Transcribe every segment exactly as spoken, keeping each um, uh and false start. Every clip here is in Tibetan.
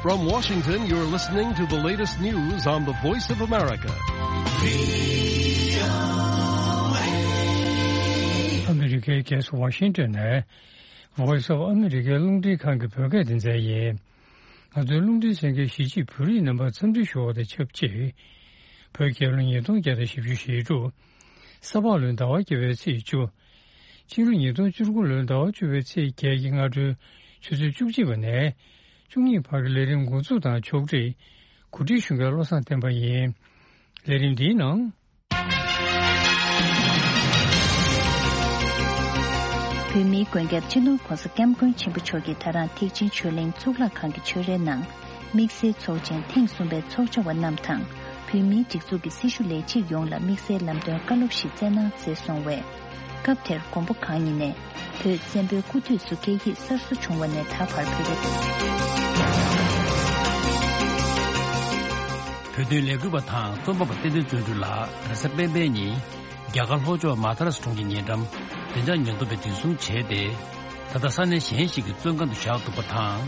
From Washington, you're listening to the latest news on the Voice of America. ཨ་མི་རི་ཀའི་རྒྱལ་ས་ཝ་ཤིང་ཏོན་ནས་Voice of America རླུང་འཕྲིན་ཁང་གི་བོད་སྐད་སྡེ་ཚན་ཡིན། ང་ཚོའི་རླུང་འཕྲིན་གསན་མཁན་གཞིས་བྱེས་བོད་རིགས་རྣམ་པར་འཚམས་འདྲི་ཞུ་བ་དང་ཆབས་ཅིག་བོད་རྒྱལ་ལོ་ཉིས་སྟོང་བརྒྱ་དང་བཞི་བཅུ་ཞེ་དྲུག་ས་ཕག་ལོའི་ཟླ་བ་བརྒྱད་པའི་ཚེས་བཅུ། ཕྱི་ལོ་ཉིས་སྟོང་བཅུ་དགུ་ལོའི་ཟླ་བ་བཅུ་པའི་ཚེས་བརྒྱད་ཀྱི་སྔ་དྲོའི་ཆུ་ཚོད་བཅུ་གཅིག་པ་ནས་བཅུ་གཉིས་བར་གྱི་ལས་རིམ་འགོ་འཛུགས་དང་ཕྱོགས་སྒྲིག་གོ་སྒྲིག་ཞུ་མཁན་བློ་བཟང་བསྟན་པ་ཡིན། ལས་རིམ་འདིའི་ནང་། བོད་མིའི་མགོན་སྐྱབས་སྤྱི་ནོར་༧གོང་ས་༧སྐྱབས་མགོན་ཆེན་པོ་མཆོག་གིས་ད་རང་ཐེག་ཆེན་ཆོས་གླིང་གཙུག་ལག་ཁང་གི་ཆོས་རའི་ནང་། དམིགས་བསལ་ཚོགས་ཆེན་ཐེངས་གསུམ་པའི་ཚོགས་བཅར་བ་རྣམས་དང་། བོད་མིའི་སྒྲིག་འཛུགས་ཀྱི་སྲི་ཞུ་ལས་བྱེད་ཡོངས་ལ་དམིགས་བསལ་ལམ་སྟོན་བཀའ་སློབ་ཞིག་སྩལ་གནང་མཛད་སོང་བས། སྐབས་དེར་མགོན་པོ་གང་ཉིད་ནས་བོད་བཙན་པོའི་སྐུ་དུས་སུ་སྐད་ཡིག་གསར་བཟོ་བྱུང་བ་ནས་ད་བར་བོད་པའི། བོད་དོན་ལས་འགུལ་བ་དང་རྩོམ་པ་པོ་བསྟན་འཛིན་བརྩོན་འགྲུས་ལགས་རེས་གཟའ་སྤེན་པའི་ཉིན། རྒྱ་གར་ལྷོ་ཕྱོགས་མ་ཐ་ར་སི་གྲོང་ཁྱེར་ཉེ་འགྲམ་བདེ་འཇགས་ཉེན་རྟོག་པས་འཛིན་བཟུང་བྱས་ཏེ། ད་ལྟ་ས་གནས་གཞན་ཞིག་གི་བཙོན་ཁང་དུ་བཞག་འདུག་པ་དང་།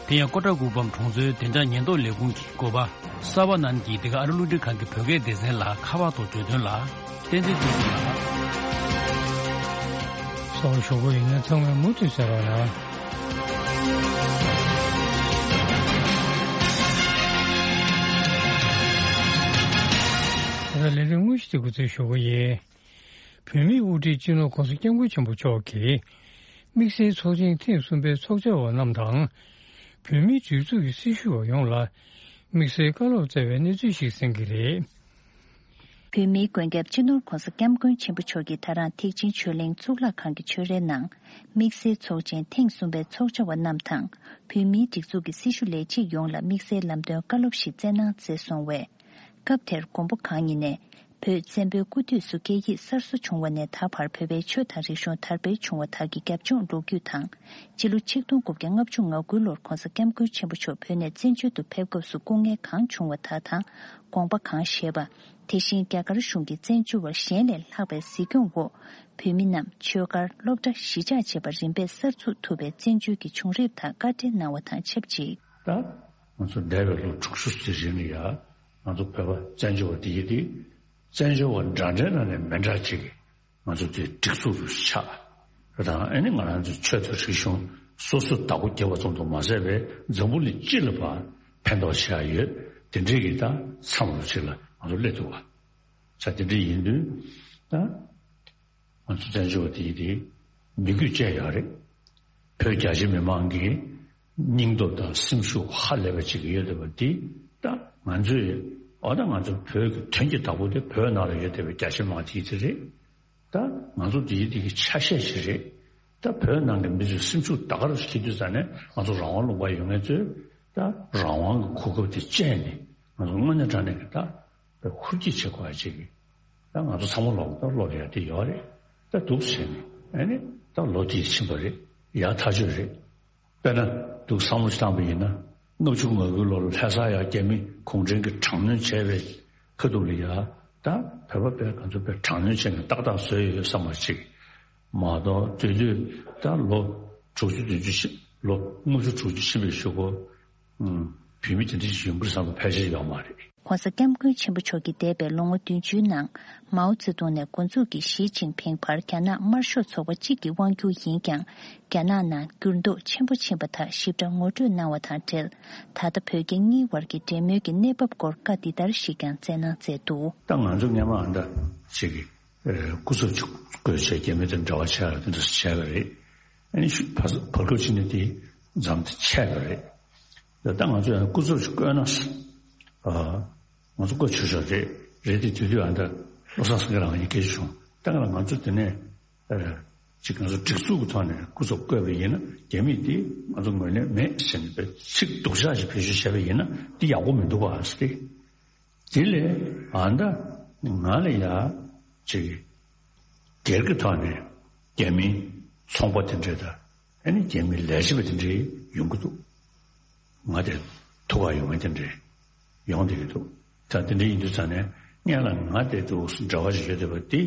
དེ་ཡང་ཀོ་ཊ་ཀུ་པམ་གྲོང་ཚོའི་བདེ་འཇགས་ཉེན་རྟོག་ལས་ཁུངས་ཀྱི་འགོ་པ་ས་བ་ནན་གྱིས་འདི་ག་ཨ་རི་རླུང་འཕྲིན་ཁང་གི་བོད་སྐད་སྡེ་ཚན་ལ་ཁ་པར་ཐོག་བརྗོད་དོན་ལ། བསྟན་འཛིན་ཚེ་རིང་ལགས། གསར་འགོད་ཞུ་སྒོ་ཡིན་ན་ཚང་མས་མུ་མཐུད་གསན་རོགས་གནང་། ད་ལྟ་ལས་རིམ་དངོས་གཞི་དེ་འགོ་འཛུགས་ཞུ་སྒོ་ཡིན། བོད་མིའི་དབུ་ཁྲིད་སྤྱི་ནོར་༧གོང་ས་༧སྐྱབས་མགོན་ཆེན་པོ་མཆོག་གིས། དམིགས་བསལ་ཚོགས་ཆེན་ཐེངས་གསུམ་པའི་ཚོགས་བཅར་བ་རྣམས་དང་། བོད་མིའི་སྒྲིག་འཛུགས་ཀྱི་སྲི་ཞུ་བ་ཡོངས་ལ། དམིགས་བསལ་བཀའ་སློབ་སྩལ་བའི་གནས་ཚུལ་ཞིག་གསན་གྱི་རེད། བོད་མིའི་མགོན་སྐྱབས་སྤྱི་ནོར་༧གོང་ས་༧སྐྱབས་མགོན་ཆེན་པོ་མཆོག་གིས་ད་རང་ཐེག་ཆེན་ཆོས་གླིང་གཙུག་ལག་ཁང་གི་ཆོས་རའི་ནང་། དམིགས་བསལ་ཚོགས་ཆེན་ཐེངས་གསུམ་པའི་ཚོགས་བཅར་བ་རྣམས་དང་། བོད་མིའི་སྒྲིག་འཛུགས་ཀྱི་སྲི་ཞུ་ལས་བྱེད་ཡོངས་ལ་དམིགས་བསལ་ལམ་སྟོན་བཀའ་སློབ་ཞིག་སྩལ་གནང་མཛད་སོང་བས། སྐབས་དེར་མགོན་པོ་གང་ཉིད་ནས། བོད་བཙན་པོའི་སྐུ་དུས་སུ་སྐད་ཡིག་གསར་བཟོ་བྱུང་བ་ནས་ད་བར་བོད་པའི་ཆོས་དང་རིག་གཞུང་དར་སྤེལ་བྱུང་བ་དག་གི་རྒྱབ་ལྗོངས་ལོ་རྒྱུས་དང་། སྤྱི་ལོ་ཆིག་སྟོང་དགུ་བརྒྱ་ལྔ་བཅུ་ང་དགུ་ལོར་༧གོང་ས་༧སྐྱབས་མགོན་ཆེན་པོ་མཆོག་བོད་ནས་བཙན་བྱོལ་དུ་ཕེབས་སྐབས་སུ་སྐུ་ངལ་གང་བྱུང་བ་དག་དང་། དགོངས་པ་གང་བཞེས་པ། དེ་བཞིན་རྒྱ་གར་གཞུང་གིས་བཙན་བྱོལ་བར་གཞན་ལས་ལྷག་པའི་གཟིགས་སྐྱོང་འོག་བོད་མི་རྣམས་ཆོས་སྒར་སློབ་གྲྭ་གཞིས་ཆགས་བཅས་པ་རིམ་པས་གསར་འཛུགས་ཐུབ་པའི་བཙན་བྱོལ་གྱི་བྱུང་རིམ་དག་བཀའ་འགྲེལ་གནང་བ་དང་ཆབས་ཅིག་ད། ང་ཚོ་འདས་པའི་ལོ་དྲུག་ཅུ་ཙམ་རིང་ལ་ཡ། ང་ཚོ་བོད་པ་བཙན་བྱོལ་བ་དེ་ཡི་དེ། བཙན་བྱོལ་བ་འདྲ་འདྲའི་ནང་ནས་མི་འདྲ་ཅིག་ང་ཚོ་དེ་སྒྲིག་འཛུགས་སུ་ཆགས། རེད་དང་ཨ་ནི་ང་རང་ཚོའི་ཆོས་དང་རིག་གཞུང་སོ་སོ་བདག་པོ་རྒྱབ་པ་ཙམ་དུ་མ་ཟད་པའི་འཛམ་བུ་གླིང་སྤྱི་ལ་ཕར་ཕན་ཐོགས་བྱེད་ཡ་ཡོད། དེ་འདྲའི་གི་ད་མཚམས་ལོ་ཅིག་ལ་ང་ཚོ་སླེབས་འདུག་བ། ས་དེ་འདྲ་ཡིན་དུས་ད། ང་ཚོ་བཙན་བྱོལ་བ་དེ་ཡིན་དེ་མི་རྒྱུད་བཅས་ཡོད་རེད། བོད་རྒྱ་ཆེ་མི་མང་གི་སྙིང་སྟོབས་དང་སེམས་ཤུགས་ཧ་ལས་པ་ཅིག་ཡོད་བསྡད་པ་འདི་ད་ང་ཚོས་འོ་ད་ང་ཚོ་བོད་ཀྱི་དོན་གྱི་བདག་པོ་དེ་བོད་ནང་ལ་ཡོད་བསྡད་པའི་རྒྱ་ཆེ་མི་མང་དེ་ཡིན་དེ་རེད། ད་ང་ཚོ་དེ་ཡིན་དེ་གི་ཆ་ཤས་ཤིག་རེད། ད་བོད་ནང་གི་མི་ཚོའི་སེམས་ཤུགས་ད་ག་རང་ཞིག་དུས་ཙ་ནས་ང་ཚོ་རང་དབང་ལུང་པ་ཡོད་མཁན་ཚོས་ད་རང་དབང་གི་གོ་སྐབས་དེ་སྤྱད་ནས་ང་ཚོ་དངོས་གནས་དྲང་གནས་ཀྱི་ད། པའི་ཧུར་སྐྱེད་བྱེད་དགོས་ཡ་ཅིག་གིས། ད་ང་ཚོ་ཚང་མ་ལོག་ད་སློབ་ཡ་དེ་ཡོད་རེད། ད་འདུག་བྱས་ནས་ཨ་ནི་ད་ལོ་དེ་ཕྱིན་པ་རེད། ཡག་ཐག་ཆོད་རེད། དཔེར་ན་འདུག་བསམ་བློ་ཞིག་བཏང་པ་ཡིན་ན་ལྔ་བཅུ་ང་དགུ་ལོར་ལྷ་ས་ཡ་རྒྱ་མི་གུང་ཁྲན་གྱིས་དྲག་གནོན་བྱས་པའི་ཁ་ཐུག་ལ་ཡ་ད་བོད་པ་དཔེ་ང་ཚོ་དཔེ་དྲག་གནོན་བྱས་ནས་ཏག་ཏག་བཟོས་ཡོད་བསམ་པ་ཅིག་མ་གཏོགས་དེ་དུས་ད་ལོ་དྲུག་ཅུ་བདུན་ཅུ་ཕྱིན་ལོ་ལྔ་བཅུ་དྲུག་ཅུ་ཕྱིན་པའི་གཞུག་གུ། བོད་མི་དེ་འདྲ་ཞིག་ཡོང་གི་རེད་བསམ་པ་ཕལ་ཆེར་ཡོད་མ་རེད། ༸གོང་ས་༸སྐྱབས་མགོན་ཆེན་པོ་མཆོག་གིས་འདས་པའི་ལོ་ངོ་བདུན་ཅུའི་ནང་མའོ་ཙེ་ཏུང་ནས་འགོ་འཛུགས་ཀྱིས་ཞི་ཅིན་ཕིང་བར་རྒྱ་ནག་དམར་ཤོག་ཚོགས་པ་གཅིག་གི་དབང་སྒྱུར་ཡིན་ཀྱང་། རྒྱ་ནག་ནང་འགྱུར་ལྡོག་ཆེན་པོ་ཕྱིན་པ་དག་ཞིབ་ཕྲ་ངོ་སྤྲོད་གནང་བ་དང་འབྲེལ། ད་ལྟ་བོད་རྒྱ་གཉིས་བར་གྱི་འབྲེལ་མོལ་གྱི་གནས་བབ་སྐོར་བཀའ་འདི་ལྟར་ཞིག་ཀྱང་སྩལ་གནང་མཛད་འདུག་ད་ང་ཚོ་སྔོན་མ་ཨ་འདྲ་ཞིག་གིས་སྐུ་ཚབ་ཅིག་བསྐོས་བྱས་རྒྱ་མི་དང་འབྲེལ་བ་བྱས་ཡ་དེ་འདྲ་བྱས་པ་རེད། ཨ་ནི་ཤུ་བར་བར་སྐབས་ཕྱི་ནས་དེ་མཚམས་དེ་ཆད་པ་རེད། ད་ལྟ་ང་ཚོ་ཡང་སྐུ་ཚབ་ཅིག་བསྐོས་ན། ཨ། ང་ཚོ་བསྐོས་ཆོག་ཆོག་རེད། རེད་དེ་དུས་དུས་ཨ་འདྲ་བློ་བཟང་སེང་གེ་ལགས་ཀྱིས་སྐད་ཆ་བྱུང་། ད་ག་ལ་ང་ཚོ་དེ་ནས་ཨ། ཅིག་ང་ཚོ་སྒྲིག་འཛུགས་ཀྱི་ཐོག་ནས་སྐུ་ཚབ་བསྐོས་པ་ཡིན་ན་རྒྱ་མིས་དེ་ང་ཚོ་ངོས་ལེན་མེད་ཟེར་ནས་ཚིག་སྡུག་ཅག་ཅིག་བེད་སྤྱོད་བྱས་པ་ཡིན་ན་དེ་ཡག་པོ་མི་འདུག་ག་ཟེར་ཏེ། དེ་ལས་ཨ་འདྲ་ང་ལ་ཡ་ཅིག་སྒེར་གྱི་ཐོག་ནས་རྒྱ་མིའི་ཚོང་པ་དེ་འདྲས་དང་། ཨ་ནི་རྒྱ་མིའི་ལས་བྱེད་པ་དེ་འདྲའི་ཡོང་གི་འདུག་ང་དེ་ཐུག་ག་ཡོང་མཁན་དེ་འདྲའི་ཡོང་བསྡད་ཀྱི་འདུག་ད་དེ་འདྲའི་ཡིན་དུས་ཙང་ནས་སྔོན་ལ་ང་དེ་འདུག་འབྲེལ་བ་ཞིག་ཡོད་བསྡད་པ་དེ།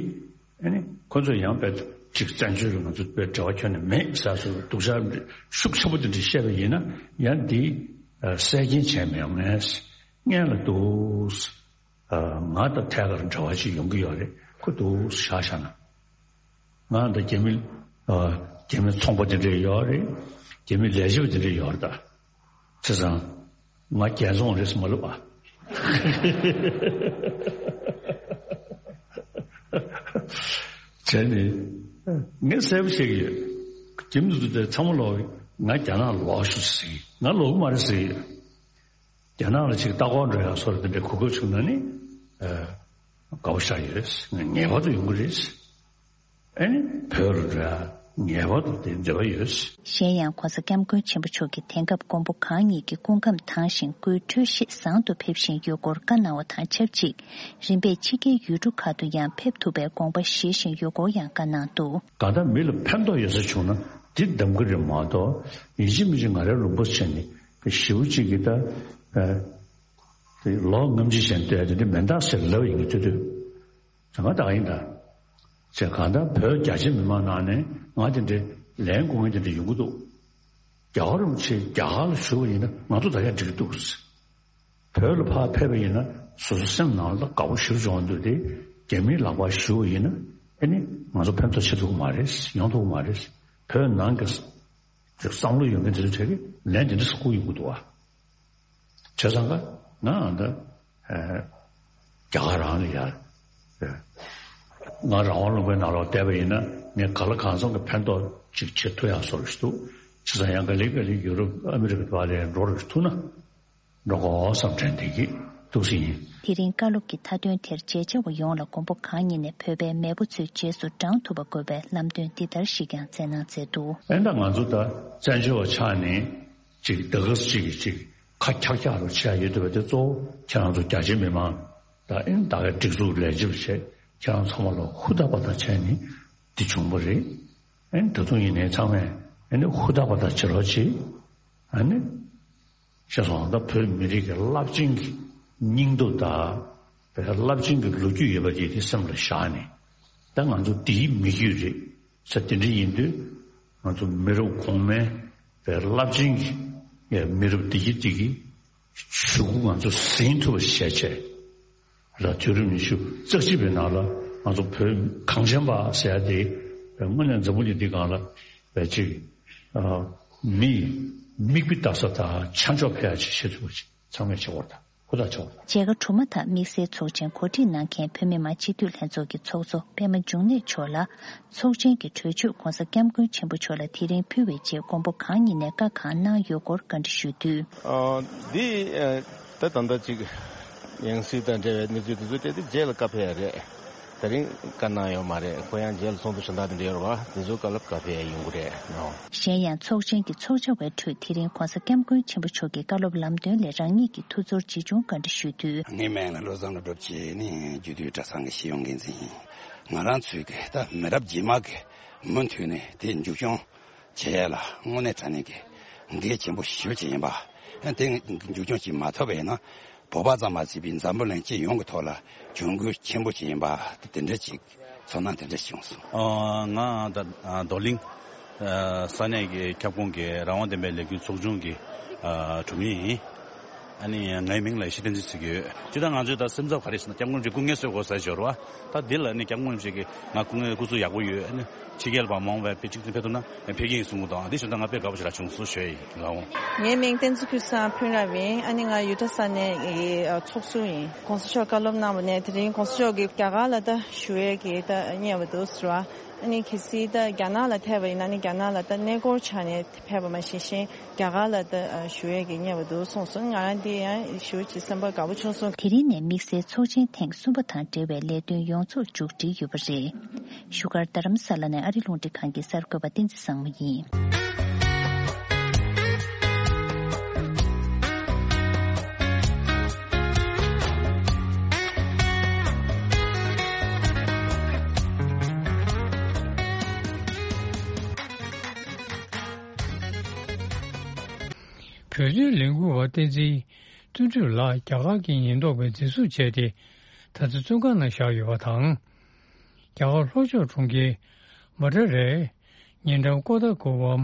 ཨ་ནི་ཁོ་ཚོ་ཡང་དཔེ་ཅིག་བཙན་བྱོལ་རུ་ང་ཚོ་དཔེ་འབྲེལ་བ་ཁྱོན་ནས་མེད་ཟེར་སོ་སྡུག་ཅག་ཤུགས་ཆེན་པོ་དེ་འདྲ་བཤད་པ་ཡིན་ན་ཡང་འདི་ ཨ་གསལ་རྐྱེན་བྱས་མེད་ངས་སྔན་ལ་འདུག་ཨ་ང་དང་ཐད་ཀར་འབྲེལ་བ་ཅིག་ཡོང་གི་ཡོད་རེད། ཁོ་འདུག་བཞག་བཞག་ན། ང་དང་རྒྱ་མི་ཨ་རྒྱ་མི་ཚོང་པ་དེ་འདྲས་ཡོད་རེད། རྒྱ་མི་ལས་བྱེད་པ་དེ་འདྲས་ཡོད་རེད་ད། བྱས་ཙང་ང་རྒྱལ་ཚོང་རེད་མ་ལབ་ཨ། བྱས་ནས་ངས་གསལ་པོ་བཤད་ཀྱི་ཡོད། རྒྱ་མི་ཚོ་དེ་ཚང་མ་ལོག་ང་རྒྱ་ནག་ལོག་ཤོག་ཟེར་གྱི། ང་ལོག་གི་མ་རེད་ཟེར་གྱི་ཡོད། རྒྱ་ནག་ལ་ཅིག་ལྟ་སྐོར་འགྲོ་ཡག་སོགས་དེ་འདྲའི་གོ་སྐབས་བྱུང་ན་ནི་ཨ་དགའ་པོ་ཤར་ཡོད། ངེས་པར་དུ་ཡོང་གི་རེད། ཨ་ནི་བོད་ལ་འགྲོ་ཡག་ངེས་པར་དུ་དེ་འདོད་པ་ཡོད། གཞན་ཡང་༸གོང་ས་༸སྐྱབས་མགོན་ཆེན་པོ་མཆོག་གིས་དེང་སྐབས་མགོན་པོ་གང་ཉིད་ཀྱི་སྐུ་ཁམས་དྭངས་ཤིང་སྐུའི་འཕྲོད་བཞེས་བཟང་དུ་ཕེབས་བཞིན་ཡོད་སྐོར་བཀའ་གནང་བ་དང་ཆབས་ཅིག་རིམ་པས་ཕྱི་རྒྱལ་ཡུལ་གྲུ་ཁག་ཏུ་ཡང་ཕེབས་ཐུབ་པའི་དགོངས་པ་བཞེས་བཞིན་ཡོད་སྐོར་ཡང་བཀའ་གནང་འདུག་གང་ལྟར་མི་ལ་ཕན་ཐོགས་ཡོད་ས་བྱུང་ན་འདི་གདམ་གྱི་རེད་མ་གཏོགས་ཡིན་གཅིག་མིན་གཅིག་ང་རའི་ལུང་པ་བྱས་ནས་ཞེ་པོ་གཅིག་གིས་ད་ཨ་དེ་ལོ་ལྔ་བཅུ་ཞིག་བསྡད་དེ་འདི་མེད་འདག་ཟེར་ལབ་ཡིན་གྱི་དུས་དུས། དེ་སྔ་ད་ག་ཡིན་ད། ཅེས་གང་ལྟར་བོད་རྒྱ་ཆེ་མི་མང་ནང་ནས་ང་དེ་འདྲའི་ལན་དགོས་མཁན་དེ་འདྲ་ཡོང་གི་འདུག་རྒྱལ་བ་རིན་པོ་ཆེ་རྒྱ་གར་ལ་བཞུགས་པ་ཡིན་ན་ང་ཚོ་ད་ཡང་འགྲིག་གི་འདུག་བོད་ལ་ཕར་ཕེབས་པ་ཡིན་ན་སོ་སོ་སེམས་ནང་ལ་དགའ་པོ་ཞེ་པོ་བྱུང་འདུག་དེ་རྒྱ་མིའི་ལག་པར་ཞུགས་པ་ཡིན་ན་ཨ་ནི་ང་ཚོ་ཕན་ཐོགས་བྱེད་ཐུབ་ཀྱི་མ་རེད། ཡོང་ཐུབ་ཀྱི་མ་རེད། བོད་ནང་གི་བསམ་བློ་ཡོད་མཁན་དེ་ཚོ་གྲས་ཀྱིས་ལན་དེ་འདྲ་ཞིག་བསྐུར་ཡོང་གི་འདུག་བ། བྱས་ཙང་ཀ་ང་ཨ་ད་ཨ་རྒྱ་གར་རང་ལ་ཡར་ཨ་ང་རང་དབང་ལུང་པའི་ནང་ལོགས་བསྡད་པ་ཡིན་ན་ངས་ག་ལ་གང་འཚམ་གྱི་ཕན་ཐོགས་ཅིག་བྱེད་ཐུབ་ཡག་བཟོ་འདྲ་ཞིག་འདུག་བྱས་ཙང་ཡང་ག་ལེ་ག་ལེ་ཡུ་རོབ་ཨ་མི་རི་ཀ་བ་ལ་འགྲོ་འདྲ་ཞིག་ཐུབ་ན་འགྲོ་དགོས་བསམ་དྲན་བསྡད་ཀྱི་འདུག་ཟེར་ཡིན། དེ་རིང་བཀའ་སློབ་ཀྱི་མཐའ་དོན་དེར་མཇལ་བྱ་བ་ཡོངས་ལ་མགོན་པོ་གང་ཉིད་ནས་བོད་པའི་མེས་པོ་ཚོའི་རྗེས་སུ་འབྲང་ཐུབ་པ་དགོས་པའི་ལམ་སྟོན་འདི་ལྟར་ཞིག་ཀྱང་སྩལ་གནང་མཛད་འདུག་ཨེ་ད་ང་ཚོ་ད་བཙན་བྱོལ་བ་ཆགས་ནས་ཅིག་ད་ག་ཟེ་ཅིག་གི་ཅིག་ཁ་འཁྱག་འཁྱག་རུ་བྱས་ཡོད་འདུག་པ་དེ་གཙོ་བོ་ཁྱེད་རང་ཚོ་རྒྱ་ཆེ་མི་མང་ད་ཨེ་ད་གའི་སྒྲིག་འཛུགས་ལས་བྱེད་པ་བྱས་ཁྱེད་རང་ཚང་མ་ལ་ཧུར་ཐག་པ་ཐག་བྱས་ནས་འདི་བྱུང་བ་རེད། ཨེ་ད་དུང་ཡིན་ནའི་ཚང་མས་ཨེ་ནི་ཧུར་ཐག་པ་ཐག་བྱེད་རོགས་བྱེད། ཨ་ནི། ཤེས་སོང་། ད་བོད་མི་རིགས་ཀྱི་རླབས་ཆེན་གྱི་སྙིང་སྟོབས་དང་། བོད་རླབས་ཆེན་གྱི་ལོ་རྒྱུས་ཡོད་པ་དེ་དེ་སེམས་ལ་བཞག་ནས། ད་ང་ཚོ་འདིའི་མི་རྒྱུད་རེད་ཟེར་དེ་འདྲ་ཡིན་དུས། ང་ཚོ་མི་རབས་གོང་མའི་བོད་རླབས་ཆེན་གྱི་མི་རབས་འདི་གི་འདི་གི་ཞུ་སྐུལ་ང་ཚོ་ཟིན་ཐུབ་པ་བྱས་བྱས། ལ་དུས་རབས་ཉི་ཤུ་རྩ་གཅིག་པའི་ནང་ལ་ང་ཚོ་བོད་གངས་ཅན་པ་ཟེར་ཡ་དེ་དངོས་གནས་འཛམ་བུ་གླིང་འདི་སྒང་ལ་བས་ཅིག་ཨ་མི་མིག་དཔེ་ལྟ་ས་དང་ཆ་འཇོག་ཕེ་ཡ་ཅིག་བྱེད་ཐུབ་པ་ཅིག་ཚང་མས་བྱེད་དགོས་རེད། ད་ཧུར་ཐག་བྱེད་དགོས་རེད། མཇལ་ཁ་གྲུབ་མ་ཐག་དམིགས་བསལ་ཚོགས་ཆེན་གོ་སྒྲིག་གནང་མཁན་བོད་མི་མང་སྤྱི་འཐུས་ལྷན་ཚོགས་ཀྱི་ཚོགས་གཙོ་པད་མ་འབྱུང་གནས་མཆོག་ལ། ཚོགས་ཆེན་གྱི་གྲོས་ཆོད་༸གོང་ས་༸སྐྱབས་མགོན་ཆེན་པོ་མཆོག་ལ་དེ་རིང་ཕུལ་བའི་རྗེས་མགོན་པོ་གང་ཉིད་ནས་བཀའ་གང་གནང་ཡོད་སྐོར་བཀའ་འདྲི་ཞུས་དུས། ཨ་འདི་ཨ་ད་ད་ལྟ་ཅིག་ཡང་སྲིད་དང་འབྲེལ་བའི་གནས་ཚུལ་དེ་ཚོ་སྤྲད་དེ་རྗེས་ལ་བཀའ་ཕེབས་ཡ་རེད། དེ་རིང་བཀའ་གནང་ཡོད་མ་རེད། ཁོ་ཡང་རྗེས་ལ་ཚོགས་འདུ་གཞན་དག་དེ་འདྲ་ཡོད་རེད་བ། དེ་ཚོའི་སྐབས་ལ་བཀའ་ཕེབས་ཡ་ཡོང་གི་རེད་ནོ། གཞན་ཡང་ཚོགས་ཆེན་གྱི་ཚོགས་བཅར་བའི་ཁྲོད་དེ་རིང་༸གོང་ས་༸སྐྱབས་མགོན་ཆེན་པོ་མཆོག་གི་བཀའ་སློབ་ལམ་སྟོན་ལས་རང་ཉིད་ཀྱི་ཐུགས་ཚོར་ཇི་བྱུང་བཀའ་འདྲི་ཞུས་དུས། ངའི་མིང་ལ་བློ་བཟང་བློ་གྲོས་བྱས་ནས་རྒྱུད་སྟོད་གྲྭ་ཚང་གི་ཤེས་ཡོན་འགན་འཛིན་ཡིན། ང་རང་ཚོའི་གི་ད་མི་རབས་རྗེས་མ་གི་མུ་མཐུད་ནས་དེ་མཇུག་སྐྱོང་བྱེད་ཡ་ལ་དངོས་གནས་དྲང་གནས་ཀྱི་འགན་ཆེན་པོ་ཞེ་པོ་ཅིག་ཡིན་པ། དེ་མཇུག་སྐྱོང་བྱེད་མ་ཐུབ་པ་ཡིན་ན་བོད་པ་ཙམ་མ་ཟད་པའི་འཛམ་བུ་གླིང་སྤྱི་ཡོངས་ཀྱི་ཐོག་ལ་གྱོང་གུད་ཆེན་པོ་ཅིག་ཡིན་པ་དེ་འདྲ་ཅིག་ཚོར་སྣང་དེ་འདྲ་བྱུང་སོང་། ཨ་ང་ད་ཨ་རྡོར་གླིང་ཨ་ས་གནས་ཀྱི་ཁྱབ་ཁོངས་ཀྱི་རང་དབང་ལྡན་པའི་ལས་འགུལ་ཚོགས་ཆུང་གི་ཨ་དྲུང་ཡིག་ཡིན། ཨ་ནི་ངའི་མིང་ལ་ཡེ་ཤེས་བསྟན་འཛིན་ཟེར་གྱི་ཡོད། སྤྱིར་བཏང་ང་ཚོས་ད་སེམས་འཚབ་ག་རེ་ཟེར་ན་སྐྱབས་མགོན་རིན་པོ་ཆེ་སྐུ་ངལ་གསོས་དགོས་ཟེར་གྱི་ཡོད་རེད་བ། ད་འདི་ལ་ནི་སྐྱབས་མགོན་རིན་པོ་ཆེ་གིས་ང་སྐུ་ངལ་སྐུ་གཟུགས་ཡག་པོ་ཡོད། ཨ་ནི་ཕྱི་རྒྱལ་ལ་ཕར་མ་འོངས་པའི་དཔེ་གཅིག་མཚུངས་ཕེབས་ཐུབ་ན་ཕེབས་ཀྱི་ཡིན་གསུང་གི་འདུག་འདི་ཞུ་ད་ང་དཔེ་དགའ་པོ་ཞེ་དྲག་བྱུང་སོང་ཞུ་ཡ་ཡིན་ལགས་འོང་། ངའི་མིང་བསྟན་འཛིན་ཀུན་བཟང་ཕུན་རབ་ཡིན། ཨ་ནི་ང་ཡུ་ཊ་ས་གནས་ཀྱི་ཚོགས་ཟུར་ཡིན། ༸གོང་ས་མཆོག་བཀའ་སློབ་གནང་བ་ནས་དེ་རིང་༸གོང་ས་མཆོག་གིས་རྒྱ་གར་ལ་ད་བཞུགས་ཡས་ཀྱི་ད་བསྙད་པ་འདུག་ཟེར་བ། ཨ་ནི་གལ་སྲིད་ད་རྒྱ་ནག་ལ་ཐེབས་པ་ཡིན་ན་ནི་རྒྱ་ནག་ལ་ད་གནས་སྐོར་ཆགས་ནས་ཕེབས་པ་མ་ཤེས་ཤིང་རྒྱ་གར་ལ་ད་བཞུགས་ཡས་ཀྱི་བསྙད་པ་འདུག་གསུངས་སོང་། ང་རང་འདི་ཡང་ཞུ་ཅིག་སེམས་པ་དགའ་པོ་བྱུང་སོང་། དེ་རིང་ནས་དམིགས་བསལ་ཚོགས་ཆེན་ཐེངས་གསུམ་པ་དང་འབྲེལ་བའི་ལས་དོན་ཡོངས་རྫོགས་མཇུག་སྒྲིལ་ཡོད་པ་རེད། བཞུགས་སྒར་རྡ་རམ་ས་ལ་ནས་ཨ་རི་རླུང་འཕྲིན་ཁང་གི་གསར་འགོད་པ་བསྟན་འཛིན་བཟང་མོ་ཡིན། བོད་དོན་ལས་འགུལ་བ་བསྟན་འཛིན་དོན་གྲུབ་ལགས་རྒྱ་གར་གྱི་ཉེན་རྟོག་པས་འཛིན་བཟུང་བྱས་ཏེ། ད་ཆ་བཙོན་ཁང་ནང་བཞག་ཡོད་པ་དང་། རྒྱ་གར་ལྷོ་ཕྱོགས་གྲོང་ཁྱེར་མ་ཏྲ་རའི་ཉེ་འགྲམ་ཀོ་ཏ་ཀོ་བམ་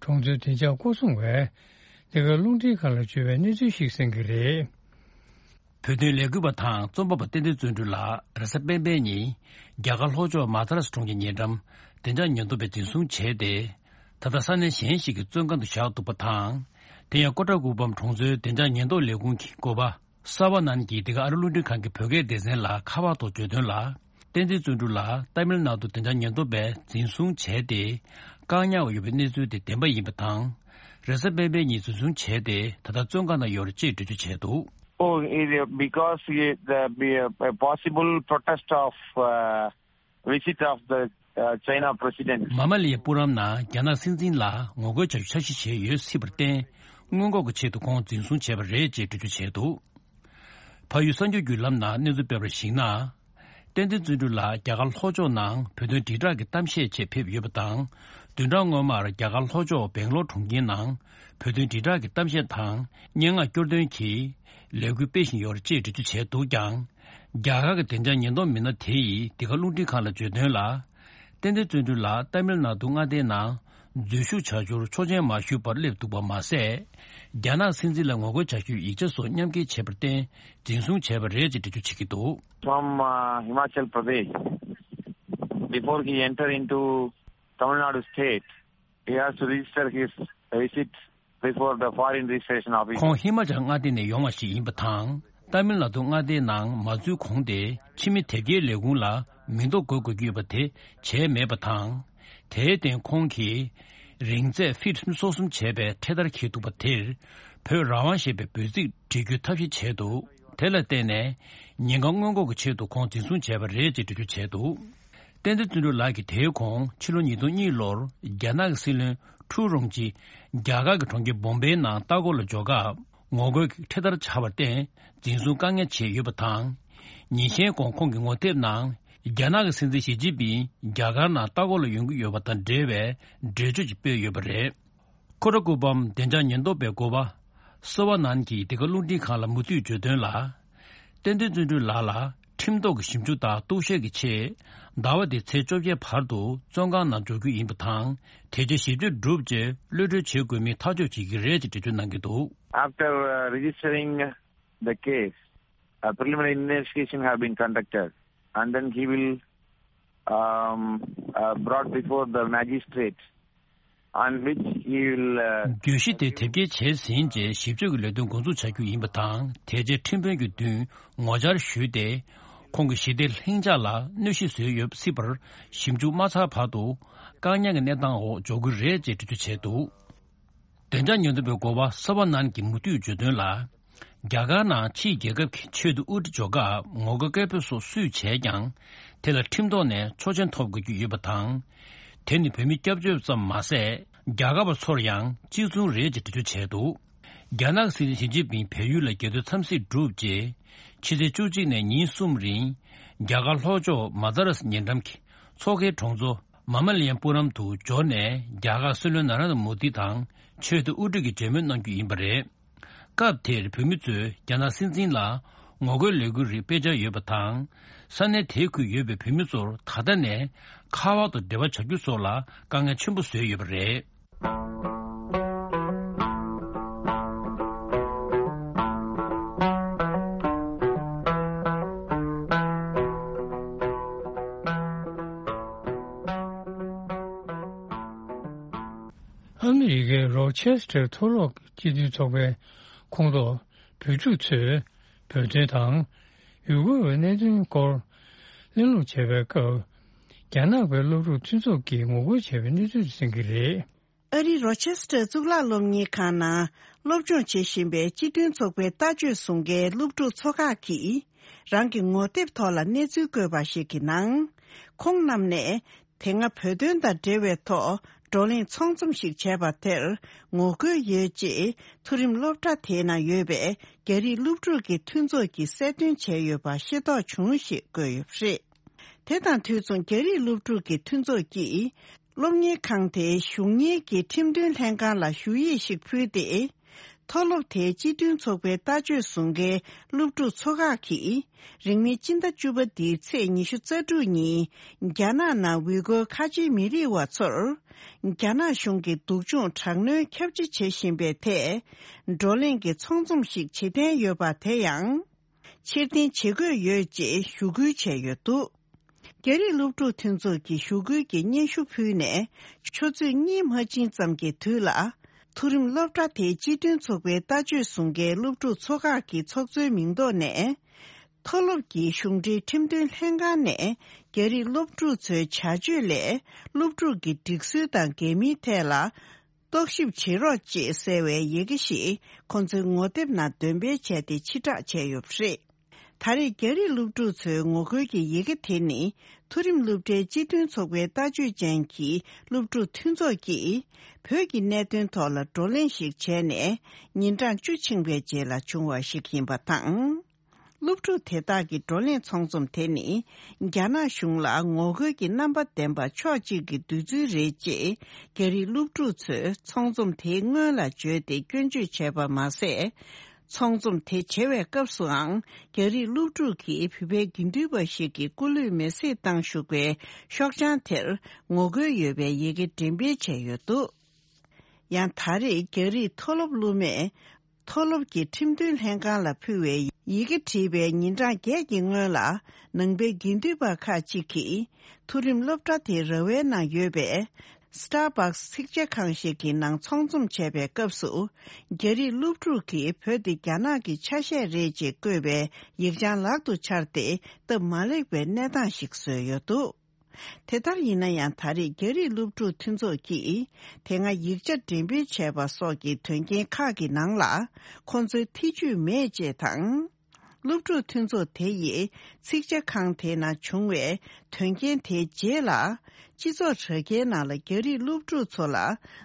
གྲོང་ཚོའི་བདེ་འཇགས་སྐོར་སྲུང་བས། འདི་ག་རླུང་འཕྲིན་ཁང་ལ་བརྗོད་པའི་གནས་ཚུལ་ཞིག་གསན་གྱི་རེད། བོད་དོན་ལས་འགུལ་བ་དང་རྩོམ་པ་པ་བསྟན་འཛིན་བརྩོན་འགྲུས་ལགས་རེས་གཟའ་སྤེན་པའི་ཉིན་རྒྱ་གར་ལྷོ་ཕྱོགས་མ་དྷ་ར་སི་གྲོང་ཁྱེར་ཉེ་འགྲམ་བདེ་འཇགས་ཉེན་རྟོག་པས་འཛིན་བཟུང་བྱས་ཏེ། ད་ལྟ་ས་གནས་གཞན་ཞིག་གི་བཙོན་ཁང་དུ་བཞག་འདུག་པ་དང་། དེ་ཡང་ཀོ་ཏྲ་ཀུ་པམ་གྲོང་ཚོའི་བདེ་འཇགས་ཉེན་རྟོག་ལས་ཁུངས་ཀྱི་འགོ་པ་ས་བ་ནན་གྱིས་འདི་ག་ཨ་རི་རླུང་འཕྲིན་ཁང་གི་བོད་སྐད་སྡེ་ཚན་ལ་ཁ་པར་ཐོག་བརྗོད་དོན་ལ། བསྟན་འཛིན་བརྩོན་འགྲུས་ལགས་ཏཱ་མིལ་ནཱ་ཏུ་བདེ་འཇགས་ཉེན་རྟོག་པས་འཛིན་བཟུང་བྱས་ཏེ། བཀག་ཉར་བ་ཡོད་པའི་གནས་ཚུལ་དེ་བདེན་པ་ཡིན་པ་དང་། རེས་གཟའ་སྤེན་པའི་ཉིན་འཛིན་བཟུང་བྱས་ཏེ་ད་ལྟ་བཙོན་ཁང་ནང་ཡོད་རེད་ཅེས་འགྲེལ་བརྗོད་བྱས་འདུག། Oh, it, uh, because it, uh, be a, a possible protest of uh, visit of the uh, China president. མ་མ་ལི་ཡ་པུ་རམ་ནང་རྒྱ་ནག་སྲིད་འཛིན་ལ་ངོ་རྒོལ་བྱ་རྒྱུ་འཆར་གཞི་བྱས་ཡོད་སྲིད་པར་བརྟེན། སྔོན་འགོག་གི་ཆེད་དུ་ཁོང་འཛིན་བཟུང་བྱས་པ་རེད་ཅེས་འགྲེལ་བརྗོད་བྱས་འདུག། ཕ་ཡུལ་གསར་འགྱུར་བརྒྱུད་ལམ་ནང་གནས་ཚུལ་སྤེལ་བར་གཞིགས་ན། བསྟན་འཛིན་བརྩོན་འགྲུས་ལགས་རྒྱ་གར་ལྷོ་ཕྱོགས་ནང་བོད་དོན་དྲིལ་བསྒྲགས་ཀྱི་གཏམ་བཤད་ཆེད་ཕེབས་ཡོད་པ་དང་། བདུན་ཕྲག་སྔོན་མར་རྒྱ་གར་ལྷོ་ཕྱོགས་སྦེང་ལོར་གྲོང་ཁྱེར་ནང་བོད་དོན་དྲིལ་བསྒྲགས་ཀྱི་གཏམ་བཤད་དང་སྙན་ངག་སྐྱོར་འདོན་གྱི་ལས་འགུལ་སྤེལ་བཞིན་ཡོད་རེད་ཅེས་འགྲེལ་བརྗོད་བྱས་འདུག་ཀྱང་། རྒྱ་གར་གྱི་བདེ་འཇགས་ཉེན་རྟོག་མི་སྣ་དེ་ཡིས་འདི་ག་རླུང་འཕྲིན་ཁང་ལ་བརྗོད་དོན་ལ། བསྟན་འཛིན་བརྩོན་འགྲུས་ལགས་ཏཱ་མིལ་ནཱ་ཏུ་མངའ་སྡེའི་ནང་འཛུལ་ཞུགས་བྱ་རྒྱུར་ཆོག་མཆན་མ་ཞུས་པར་སླེབས་འདུག་པ་མ་ཟད། རྒྱ་ནག་སྲིད་འཛིན་ལ་ངོ་རྒོལ་བྱ་རྒྱུའི་ཡིག་ཆ་སོགས་མཉམ་འཁྱེར་བྱས་པར་བརྟེན་འཛིན་བཟུང་བྱས་པ་རེད་ཅེས་འགྲེལ་བརྗོད་བྱེད་ཀྱི་འདུག། From uh, Himachal Pradesh, before he enter into Tamil Nadu state, he has to register his visit before the foreign registration office. ཁོང་ཧི་མ་ཅལ་མངའ་སྡེ་ནས་ཡོང་བ་ཞིག་ཡིན་པ་དང་། ཏཱ་མིལ་ནཱ་ཏུ་མངའ་སྡེའི་ནང་མ་འཛུལ་གོང་དེ་ཕྱི་མི་དེབ་སྐྱེལ་ལས་ཁུངས་ལ་མིང་འདོགས་འགོད་དགོས་ཀྱི་ཡོད་པ་དེ་བྱས་མེད་པ་དང་། དེའི་སྟེང་ཁོང་གིས་རིང་ཚད་ཕིཊ་སོ་གསུམ་བྱས་པའི་འཕྲེད་དར་འཁྱེར་འདུག་པ་དེར་བོད་རང་དབང་ཞེས་པའི་འབོད་ཚིག་འབྲི་རྒྱུའི་ཐབས་ཤེས་བྱས་འདུག། དེ་ལ་བརྟེན་ནས་ཉེན་ཁ་སྔོན་འགོག་གི་ཆེད་དུ་ཁོང་འཛིན་བཟུང་བྱས་པ་རེད་ཅེས་འགྲེལ་བརྗོད་བྱས་འདུག། བསྟན་འཛིན་བརྩོན་འགྲུས་ལགས་ཀྱིས་དེའི་གོང་ཕྱི་ལོ་ཉིས་སྟོང་གཉིས་ལོར་རྒྱ་ནག་གི་སྲིད་བློན་ཁྲུའུ་རོང་ཅི་རྒྱ་གར་གྱི་གྲོང་ཁྱེར་བོམ་པེའི་ནང་ལྟ་སྐོར་ལ་འབྱོར་སྐབས་ངོ་རྒོལ་གྱི་འཕྲེད་དར་འཕྱར་བར་བརྟེན་འཛིན་བཟུང་བཀག་ཉར་བྱས་ཡོད་པ་དང་། ཉིན་ཤས་གོང་ཁོང་གི་ངོ་དེབ་ནང་རྒྱ་ནག་གི་སྲིད་འཛིན་ཞི་ཅིན་ཕིང་རྒྱ་གར་ནང་ལྟ་སྐོར་ལ་ཡོང་གི་ཡོད་པ་དང་འབྲེལ་བའི་འགྲེལ་བརྗོད་ཅིག་སྤེལ་ཡོད་པ་རེད། ཁོ་ཊ་ཀུ་པམ་བདེ་འཇགས་ཉེན་རྟོག་པའི་འགོ་པ་སོ་བ་ནན་གྱིས་འདི་ག་རླུང་འཕྲིན་ཁང་ལ་མུ་མཐུད་བརྗོད་དོན་ལ། བསྟན་འཛིན་བརྩོན་འགྲུས་ལགས་ལ་ཁྲིམས་ཐོག་གི་ཞིབ་འཇུག་དང་གཏུག་བཤེར་གྱི་ཆེད་ཟླ་བ་འདིའི་ཚེས་བཅོ་བརྒྱད་བར་དུ་བཙོན་ཁང་ནང་འཇོག་རྒྱུ་ཡིན་པ་དང་། དེ་རྗེས་ཞིབ་དཔྱོད་གྲུབ་རྗེས་གློད་གྲོལ་བྱེད་དགོས་མིན་ཐག་གཅོད་བྱེད་ཀྱི་རེད་ཅེས་འགྲེལ་བརྗོད་གནང་གི་འདུག། After uh, registering the case, a preliminary investigation have been conducted, and then he will um, uh, brought before the magistrate, on which he will uh, གྱོད་གཞི་དེ་དེབ་སྐྱེལ་བྱས་ཟིན་རྗེས་ཞིབ་དཔྱོད་ཀྱི་ལས་དོན་འགོ་འཛུགས་བྱ་རྒྱུ་ཡིན་པ་དང་། དེ་རྗེས་ཁྲིམས་དཔོན་གྱི་མདུན་ངོ་བཅར་ཞུས་ཏེ། ཁོང་གི་ཞི་བདེ་ལྷིང་འཇགས་ལ་གནོད་གཞི་བཟོས་ཡོད་སྲིད་པར་ཞིབ་འཇུག་མ་ཚར་བར་དུ་བཀག་ཉར་གྱི་གནས་སྟངས་འོག་འཇོག་གི་རེད་ཅེས་འགྲེལ་བརྗོད་བྱས་འདུག། བདེ་འཇགས་ཉེན་རྟོག་པའི་འགོ་པ་སོ་བ་ནན་གྱིས་མུ་མཐུད་བརྗོད་དོན་ལ། རྒྱ་གར་ནང་ཕྱིའི་རྒྱལ་ཁབ་ཀྱི་ཆེས་མཐོའི་དབུ་ཁྲིད་འཇོག་སྐབས་ངོ་རྒོལ་སྐད་འབོད་སོགས་སུས་བྱས་ཀྱང་། དེ་ལ་ཁྲིམས་ཐོག་ནས་ཆོག་མཆན་ཐོབ་དགོས་ཀྱི་ཡོད་པ་དང་། དེ་ནི་བོད་མི་སྐྱབས་བཅོལ་ཙམ་མ་ཟད། རྒྱ་གར་བ་ཚོར་ཡང་གཅིག་མཚུངས་རེད་ཅེས་འགྲེལ་བརྗོད་བྱས་འདུག། རྒྱ་ནག་སྲིད་འཛིན་ཞི་ཅིན་ཕིང་བལ་ཡུལ་ལ་རྒྱལ་དོན་འཚམས་གཟིགས་གྲུབ་རྗེས། ཕྱི་ཚེས་བཅུ་གཅིག་ནས་ཉིན་གསུམ་རིང་། རྒྱ་གར་ལྷོ་ཕྱོགས་མ་དྷ་ར་སི་ཉེ་འགྲམ་གྱི་མཚོ་ཁའི་གྲོང་ཚོ་མ་མ་ལི་ཡམ་པུ་རམ་དུ་འབྱོར་ནས། རྒྱ་གར་སྲིད་བློན་ན་རེན་དྲ་མོ་དི་དང་ཆེས་མཐོའི་དབུ་ཁྲིད་ཀྱིས་མཇལ་མོལ་གནང་རྒྱུ་ཡིན་པ་རེད། སྐབས་དེར་བོད་མི་ཚོས་རྒྱ་ནག་སྲིད་འཛིན་ལ་ངོ་རྒོལ་ལས་འགུལ་རིགས་སྤེལ་འཆར་ཡོད་པ་དང་། ས་གནས་དེའི་ཁུལ་ཡོད་པའི་བོད་མི་ཚོར་ད་ལྟ་ནས་ཁ་པར་དུ་འབྲེལ་བ་བྱ་རྒྱུ་སོགས་ལ་དཀའ་ངལ་ཆེན་པོ་བཟོས་ཡོད་པ་རེད། ཨ་མི་རི་ཀའི་རོ་ཆེ་སི་ཊར་མཐོ་སློབ་སྤྱི་མཐུན་ཚོགས་པའི་ཁོངས་གཏོགས་བོད་ཕྲུག་ཚོས་བོད་དོན་དང་ཡུ་གུར་བའི་གནད་དོན་སྐོར་གླེང་སློང་བྱས་པའི་སྐབས། རྒྱ་ནག་པའི་སློབ་ཕྲུག་མཐུན་ཚོགས་ཀྱིས་ངོ་རྒོལ་བྱས་པའི་གནས་ཚུལ་གསན་གྱི་རེད། ཨ་རིའི་རོ་ཆེ་སི་ཊར་གཙུག་ལག་སློབ་གཉེར་ཁང་ནང་སློབ་སྦྱོང་བྱེད་བཞིན་པའི་སྤྱི་མཐུན་ཚོགས་པའི་ལྟ་སྤྱོད་བཟུང་མཁན་སློབ་ཕྲུག་ཚོ་ཁག་གིས། རང་གི་ངོ་དེབ་ཐོག་ལ་གནས་ཚུལ་བཀོད་པ་ཞིག་གི་ནང་། ཁོང་རྣམས་ནས་དེ་སྔ་བོད་དོན་དང་འབྲེལ་བའི་ཐོག་བགྲོ་གླེང་ཚོགས་འཛོམས་ཤིག་བྱས་པ་དེར་ངོ་རྒོལ་ཡོད་ཅེས་མཐོ་རིམ་སློབ་གྲྭ་དེའི་ནང་ཡོད་པའི་རྒྱ་རིགས་སློབ་ཕྲུག་གི་མཐུན་ཚོགས་ཀྱིས་གསལ་སྟོན་བྱས་ཡོད་པ་ཤེས་རྟོགས་བྱུང་ཞེས་བཀོད་ཡོད་པ་རེད། དེ་དང་དུས་མཚུངས་རྒྱ་རིགས་སློབ་ཕྲུག་གི་མཐུན་ཚོགས་ཀྱིས། སློབ་གཉེར་ཁང་དེའི་གཞུང་གཉེར་གྱི་ཁྲིམས་དོན་ལྷན་ཁང་ལ་ཞུ་ཡིག་ཞིག་ཕུལ་ཏེ། མཐོ་སློབ་དེའི་སྤྱི་མཐུན་ཚོགས་པའི་ལྟ་སྤྱོད་བཟུང་མཁན་སློབ་ཕྲུག་ཚོ་ཁག་གིས། རིང་མིན་སྤྱི་ཟླ་བཅུ་པ་འདིའི་ཚེས་ཉི་ཤུ་རྩ་དྲུག་ཉིན། རྒྱ་ནག་ནང་ཝི་གོ་ཁ་ཆེའི་མི་རིགས་བ་ཚོར། རྒྱ་ནག་གཞུང་གིས་སྡུག་སྦྱོང་དྲག་གནོན་ཁྱབ་ཆེ་བྱེད་བཞིན་པའི་ཐད། བགྲོ་གླེང་གི་ཚོགས་འཛོམས་ཤིག་བྱེད་འཐེན་ཡོད་པ་དེ་ཡང་། ཕྱིར་འཐེན་བྱེད་དགོས་ཡོད་ཅེས་ཞུ་སྐུལ་བྱས་ཡོད་འདུག་རྒྱ་རིགས་སློབ་ཕྲུག་མཐུན་ཚོགས་ཀྱིས་ཞུ་སྐུལ་གྱི་སྙན་ཞུ་ཕུལ་ནས། ཆུ་ཚོད་གཉིས་མ་ཕྱིན་ཙམ་གྱི་དུས་ལ། མཐོ་རིམ་སློབ་གྲྭ་དེའི་སྤྱི་མཐུན་ཚོགས་པའི་ལྟ་སྤྱོད་བཟུང་མཁན་སློབ་ཕྲུག་ཚོ་ཁག་གི་ཚོགས་གཙོའི་མིང་ཐོག་ནས། མཐོ་སློབ་ཀྱི་གཞུང་འབྲེལ་ཁྲིམས་མཐུན་ལྷན་ཁང་ནས། རྒྱ་རིགས་སློབ་ཕྲུག་ཚོའི་བྱ་སྤྱོད་ལས། སློབ་ཕྲུག་གི་སྒྲིག་སྲོལ་དང་འགལ་མིན་ཐད་ལ། རྟོག་ཞིབ་བྱེད་རོགས་ཅེས་གསལ་བའི་ཡི་གེ་ཞིག་ཁོང་ཚོའི་ངོ་དེབ་ནང་འདོན་སྤེལ་བྱས་ཏེ་ཕྱིར་བསྒྲགས་བྱས་ཡོད་པ་རེད། ད་རེས་རྒྱ་རིགས་སློབ་ཕྲུག་ཚོའི་ངོ་རྒོལ་གྱི་ཡི་གེ་དེ་ནི། མཐོ་རིམ་སློབ་གྲྭའི་སྤྱི་མཐུན་ཚོགས་པའི་ལྟ་སྤྱོད་ཅན་གྱི་སློབ་ཕྲུག་མཐུན་ཚོགས་ཀྱིས། བོད་ཀྱི་གནད་དོན་ཐོག་ལ་བགྲོ་གླེང་ཞིག་བྱས་ནས། ཉིན་གྲངས་བཅུ་ཕྱིན་པའི་རྗེས་ལ་བྱུང་བ་ཞིག་ཡིན་པ་དང་། སློབ་ཕྲུག་དེ་དག་གི་བགྲོ་གླེང་ཚོགས་འཛོམས་དེ་ནི། རྒྱ་ནག་གཞུང་ལ་ངོ་རྒོལ་གྱི་རྣམ་པ་ལྡན་པ་ཕྱོགས་གཅིག་གི་འདོད་ཚུལ་རེད་ཅེས། རྒྱ་རིགས་སློབ་ཕྲུག་ཚོས་ཚོགས་འཛོམས་དེའི་སྔོན་ལ་བརྗོད་དེ་སྐྱོན་བརྗོད་བྱས་པ་མ་ཟད། ཚོགས་འཛོམས་དེ་བྱེད་པའི་སྐབས་སུའང་། རྒྱ་རིགས་སློབ་ཕྲུག་གིས་བོད་པའི་དགེ་འདུན་པ་ཞིག་གི་སྐུ་ལུས་མེར་སྲེག་བཏང་བཞུགས་པའི་ཤོག་བྱང་དེར་ངོ་རྒོལ་ཡོད་པའི་ཡི་གེ་འགྲེམས་སྤེལ་བྱས་ཡོད་འདུག་ཡང་ད་རེས་རྒྱ་རིགས་མཐོ་སློབ་སློབ་མས། མཐོ་སློབ་ཀྱི་ཁྲིམས་མཐུན་ལྷན་ཁང་ལ་ཕུལ་བའི་ཡི་གེ་བྲིས་པའི་ཉིན་གྲངས་བརྒྱད་ཀྱི་སྔོན་ལ། ནང་པའི་དགེ་འདུན་པ་ཁག་ཅིག་གིས། མཐོ་རིམ་སློབ་གྲྭ་དེའི་ར་བའི་ནང་ཡོད་པའི། Starbucks་ཚིག་ཇ་ཁང་ཞིག་གི་ནང་ཚོགས་འཛོམས་བྱས་པའི་སྐབས་སུ། རྒྱ་རིགས་སློབ་ཕྲུག་གིས་བོད་དེ་རྒྱ་ནག་གི་ཆ་ཤས་རེད་ཅེས་བཀོད་པའི་ཡིག་བྱང་ལག་ཏུ་འཆར་ཏེ། སྟབས་མ་ལེགས་པའི་གནས་སྟངས་ཤིག་བཟོས་ཡོད་འདུག་དེ་ལྟར་ཡིན་ན་ཡང་། ད་རེས་རྒྱ་རིགས་སློབ་ཕྲུག་མཐུན་ཚོགས་ཀྱིས། དེ་སྔ་ཡིག་ཆ་འགྲེམས་སྤེལ་བྱས་པ་སོགས་ཀྱི་དོན་རྐྱེན་ཁག་གི་ནང་ལ། ཁོང་ཚོའི་ཐེ་ཇུས་མེད་ཅེས་དང་། སློབ་ཕྲུག་མཐུན་ཚོགས་དེ་ཡིས། ཚིག་ཇ་ཁང་དེའི་ནང་བྱུང་བའི་དོན་རྐྱེན་དེའི་རྗེས་ལ། སྤྱི་ཚོགས་དྲ་རྒྱའི་ནང་ལ་རྒྱ་རིགས་སློབ་ཕྲུག་ཚོ་ལ།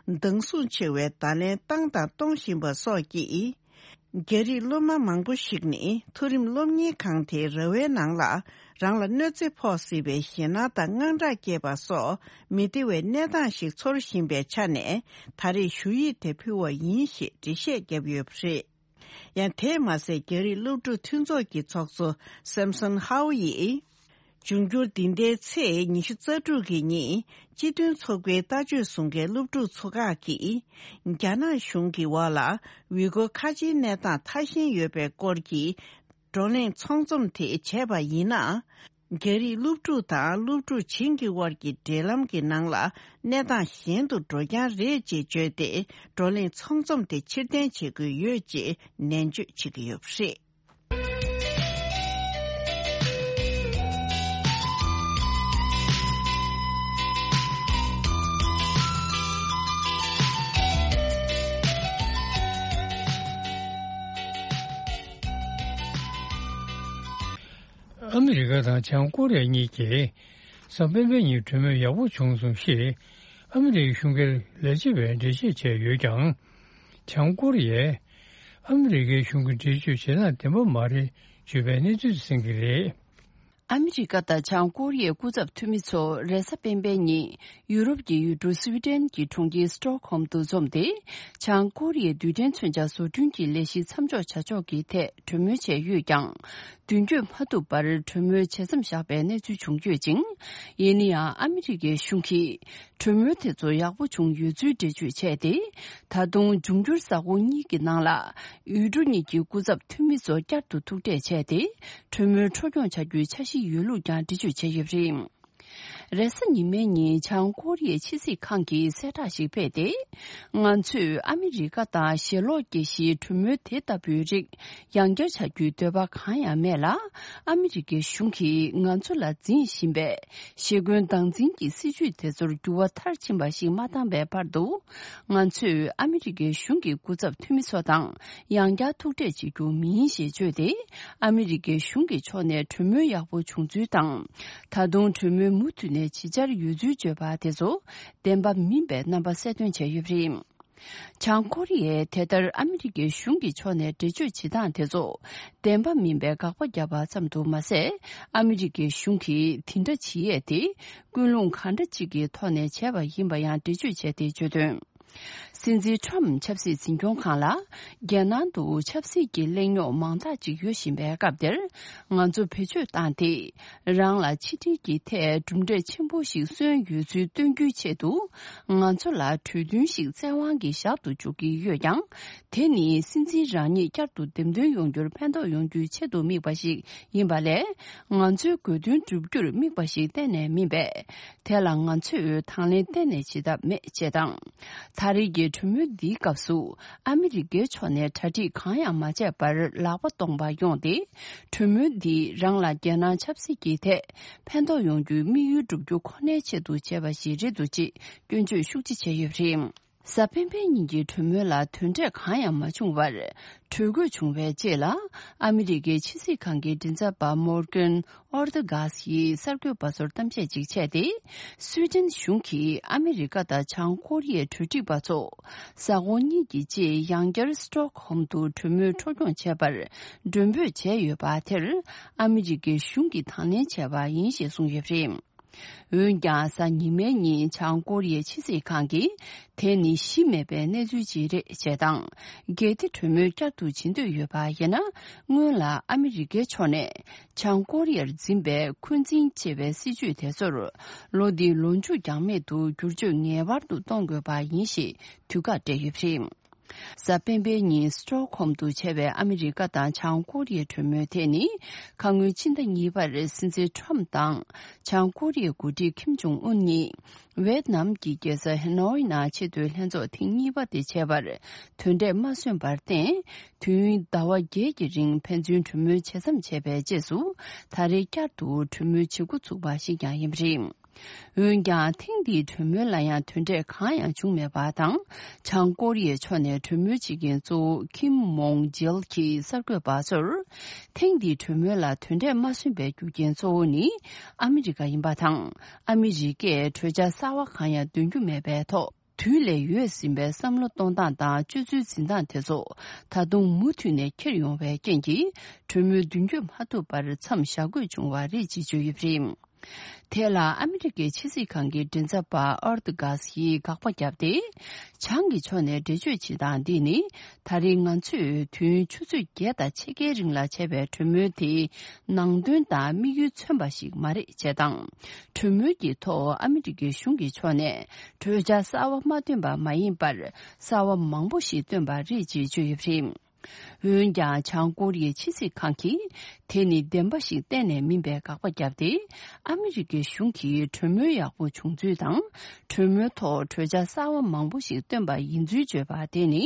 སྡང་ཟུག་ཆེ་བའི་བརྡ་ལན་བཏང་དང་གཏོང་བཞིན་པ་སོགས་ཀྱིས། རྒྱ་རིགས་སློབ་མ་མང་པོ་ཞིག་ནི། མཐོ་རིམ་སློབ་གཉེར་ཁང་དེའི་ར་བའི་ནང་ལ། རང་ལ་གནོད་འཚེ་ཕོག་སྲིད་པའི་ཞེད་སྣང་དང་དངངས་སྐྲག་སྐྱེས་པ་སོགས། མི་བདེ་བའི་གནས་སྟངས་ཤིག་ཚོར་བཞིན་པའི་ཆ་ནས། ད་རེས་ཞུ་ཡིག་དེ་ཕུལ་བ་ཡིན་ཞེས་འགྲེལ་བཤད་བརྒྱབ་ཡོད་པ་རེད། ཡང་དེས་མ་ཟད། རྒྱ་རིགས་སློབ་ཕྲུག་མཐུན་ཚོགས་ཀྱི་ཚོགས་གཙོ་Samson Hau་ཡིས། འབྱུང་འགྱུར་འདི་ཟླའི་ཚེས་ཉི་ཤུ་རྩ་དྲུག་གི་ཉིན། སྤྱི་མཐུན་ཚོགས་པའི་ལྟ་སྤྱོད་བཟུང་མཁན་སློབ་ཕྲུག་ཚོ་ཁག་གིས། རྒྱ་ནག་གཞུང་གི་འོག་ལ། ཝི་གོ་ཁ་ཆེའི་གནས་སྟངས་ཐ་ཞན་ཡོད་པའི་སྐོར་གྱི། བགྲོ་གླེང་ཚོགས་འཛོམས་དེ་བྱས་པ་ཡིན་ན། རྒྱ་རིགས་སློབ་ཕྲུག་དང་སློབ་ཕྲུག་གཞན་གྱི་དབར་གྱི་འབྲེལ་ལམ་གྱི་ནང་ལ། གནས་སྟངས་གཞན་དུ་འགྲོ་རྐྱང་རེད་ཅེས་བརྗོད་དེ། བགྲོ་གླེང་ཚོགས་འཛོམས་དེ་ཕྱིར་འཐེན་བྱེད་དགོས་ཡོད་ཅེས་ནན་བརྗོད་བྱེད་ཀྱི་ཡོད་པ་རེད། ཨ་མི་རི་ཀ་དང་བྱང་ཀོ་རི་ཡ་གཉིས་ཀྱིས་གཟའ་སྤེན་པའི་ཉིན་གྲོས་མོལ་ཡག་པོ་བྱུང་སོང་ཞེས་ཨ་མི་རི་ཀའི་གཞུང་སྒེར་ལས་བྱེད་པས་འགྲེལ་བཤད་བྱས་ཡོད་ཀྱང་། བྱང་ཀོ་རི་ཡས་ཨ་མི་རི་ཀའི་གཞུང་གི་འགྲེལ་བརྗོད་བྱེད་སྟངས་བདེན་པ་མ་རེད་བརྗོད་པའི་གནས་ཚུལ་གསན་གྱི་རེད། ཨ་མི་རི་ཀ་དང་བྱང་ཀོ་རི་ཡའི་སྐུ་ཚབ་འཐུས་མི་ཚོ་རེས་གཟའ་སྤེན་པའི་ཉིན་ཡུ་རོབ་ཀྱི་ཡུལ་གྲུ་སུའི་ཌེན་གྱི་གྲོང་ཁྱེར་སི་ཊོག་ཧོམ་དུ་འཛོམས་ཏེ། བྱང་ཀོ་རི་ཡའི་རྡུལ་ཕྲན་མཚོན་ཆ་བཟོ་སྐྲུན་གྱི་ལས་གཞི་མཚམས་འཇོག་བྱ་ཕྱོགས་ཀྱི་ཐད་གྲོས་མོལ་བྱས་ཡོད་ཀྱང་། མདུན་སྐྱོད་མ་ཐུབ་པར་གྲོས་མོལ་བྱེད་མཚམས་བཞག་པའི་གནས་ཚུལ་བྱུང་ཡོད་ཅིང་། ཡིན་ན་ཡང་ཨ་མི་རི་ཀའི་གཞུང་གིས། གྲོས་མོལ་དེ་ཚོ་ཡག་པོ་བྱུང་ཡོད་ཚུལ་འགྲེལ་བརྗོད་བྱས་ཏེ། ད་དུང་འབྱུང་འགྱུར་གཟའ་འཁོར་གཉིས་ཀྱི་ནང་ལ། ཡུལ་གྲུ་གཉིས་ཀྱི་སྐུ་ཚབ་འཐུས་མི་ཚོ་བསྐྱར་དུ་ཐུག་འཕྲད་བྱས་ཏེ། གྲོས་མོལ་འཕྲོ་སྐྱོང་བྱ་རྒྱུའི་འཆར་གཞི་ཡོད་ལུགས་ཀྱང་འགྲེལ་བརྗོད་བྱས་ཡོད་པ་རེད། རེས་གཟའ་ཉི་མའི་ཉིན་བྱང་ཀོ་རི་ཡའི་ཕྱི་སྲིད་ཁང་གིས་གསལ་བསྒྲགས་ཤིག་སྤེལ་ཏེ། ང་ཚོས་ཨ་མི་རི་ཀ་དང་ཞེ་ལོག་སྐྱེ་གཞིའི་གྲོས་མོལ་དེ་ལྟ་བུའི་རིགས། ཡང་བསྐྱར་བྱ་རྒྱུའི་འདོད་པ་གང་ཡང་མེད་ལ། ཨ་མི་རི་ཀའི་གཞུང་གིས་ང་ཚོ་ལ་འཛིན་བཞིན་པའི་ཞེ་འཁོན་སྟངས་འཛིན་གྱི་སྲིད་བྱུས་དེ་ཚོར་འགྱུར་བ་མཐར་ཕྱིན་པ་ཞིག་མ་བཏང་བའི་བར་དུ། ང་ཚོས་ཨ་མི་རི་ཀའི་གཞུང་གི་སྐུ་ཚབ་འཐུས་མི་ཚོ་དང་ཡང་བསྐྱར་ཐུག་འཕྲད་བྱེད་རྒྱུ་མིན་ཞེས་བརྗོད་དེ། ཨ་མི་རི་ཀའི་གཞུང་གི་ཕྱོགས་ནས་གྲོས་མོལ་ཡག་པོ་བྱུང་ཚུལ་དང་། ད་དུང་གྲོས་མོལ་མུ་མཐུད་ནས་ཇི་བྱར་ཡོད་ཚུལ་བརྗོད་པ་དེ་ཚོ་བདེན་པ་མིན་པའི་རྣམ་པ་གསལ་སྟོན་བྱས་ཡོད་པ་རེད། བྱང་ཀོ་རི་ཡས་དེ་ལྟར་ཨ་མི་རི་ཀའི་གཞུང་གི་ཕྱོགས་ནས་འགྲེལ་བརྗོད་བྱེད་སྟངས་དེ་ཚོ་བདེན་པ་མིན་པའི་དགག་པ་བརྒྱབ་པ་ཙམ་དུ་མ་ཟད། ཨ་མི་རི་ཀའི་གཞུང་གིས་དེ་འདྲ་བྱེད་ཡས་དེ་ཀུན་སློང་གང་འདྲ་ཅིག་གི་ཐོག་ནས་བྱས་པ་ཡིན་པ་ཡང་འགྲེལ་བརྗོད་བྱས་ཏེ་བརྗོད་དོན། སྲིད་འཛིན་ཁྲོམ་ཆབ་སྲིད་འཛིན་སྐྱོང་ཁང་ལ། རྒྱལ་ནང་དུ་ཆབ་སྲིད་ཀྱི་གླེང་རྙོག་མང་དག་ཅིག་ཡོད་བཞིན་པའི་སྐབས་འདིར། ང་ཚོ་བེད་སྤྱོད་བཏང་སྟེ། རང་ལ་ཕྱི་འབྲེལ་གྱི་ཐད་གྲུབ་འབྲས་ཆེན་པོ་ཞིག་སོན་ཡོད་ཚུལ་སྟོན་རྒྱུའི་ཆེད་དུ། ང་ཚོ་ལ་གྲོས་མཐུན་ཞིག་བཙན་དབང་གིས་བཞག་ཏུ་འཇུག་གི་ཡོད་ཀྱང་། དེ་ནི་སྲིད་འཛིན་རང་ཉིད་བསྐྱར་དུ་འདེམས་ཐོན་ཡོང་རྒྱུར་ཕན་ཐོགས་ཡོང་རྒྱུའི་ཆེད་དུ་དམིགས་པ་ཞིག་ཡིན་པ་ལས། ང་ཚོའི་དགོས་འདུན་བསྒྲུབ་རྒྱུར་དམིགས་པ་ཞིག་གཏན་ནས་མིན་པས། དེ་ལ་ང་ཚོས་དང་ལེན་གཏན་ནས་བྱེད་ཐབས་མེད་ཅེས་དང་། ད་རེས་ཀྱི་གྲོས་མོལ་འདིའི་སྐབས་སུ། ཨ་མི་རི་ཀའི་ཕྱོགས་ནས་གྲ་སྒྲིག་གང་ཡང་མ་བྱས་པར་ལག་པ་སྟོང་པ་ཡོང་སྟེ། གྲོས་མོལ་འདིས་རང་ལ་རྒྱལ་ནང་ཆབ་སྲིད་ཀྱི་ཐད་ཕན་ཐོགས་ཡོང་རྒྱུའི་དམིགས་ཡུལ་བསྒྲུབ་རྒྱུ་ཁོ་ནའི་ཆེད་དུ་བྱས་པ་ཞིག་རེད་འདུག་ཅེས་སྐྱོན་བརྗོད་ཤུགས་ཆེ་བྱས་ཡོད་པ་རེད། གཟའ་སྤེན་པའི་ཉིན་གྱི་གྲོས་མོལ་ལ་དོན་འབྲས་གང་ཡང་མ་བྱུང་བར། གྲོས་འགོད་བྱུང་བའི་རྗེས་ལ། ཨ་མི་རི་ཀའི་ཕྱི་སྲིད་ཁང་གི་མགྲིན་ཚབ་པ་མོར་ཀན་ཨོར་ཏི་གྷ་སི་ཡིས་གསར་འགོད་པ་ཚོར་གཏམ་བཤད་ཅིག་བྱས་ཏེ། སུའེ་ཏེན་གཞུང་གིས་ཨ་མི་རི་ཀ་དང་བྱང་ཀོ་རི་ཡའི་གྲོས་སྒྲིག་པ་ཚོ། གཟའ་འཁོར་གཉིས་ཀྱི་རྗེས་ཡང་བསྐྱར་སི་ཊོག་ཧོམ་དུ་གྲོས་མོལ་འཕྲོ་སྐྱོང་བྱས་པར་མགྲོན་འབོད་བྱས་ཡོད་པ་དེར། ཨ་མི་རི་ཀའི་གཞུང་གིས་དང་ལེན་བྱས་པ་ཡིན་ཞེས་གསུངས་ཡོད་པ་རེད། འོན་ཀྱང་། གཟའ་ཉི་མའི་ཉིན་བྱང་ཀོ་རི་ཡའི་ཕྱི་སྲིད་ཁང་གིས། དེ་ནི་གཞི་མེད་པའི་གནས་ཚུལ་ཅིག་རེད་ཅེས་དང་། གལ་ཏེ་གྲོས་མོལ་བསྐྱར་དུ་བྱེད་འདོད་ཡོད་པ་ཡིན་ན། སྔོན་ལ་ཨ་མི་རི་ཀའི་ཕྱོགས་ནས། བྱང་ཀོ་རི་ཡར་འཛིན་པའི་འཁོན་འཛིན་ཅེས་པའི་སྲིད་བྱུས་དེ་ཚོར། ལོ་འདིའི་ལོ་མཇུག་འགྱངས་མེད་དུ་བསྒྱུར་བཅོས་ངེས་པར་དུ་གཏོང་དགོས་པ་ཡིན་ཞེས་དུས་བཀག་སྤྲད་ཡོད་པ་རེད། གཟའ་སྤེན་པའི་ཉིན་སི་ཊོག་ཧོམ་དུ་བྱས་པའི་ཨ་མི་རི་ཀ་དང་བྱང་ཀོ་རི་ཡའི་གྲོས་མོལ་དེ་ནི། ཁ་སྔོན་ཕྱི་ཟླ་གཉིས་པར་སྲིད་འཛིན་ཁྲོམ་དང་། བྱང་ཀོ་རི་ཡའི་འགོ་ཁྲིད་ཁིམ་ཇོང་ཨུན་གཉིས། ཝེད་ནམ་གྱི་རྒྱལ་ས་ཧེ་ནོའི་ནང་ཆེས་མཐོའི་ལྷན་ཚོགས་ཐེངས་གཉིས་པ་དེ་བྱས་པར། དོན་འབྲས་མ་སོན་པར་བརྟེན། དུས་ཡུན་ཟླ་བ་བརྒྱད་ཀྱི་རིང་ཕན་ཚུན་གྲོས་མོལ་ཇི་ཙམ་བྱས་པའི་རྗེས་སུ། ད་རེས་བསྐྱར་དུ་གྲོས་མོལ་བྱེད་འགོ་ཚུགས་པ་ཞིག་ཀྱང་ཡིན་པ་རེད། འོན་ཀྱང་། ཐེངས་འདིའི་གྲོས་མོལ་ལ་ཡང་དོན་འབྲས་གང་ཡང་བྱུང་མེད་པ་དང་། བྱང་ཀོ་རི་ཡའི་ཕྱོགས་ནས་གྲོས་མོལ་བྱེད་མཁན་གཙོ་བོ་ཁིམ་མོང་ཇིལ་གྱིས་གསར་འགོད་པ་ཚོར། ཐེངས་འདིའི་གྲོས་མོལ་ལ་དོན་འབྲས་མ་སོན་པའི་རྒྱུ་རྐྱེན་གཙོ་བོ་ནི་ཨ་མི་རི་ཀ་ཡིན་པ་དང་། ཨ་མི་རི་ཀས་གྲོས་འཆར་གསར་བ་གང་ཡང་འདོན་རྒྱུ་མེད་པའི་ཐོག་དུས་ལས་ཡོལ་ཟིན་པའི་བསམ་བློ་གཏོང་སྟངས་དང་སྤྱོད་ཚུལ་འཛིན་སྟངས་དེ་ཚོ་ད་དུང་མུ་མཐུད་ནས་འཁྱེར་ཡོང་བའི་རྐྱེན་གྱིས། གྲོས་མོལ་མདུན་སྐྱོད་མ་ཐུབ་པར་མཚམས་བཞག་དགོས་བྱུང་བ་རེད་ཅེས་བརྗོད་ཡོད་པ་རེད། དེ་ལ་ཨ་མི་རི་ཀའི་ཕྱི་སྲིད་ཁང་གི་མགྲིན་ཚབ་པ་ཨོར་ཏི་གྷ་སི་ཡིས་དགག་པ་བརྒྱབ་སྟེ། བྱང་གི་ཕྱོགས་ནས་འགྲེལ་བརྗོད་བྱེད་སྟངས་འདི་ནི། ད་རེས་ང་ཚོས་དུས་ཡུན་ཆུ་ཚོད་བརྒྱད་དང་ཕྱེད་ཀའི་རིང་ལ་བྱས་པའི་གྲོས་མོལ་དེའི་ནང་དོན་དང་དམིགས་ཡུལ་མཚོན་པ་ཞིག་མ་རེད་ཅེས་དང་། གྲོས་མོལ་གྱི་ཐོག་ཨ་མི་རི་ཀའི་གཞུང་གི་ཕྱོགས་ནས་གྲོས་འཆར་གསར་བ་མ་བཏོན་པ་མ་ཡིན་པར། གསར་བ་མང་པོ་ཞིག་བཏོན་པ་རེད་ཅེས་བརྗོད་ཡོད་པ་རེད། འོན་ཀྱང་། བྱང་ཀོ་རི་ཡའི་ཕྱི་སྲིད་ཁང་གིས། དེ་ནི་བདེན་པ་ཞིག་གཏན་ནས་མིན་པའི་དགག་པ་བརྒྱབ་སྟེ། ཨ་མི་རི་ཀའི་གཞུང་གིས་གྲོས་མོལ་ཡག་པོ་བྱུང་ཚུལ་དང་། གྲོས་མོལ་ཐོག་གྲོས་འཆར་གསར་བ་མང་པོ་ཞིག་བཏོན་པ་ཡིན་ཚུལ་བརྗོད་པ་དེ་ནི།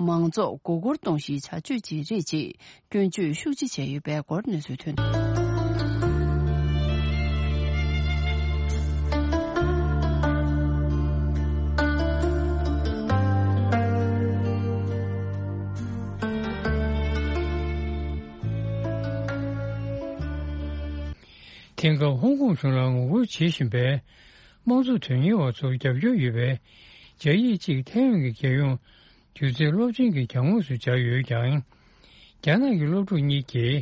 མང་ཚོགས་མགོ་སྐོར་གཏོང་གཞིའི་བྱ་སྤྱོད་ཅིག་རེད་ཅེས། སྐྱོན་བརྗོད་ཤུགས་ཆེ་བྱས་ཡོད་པའི་སྐོར་གནས་ཚུལ་ཐོན་འདུག། དེང་སྐབས་ཧོང་ཀོང་གཞུང་ལ་ངོ་རྒོལ་བྱེད་བཞིན་པའི་དམངས་གཙོ་དོན་གཉེར་བ་ཚོར་རྒྱབ་སྐྱོར་ཡོད་པའི་སྦྱར་ཡིག་ཅིག་ཐའེ་ཝན་གྱི་རྒྱལ་ཡོངས་སྒྱུ་རྩལ་སློབ་ཆེན་གྱི་གྱང་ངོས་སུ་སྦྱར་ཡོད་ཀྱང་། རྒྱ་ནག་གི་སློབ་ཕྲུག་གཉིས་ཀྱིས་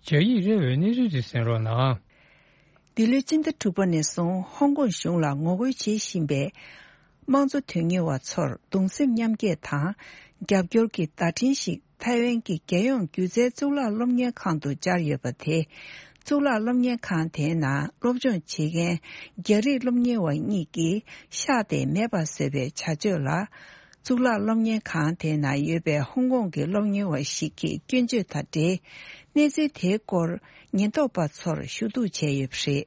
སྦྱར་ཡིག་སླེབས་པའི་གནས་ཚུལ་དེ་གསན་རོགས་གནང་། འདི་ལོའི་སྤྱི་ཟླ་དྲུག་པ་ནས་བཟུང་ཧོང་ཀོང་གཞུང་ལ་ངོ་རྒོལ་བྱེད་བཞིན་པའི་དམངས་གཙོ་དོན་གཉེར་བ་ཚོར་གདུང་སེམས་མཉམ་སྐྱེད་དང་རྒྱབ་སྐྱོར་གྱི་བརྡ་འཕྲིན་ཞིག་ཐའེ་ཝན་གྱི་རྒྱལ་ཡོངས་སྒྱུ་རྩལ་གཙུག་ལག་སློབ་གཉེར་ཁང་དུ་སྦྱར་ཡོད་པ་དེ། གཙུག་ལག་སློབ་གཉེར་ཁང་དེའི་ནང་སློབ་སྦྱོང་བྱེད་མཁན་རྒྱ་རིགས་སློབ་གཉེར་བ་གཉིས་ཀྱིས་ཤག་དེ་མེད་པར་བཟོས་པའི་བྱ་སྤྱོད་ལ། གཙུག་ལག་སློབ་གཉེར་ཁང་དེའི་ནང་ཡོད་པའི་ཧོང་ཀོང་གི་སློབ་གཉེར་བ་ཞིག་གིས་སྐྱོན་བརྗོད་དང་འབྲེལ། གནས་ཚུལ་དེའི་སྐོར་ཉེན་རྟོག་པ་ཚོར་ཞུ་གཏུག་བྱས་ཡོད་པ་རེད།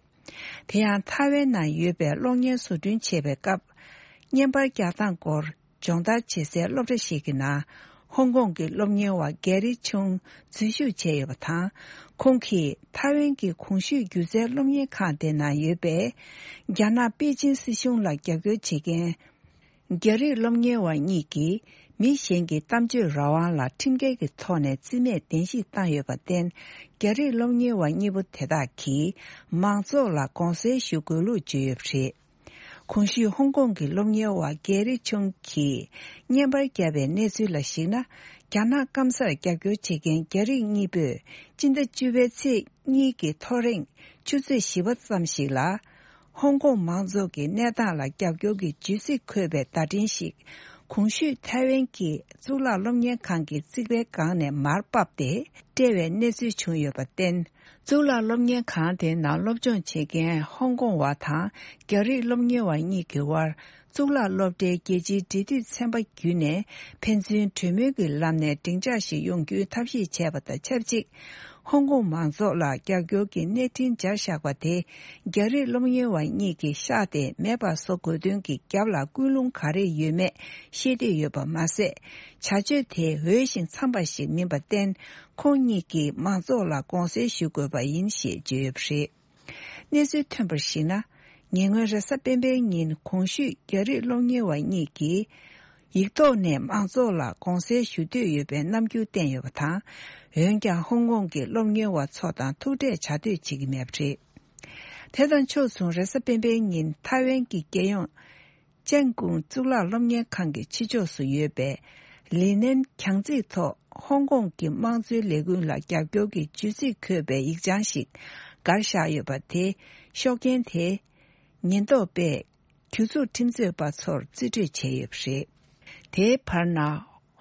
དེ་ཡང་ཐའེ་ཝན་ནང་ཡོད་པའི་གློག་བརྙན་བཟོ་སྐྲུན་བྱེད་པའི་སྐབས། བརྙན་པར་རྒྱག་སྟངས་སྐོར་སྦྱོང་བརྡར་བྱེད་སའི་སློབ་གྲྭ་ཞིག་གི་ནང་། ཧོང་ཀོང་གི་སློབ་གཉེར་བ་གེ་རི་ཆུང་འཛུལ་ཞུགས་བྱས་ཡོད་པ་དང་། ཁོང་གིས་ཐའེ་ཝན་གྱི་གོང་ཞུས་སྒྱུ་རྩལ་སློབ་གཉེར་ཁང་དེ་ནང་ཡོད་པའི། རྒྱ་ནག་པེ་ཅིན་སྲིད་གཞུང་ལ་རྒྱབ་སྐྱོར་བྱེད་མཁན། རྒྱ་རིགས་སློབ་གཉེར་བ་གཉིས་ཀྱིས་མི་གཞན་གྱི་གཏམ་བརྗོད་རང་དབང་ལ་ཁྲིམས་འགལ་གྱི་ཐོག་ནས་རྩིས་མེད་གདན་ཞུ་བཏང་ཡོད་པར་བརྟེན། རྒྱ་རིགས་སློབ་གཉེར་བ་གཉིས་པོ་དེ་དག་གིས་མང་ཚོགས་ལ་དགོངས་སེལ་ཞུ་དགོས་ལུགས་བརྗོད་ཡོད་པ་རེད། གོང་ཞུས་ཧོང་ཀོང་གི་སློབ་གཉེར་བ་གེ་རི་ཆུང་གིས་བརྙན་པར་བརྒྱབ་པའི་གནས་ཚུལ་ལ་གཞིགས་ན། རྒྱ་ནག་སྐམ་སར་རྒྱབ་སྐྱོར་བྱེད་མཁན་རྒྱ་རིགས་གཉིས་པོས་སྤྱི་ཟླ་བཅུ་པའི་ཚེས་གཉིས་ཀྱི་ཐོ་རེངས་ཆུ་ཚོད་བཞི་པ་ཙམ་ཞིག་ལ། ཧོང་ཀོང་མང་ཚོགས་ཀྱི་གནས་སྟངས་ལ་རྒྱབ་སྐྱོར་གྱི་བརྗོད་ཚིག་འཁོད་པའི་བརྡ་འཕྲིན་ཞིག་ གོང་ཞུས་ཐའེ་ཝན་གྱི་གཙུག་ལག་སློབ་གཉེར་ཁང་གི་རྩིག་པའི་སྒང་ནས་མར་ཕབ་སྟེ་བསྐྲད་པའི་གནས་ཚུལ་བྱུང་ཡོད་པར་བརྟེན། གཙུག་ལག་སློབ་གཉེར་ཁང་དེའི་ནང་སློབ་སྦྱོང་བྱེད་མཁན་ཧོང་ཀོང་བ་དང་རྒྱ་རིགས་སློབ་གཉེར་བ་གཉིས་ཀྱི་དབར་གཙུག་ལག་སློབ་གྲྭའི་རྒྱལ་སྤྱིའི་འབྲེལ་མཐུད་ཚན་པ་བརྒྱུད་ནས་ཕན་ཚུན་གྲོས་མོལ་གྱི་ལམ་ནས་སྡིངས་ཆ་ཞིག་ཡོང་རྒྱུའི་ཐབས་ཤེས་བྱས་པ་དང་ཆབས་ཅིག་ཧོང་ཀོང་མང་ཚོགས་ལ་རྒྱབ་སྐྱོར་གྱི་གནས་འཕྲིན་སྦྱར་བཞག་པ་དེ་རྒྱ་རིགས་སློབ་གཉེར་བ་གཉིས་ཀྱིས་བཤགས་ཏེ་མེད་པར་བཟོ་དགོས་དོན་གྱི་རྒྱབ་ལ་ཀུན་སློང་ག་རེ་ཡོད་མེད་ཤེས་འདོད་ཡོད་པ་མ་ཟད། བྱ་སྤྱོད་དེ་འོས་ཤིང་འཚམས་པ་ཞིག་མིན་པར་བརྟེན། ཁོང་གཉིས་ཀྱིས་མང་ཚོགས་ལ་དགོངས་སེལ་ཞུ་དགོས་པ་ཡིན་ཞེས་བརྗོད་ཡོད་པ་རེད། གནས་ཚུལ་ཐོན་པར་གཞིགས་ན། ཉེ་སྔོན་རེས་གཟའ་སྤེན་པའི་ཉིན་གོང་ཞུས་རྒྱ་རིགས་སློབ་གཉེར་བ་གཉིས་ཀྱིས། ཡིག་ཐོག་ནས་མང་ཚོགས་ལ་དགོངས་སེལ་ཞུ་འདོད་ཡོད་པའི་རྣམ་འགྱུར་བསྟན་ཡོད་པ་དང་། འོན་ཀྱང་ཧོང་ཀོང་གི་སློབ་གཉེར་བ་ཚོ་དང་ཐུག་འཕྲད་བྱ་འདོད་བྱེད་ཀྱི་མེད་པ་རེད། དེ་དང་ཕྱོགས་མཚུངས་རེས་གཟའ་སྤེན་པའི་ཉིན་ཐའེ་ཝན་གྱི་རྒྱལ་ཡོངས། ཅན་ཀུང་གཙུག་ལག་སློབ་གཉེར་ཁང་གི་ཕྱི་ཕྱོགས་སུ་ཡོད་པའི་ལི་ནན་གྱང་རྩེའི་ཐོག་ཧོང་ཀོང་གི་དམངས་གཙོའི་ལས་འགུལ་ལ་རྒྱབ་སྐྱོར་གྱི་བརྗོད་ཚིག་འཁོད་པའི་ཡིག་བྱང་ཞིག་བསྒར་བཞག་ཡོད་པ་དེ། ཤོག་རྐྱེན་དེ་ཉེན་རྟོག་པས་གྱོད་འཛུགས་ཁྲིམས་རྩོད་པ་ཚོར་རྩིས་སྤྲོད་བྱས་ཡོད་པ་རེད། དེའི་བར་ན།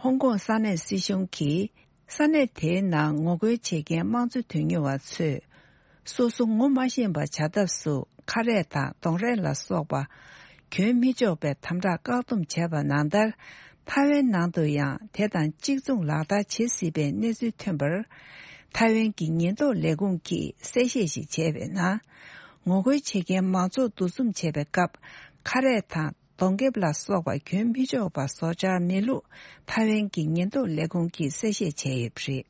ཧོང་ཀོང་ས་གནས་སྲིད་གཞུང་གིས། ས་གནས་དེའི་ནང་ངོ་རྒོལ་བྱེད་མཁན་དམངས་གཙོ་དོན་གཉེར་བ་ཚོས། སོ་སོ་ངོ་མ་ཤེས་པ་བྱ་ཐབས་སུ་ཁ་རས་དང་གདོང་རས་ལ་སོགས་པ། གྱོན་མི་ཆོག་པའི་དམ་དྲག་བཀག་སྡོམ་བྱས་པ་ནང་ལྟར། ཐའེ་ཝན་ནང་དུ་ཡང་དེ་དང་གཅིག་མཚུངས་ལག་བསྟར་བྱེད་སྲིད་པའི་གནས་ཚུལ་ཐོན་པར། ཐའེ་ཝན་གྱི་ཉེན་རྟོག་ལས་ཁུངས་ཀྱིས་གསལ་བཤད་ཞིག་བྱས་པའི་ནང་། ངོ་རྒོལ་བྱེད་མཁན་མང་ཚོགས་འདུ་འཛོམས་བྱེད་པའི་སྐབས། ཁ་རས་དང་། གདོང་ཁེབས་ལ་སོགས་པ་གྱོན་མི་ཆོག་པ་བཟོ་འཆར་མེད་ལུགས་ཐའེ་ཝན་གྱི་ཉེན་རྟོག་ལས་ཁུངས་ཀྱིས་གསལ་བཤད་བྱས་ཡོད་པ་རེད།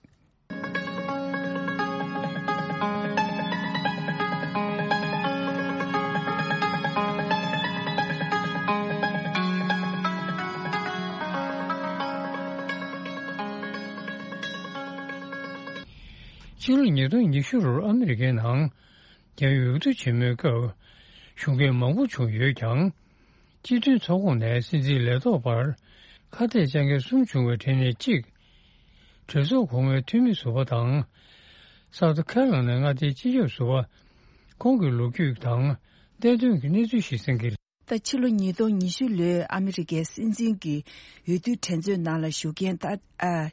ཕྱི་ལོ་ཉིས་སྟོང་ཉི་ཤུ་ལོར་ཨ་མི་རི་ཀའི་ནང་རྒྱ་ཡུལ་འོས་བསྡུ་ཆེན་མོའི་སྐབས་ཞུགས་མཁན་མང་པོ་བྱུང་ཡོད་ཀྱང་། སྤྱི་མཐུན་ཚོགས་ཁོངས་ནས་སྲིད་འཛིན་ལས་ཐོག་པར་ཁ་གཏད་བཅག་མཁན་གསུམ་བྱུང་བའི་གྲས་ནས་གཅིག་གྲོས་ཚོགས་གོང་མའི་འཐུས་མི་ཟུར་པ་དང་། སའུ་ཐི་ཁེ་རོ་ལ་ནའི་མངའ་སྡེའི་སྤྱི་ཁྱབ་ཟུར་པ། ཁོང་གི་ལོ་རྒྱུས་དང་བསྟན་དོན་གྱི་གནས་ཚུལ་ཞིག་གསན་གྱི་རེད། ད་ཕྱི་ལོ་ཉིས་སྟོང་ཉི་ཤུ་ལོའི་ཨ་མི་རི་ཀའི་སྲིད་འཛིན་གྱི་འོས་བསྡུའི་འགྲན་རྩོད་ནང་ལ་ཞུགས་མཁན་ད་ཨ།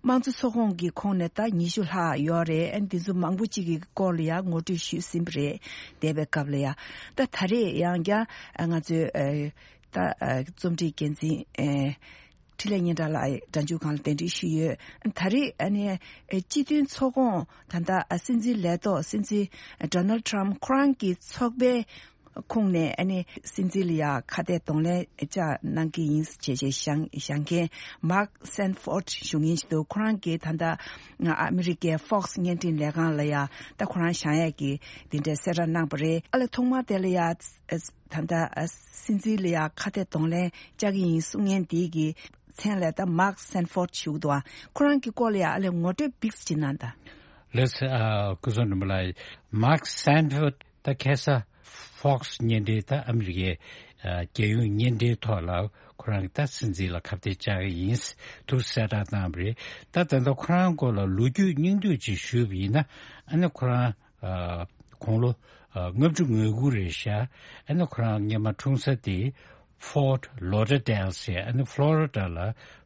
དམངས་གཙོ་ཚོགས་ཁོངས་ཀྱི་ཁོངས་ནས་ད་ཉི་ཤུ་ལྷག་ཡོད་རེད། ཨ་ནི་འདི་ཚོ་མང་པོ་གཅིག་གི་སྐོར་ལ་ཡང་ངོ་སྤྲོད་ཞུས་ཟིན་པ་རེད། འདས་པའི་སྐབས་ལ་ཡང་ད་ད་རེས་ཡང་བསྐྱར་ང་ཚོའི་ཨ། ད་ཨ། རྩོམ་སྒྲིག་འགན་འཛིན་ཨ། འཕྲིན་ལས་སྙན་གྲགས་ལགས་སྒྲ་འཇུག་ཁང་ལ་གདན་འདྲེན་ཞུས་ཡོད། ད་རེས་ཨ་ནི་ཨ། སྤྱི་མཐུན་ཚོགས་ཁོངས་ད་ལྟ་ཨ། སྲིད་འཛིན་ལས་ཐོག་སྲིད་འཛིན་ཌོ་ནལ་ཊམ་ཁོ་རང་གི་ཚོགས་པའི་ཁོངས་ནས་ཨ་ནི་སྲིད་འཛིན་ལ་ཡ་ཁ་གཏད་གདོང་ལེན་བཅའ་གནང་གི་ཡིན་ཞེས་བྱས་བཞེངས་བཞེངས་མཁན་མཱག་སན་ཕོར་ཌི་ཞུ་མཁན་ཞིག་འདུག་ཁོ་རང་གིས་ད་ལྟ་ཨ་མི་རི་ཀའི་ཧྥོག་སི་བརྙན་འཕྲིན་ལས་ཁང་ལ་ཡ་ད་ཁོ་རང་བཞེངས་ཡས་ཀྱི་དེ་འདྲའི་གསལ་བསྒྲགས་གནང་པ་རེད། ཨ་ལས་ཐོག་མ་དེ་ལ་ཡ་ད་ལྟ་སྲིད་འཛིན་ལ་ཡ་ཁ་གཏད་གདོང་ལེན་བཅའ་གི་ཡིན་གསུང་མཁན་དེ་གི་མཚན་ལ་ད་མཱག་སན་ཕོར་ཌི་ཞུ་གི་འདུག་ཨ་ཁོ་རང་གི་སྐོར་ལ་ཡ་ཨ་ལས་ངོ་སྤྲོད་བིགས་ཅིག་གནང་དང་། ལགས་སོ། ཨ་སྐུ་ཚབ་འབྲིང་པོ་ལགས། མཱག་སན་ཕོར་ཌི་ད་ཁ་སང་ཧྥོག་སི་བརྙན་འཕྲིན་ད་ཨ་མི་རི་ཀའི་ཨ་རྒྱལ་ཡོངས་བརྙན་འཕྲིན་ཐོག་ལ་ཁོ་རང་གི་ད་སྲིད་འཛིན་ལ་ཁ་གཏད་བཅག་གི་ཡིན་འདུག་གསལ་བསྒྲགས་གནང་བ་རེད། ད་ད་ལྟ་ཁོ་རང་སྐོར་ལ་ལོ་རྒྱུས་སྙིང་བསྡུས་ཅིག་ཞུས་པ་ཡིན་ན། ཨ་ནི་ཁོ་རང་ཨ་དགུང་ལོ་ཨ་ལྔ་བཅུ་ང་དགུ་རེད་ཤག་ཨ་ནི་ཁོ་རང་སྔོན་མ་འཁྲུངས་ས་དེ་ཕོར་ཌི་ལོ་ཌར་ཌེལ་ཟེར་ཨ་ནི་ཕློ་རི་ཌ་ལ་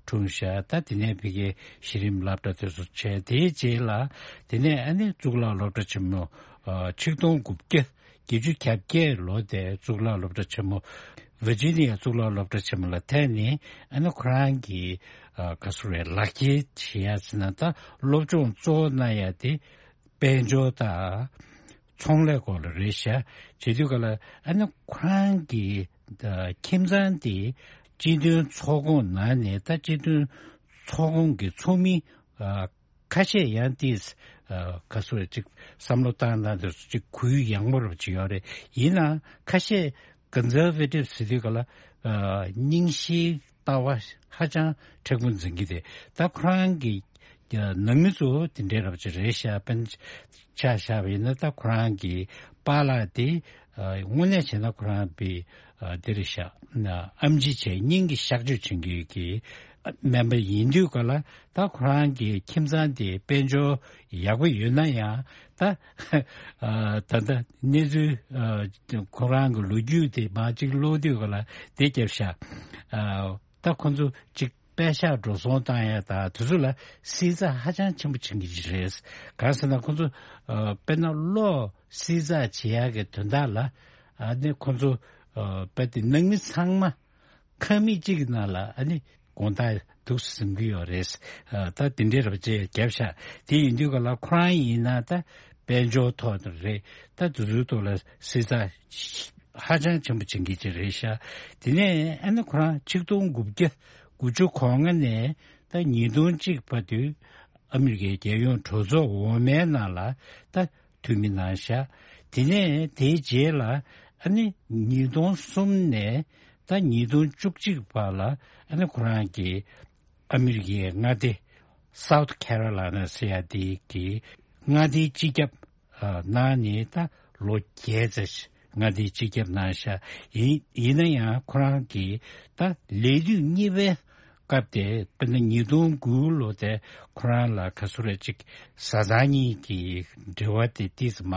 འཁྲུངས་ཤག་ད་དེ་ནས་ཕ་གིའི་གཞི་རིམ་སློབ་གྲྭ་དེ་ཚོ་བྱས། དེའི་རྗེས་ལ་དེ་ནས་ཨ་ནི་གཙུག་ལག་སློབ་གྲྭ་ཆེན་མོ་ཨ་ཆིག་སྟོང་དགུ་བརྒྱ་བརྒྱད་ཅུ་གྱ་བརྒྱད་ལོ་དེ་གཙུག་ལག་སློབ་གྲྭ་ཆེན་མོ་ཝི་ཇི་ནི་ཡ་གཙུག་ལག་སློབ་གྲྭ་ཆེན་མོ་ལ་ཐད་ནས་ཨ་ནི་ཁོ་རང་གི་ཨ་ག་ཟེར་རེད། ལག་ཁྱེར་བྱེད་ཡ་ཟེར་ན་ད་སློབ་སྦྱོང་གཙོ་བོ་གནང་ཡ་དེ་དཔལ་འབྱོར་དང་ཚོང་ལས་སྐོར་ལ་རེད་ཤག་བྱེད་དུས་ག་ལ་ཨ་ནི་ཁོ་རང་གི་ཁྱིམ་ཚང་དེ་སྤྱི་མཐུན་ཚོགས་ཁོངས་ནང་ནས་ད་སྤྱི་མཐུན་ཚོགས་ཁོངས་ཀྱི་ཚོགས་མི་ཨ་ཁ་ཤས་ཡང་ཏིས་ཨ་ག་ཟེར་ཅིག་བསམ་བློ་བཏང་སྟངས་དེ་ཚོ་ཅིག་གུ་ཡངས་པོ་རབ་ཅིག་ཡོད་རེད། ཡིན་ནའང་ཁ་ཤས་ཀོན་སར་ཝེ་ཊིབ་ཟེར་དུས་ག་ལ་ཨ་རྙིང་ཞིག་ལྟ་བ་ཧ་ཅང་མཁྲེགས་པོ་འཛིན་གྱི་རེད། ད་ཁོ་རང་གི་ནང་མི་ཚོ་དེ་འདྲའི་རབ་ཅིག་རེད་ཤག་དཔེར་ན་ཆ་བཞག་པ་ཡིན་ན་ད་ཁོ་རང་གི་པཱ་ལགས་དེ་དངོས་གནས་བྱས་ན་ཁོ་རང་པའི་འདི་རེད་ཤག་ཨམ་ཆི་བྱས་སྙིང་གི་གཤག་བཅོས་བྱེད་མཁན་གྱི་སྨན་པ་ཡིན་དུས་ག་ལ་ད་ཁོ་རང་གི་ཁྱིམ་ཚང་དེ་དཔལ་འབྱོར་ཡག་པོ་ཡོད་ན་ཡང་ད་ད་ལྟ་གནས་ཚུལ་ཁོ་རང་གི་ལོ་རྒྱུས་དེ་མར་ཅིག་ཀློག་དུས་ག་ལ་དེ་རྒྱབ་ཤག་ད་ཁོང་ཚོ་ཅིག་པད་ཤག་འགྲོ་སོང་བཏང་ཡ་ད་དེ་ཚོ་ལ་བསྲི་ཚགས་ཧ་ཅང་ཆེན་པོ་བྱེད་ཀྱི་རེད། གང་ཟེར་ན་ཁོང་ཚོ་ཨ་དཔེར་ན་གློག་བསྲི་ཚགས་བྱེད་ཡ་གི་དོན་དག་ལ་ཨ་ནི་ཁོང་ཚོ་ཨ་དཔེ་དེ་ནང་མི་ཚང་མ་ཁང་མིག་གཅིག་གི་ནང་ལ་ཨ་ནི་དགོང་དག་འདུག་སེ་ཟིན་གྱི་ཡོད་རེད། ཨ་ད་དེ་འདྲའི་རབ་བྱས་བརྒྱབ་ཤག་དེ་ཡིན་དུས་ག་ལ་ཁོ་རང་ཡིན་ན་ད་དཔལ་འབྱོར་ཐོག་ཏུ་རེད། ད་དེ་ཚོའི་ཐོག་ལ་བསྲི་ཚགས་ཧ་ཅང་ཆེན་པོ་བྱེད་ཀྱི་ཅིག་རེད་ཤག་དེ་ནས་ཨ་ནི་ཁོ་རང་ཆིག་སྟོང་དགུ་བརྒྱ་དགུ་བཅུ་གོ་ལྔ་ནས་ད་ཉིས་སྟོང་གཅིག་བར་དུ་ཨ་མི་རི་ཀའི་རྒྱལ་ཡོངས་གྲོས་ཚོགས་འོག་མའི་ནང་ལ་ད་འཐུས་མི་གནང་ཤག་དེ་ནས་དེའི་རྗེས་ལ་ཨ་ནི་ཉིས་སྟོང་གསུམ་ནས་ད་ཉིས་སྟོང་བཅུ་གཅིག་བར་ལ་ཨ་ནི་ཁོ་རང་གིས་ཨ་མི་རི་ཀའི་མངའ་སྡེ་South Carolina ཟེར་ཡ་དེ་གི་མངའ་སྡེའི་སྤྱི་ཁྱབ་ཨ་གནང་ནས་ད་ལོ་བརྒྱད་ཙམ་མངའ་སྡེའི་སྤྱི་ཁྱབ་གནང་ཤག་ཡིན་ཡིན་ན་ཡང་ཁོ་རང་གིས་ད་ལས་དུས་གཉིས་པའི་སྐབས་དེ་དཔེར་ན་ཉིས་སྟོང་དགུ་ལོ་དེ་ཁོ་རང་ལ་ག་ཚོད་རེ་ཅིག་བཟའ་ཚང་གཉིས་ཀྱི་འབྲེལ་བ་དེ་ཏིས་མ་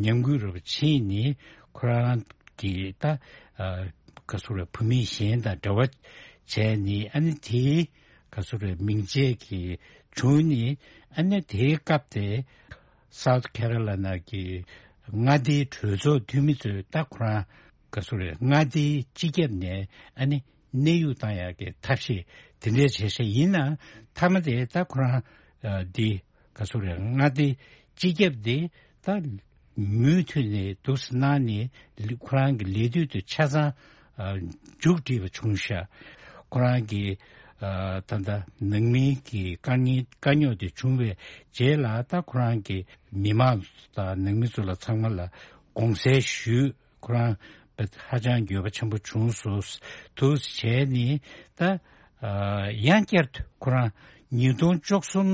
ཉམས་རྒུད་རུ་ཕྱིན་ནས་ཁོ་རང་གིས་ད་ག་ཚོད་རེ་བུད་མེད་གཞན་དང་འབྲེལ་བ་བྱས་ནས་ཨ་ནི་དེའི་ག་ཚོད་རེ་མིང་ཆད་ཀྱི་བྱུང་ནས་ཨ་ནི་དེའི་སྐབས་དེ་South Carolina གི་མངའ་སྡེའི་གྲོས་ཚོགས་འཐུས་མི་ཚོས་ད་ཁོ་རང་ག་ཚོད་རེད་མངའ་སྡེའི་སྤྱི་ཁྱབ་ནས་ཨ་ནི་གནས་དབྱུང་བཏང་ཡག་གི་ཐབས་ཤེས་དེ་འདྲས་བྱས་ཤག་ཡིན་ནའང་མཐའ་མ་དེ་ད་ཁོ་རང་ཨ་འདི་ག་ཚོད་རེད་མངའ་སྡེའི་སྤྱི་ཁྱབ་དེ་ད་མུ་མཐུད་ནས་འདུག་སེ་གནང་ནས་ལི་ཁོ་རང་གི་ལས་དུས་དེ་ཆ་ཚང་ཨ་མཇུག་སྒྲིལ་བ་བྱུང་ཤག་ཁོ་རང་གི་ཨ་ད་ལྟ་ནང་མིའི་གི་དཀའ་ངལ་དཀའ་རྙོག་དེ་བྱུང་བའི་རྗེས་ལ་ད་ཁོ་རང་གི་མི་མང་དང་ནང་མི་ཚོ་ལ་ཚང་མ་ལ་དགོངས་སེལ་ཞུས། ཁོ་རང་ཧ་ཅང་འགྱོད་པ་ཆེན་པོ་བྱུང་སོང་། འདུག་སེ་བྱས་ནས་ད་ཨ་ཡང་བསྐྱར་དུ་ཁོ་རང་ཉིས་སྟོང་བཅུ་གསུམ་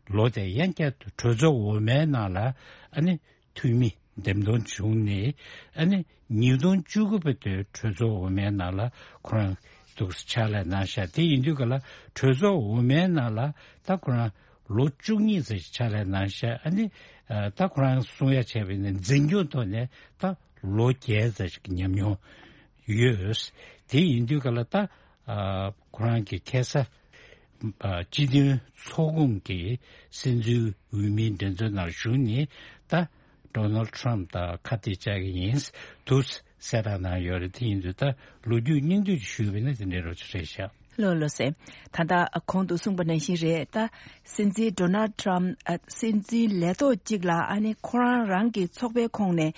ལོ་དེ་ཡང་བསྐྱར་དུ་གྲོས་ཚོགས་འོག་མའི་ནང་ལ་ཨ་ནི་འཐུས་མི་འདེམས་ཐོན་བྱུང་ནས་ཨ་ནི་ཉིས་སྟོང་བཅུ་དགུ་བར་དུ་གྲོས་ཚོགས་འོག་མའི་ནང་ལ་ཁོ་རང་འདུག་སེ་ཕྱག་ལས་གནང་ཤག་དེ་ཡིན་དུས་ག་ལ་གྲོས་ཚོགས་འོག་མའི་ནང་ལ་ད་ཁོ་རང་ལོ་བཅུ་གཉིས་ཙམ་ཕྱག་ལས་གནང་ཤག་ཨ་ནི་ཨ་ད་ཁོ་རང་གསུང་ཡ་བྱས་པ་ཡིན་ན་འཛིན་སྐྱོང་ཐོག་ནས་ད་ལོ་བརྒྱད་ཙམ་ཞིག་ཉམས་མྱོང་ཡོད། དེ་ཡིན་དུས་ག་ལ་ད་ཨ་ཁོ་རང་གི་ཁ་སང་ཨ་སྤྱི་མཐུན་ཚོགས་ཁོངས་ཀྱི་སྲིད་འཛིན་འོས་མིའི་འགྲན་རྩོད་ནང་ཞུགས་ནས་ད་Donald Trump དང་ཁ་གཏད་བཅག་གི་ཡིན་འདུག་གསལ་བསྒྲགས་གནང་ཡོད་རེད། དེ་ཡིན་དུས་ད་ལོ་རྒྱུས་སྙིང་བསྡུས་ཞུས་པ་ཡིན་ན་དེ་འདྲའི་རོགས་ཅིག་རེད་ཤག་ལགས་ལགས་སེ། ད་ལྟ་གོང་དུ་གསུངས་པ་ནང་བཞིན་རེད། ད་སྲིད་འཛིན་Donald Trump ཨ་སྲིད་འཛིན་ལས་ཐོག་གཅིག་ལ་ཨ་ནི་ཁོ་རང་རང་གི་ཚོགས་པའི་ཁོངས་ནས་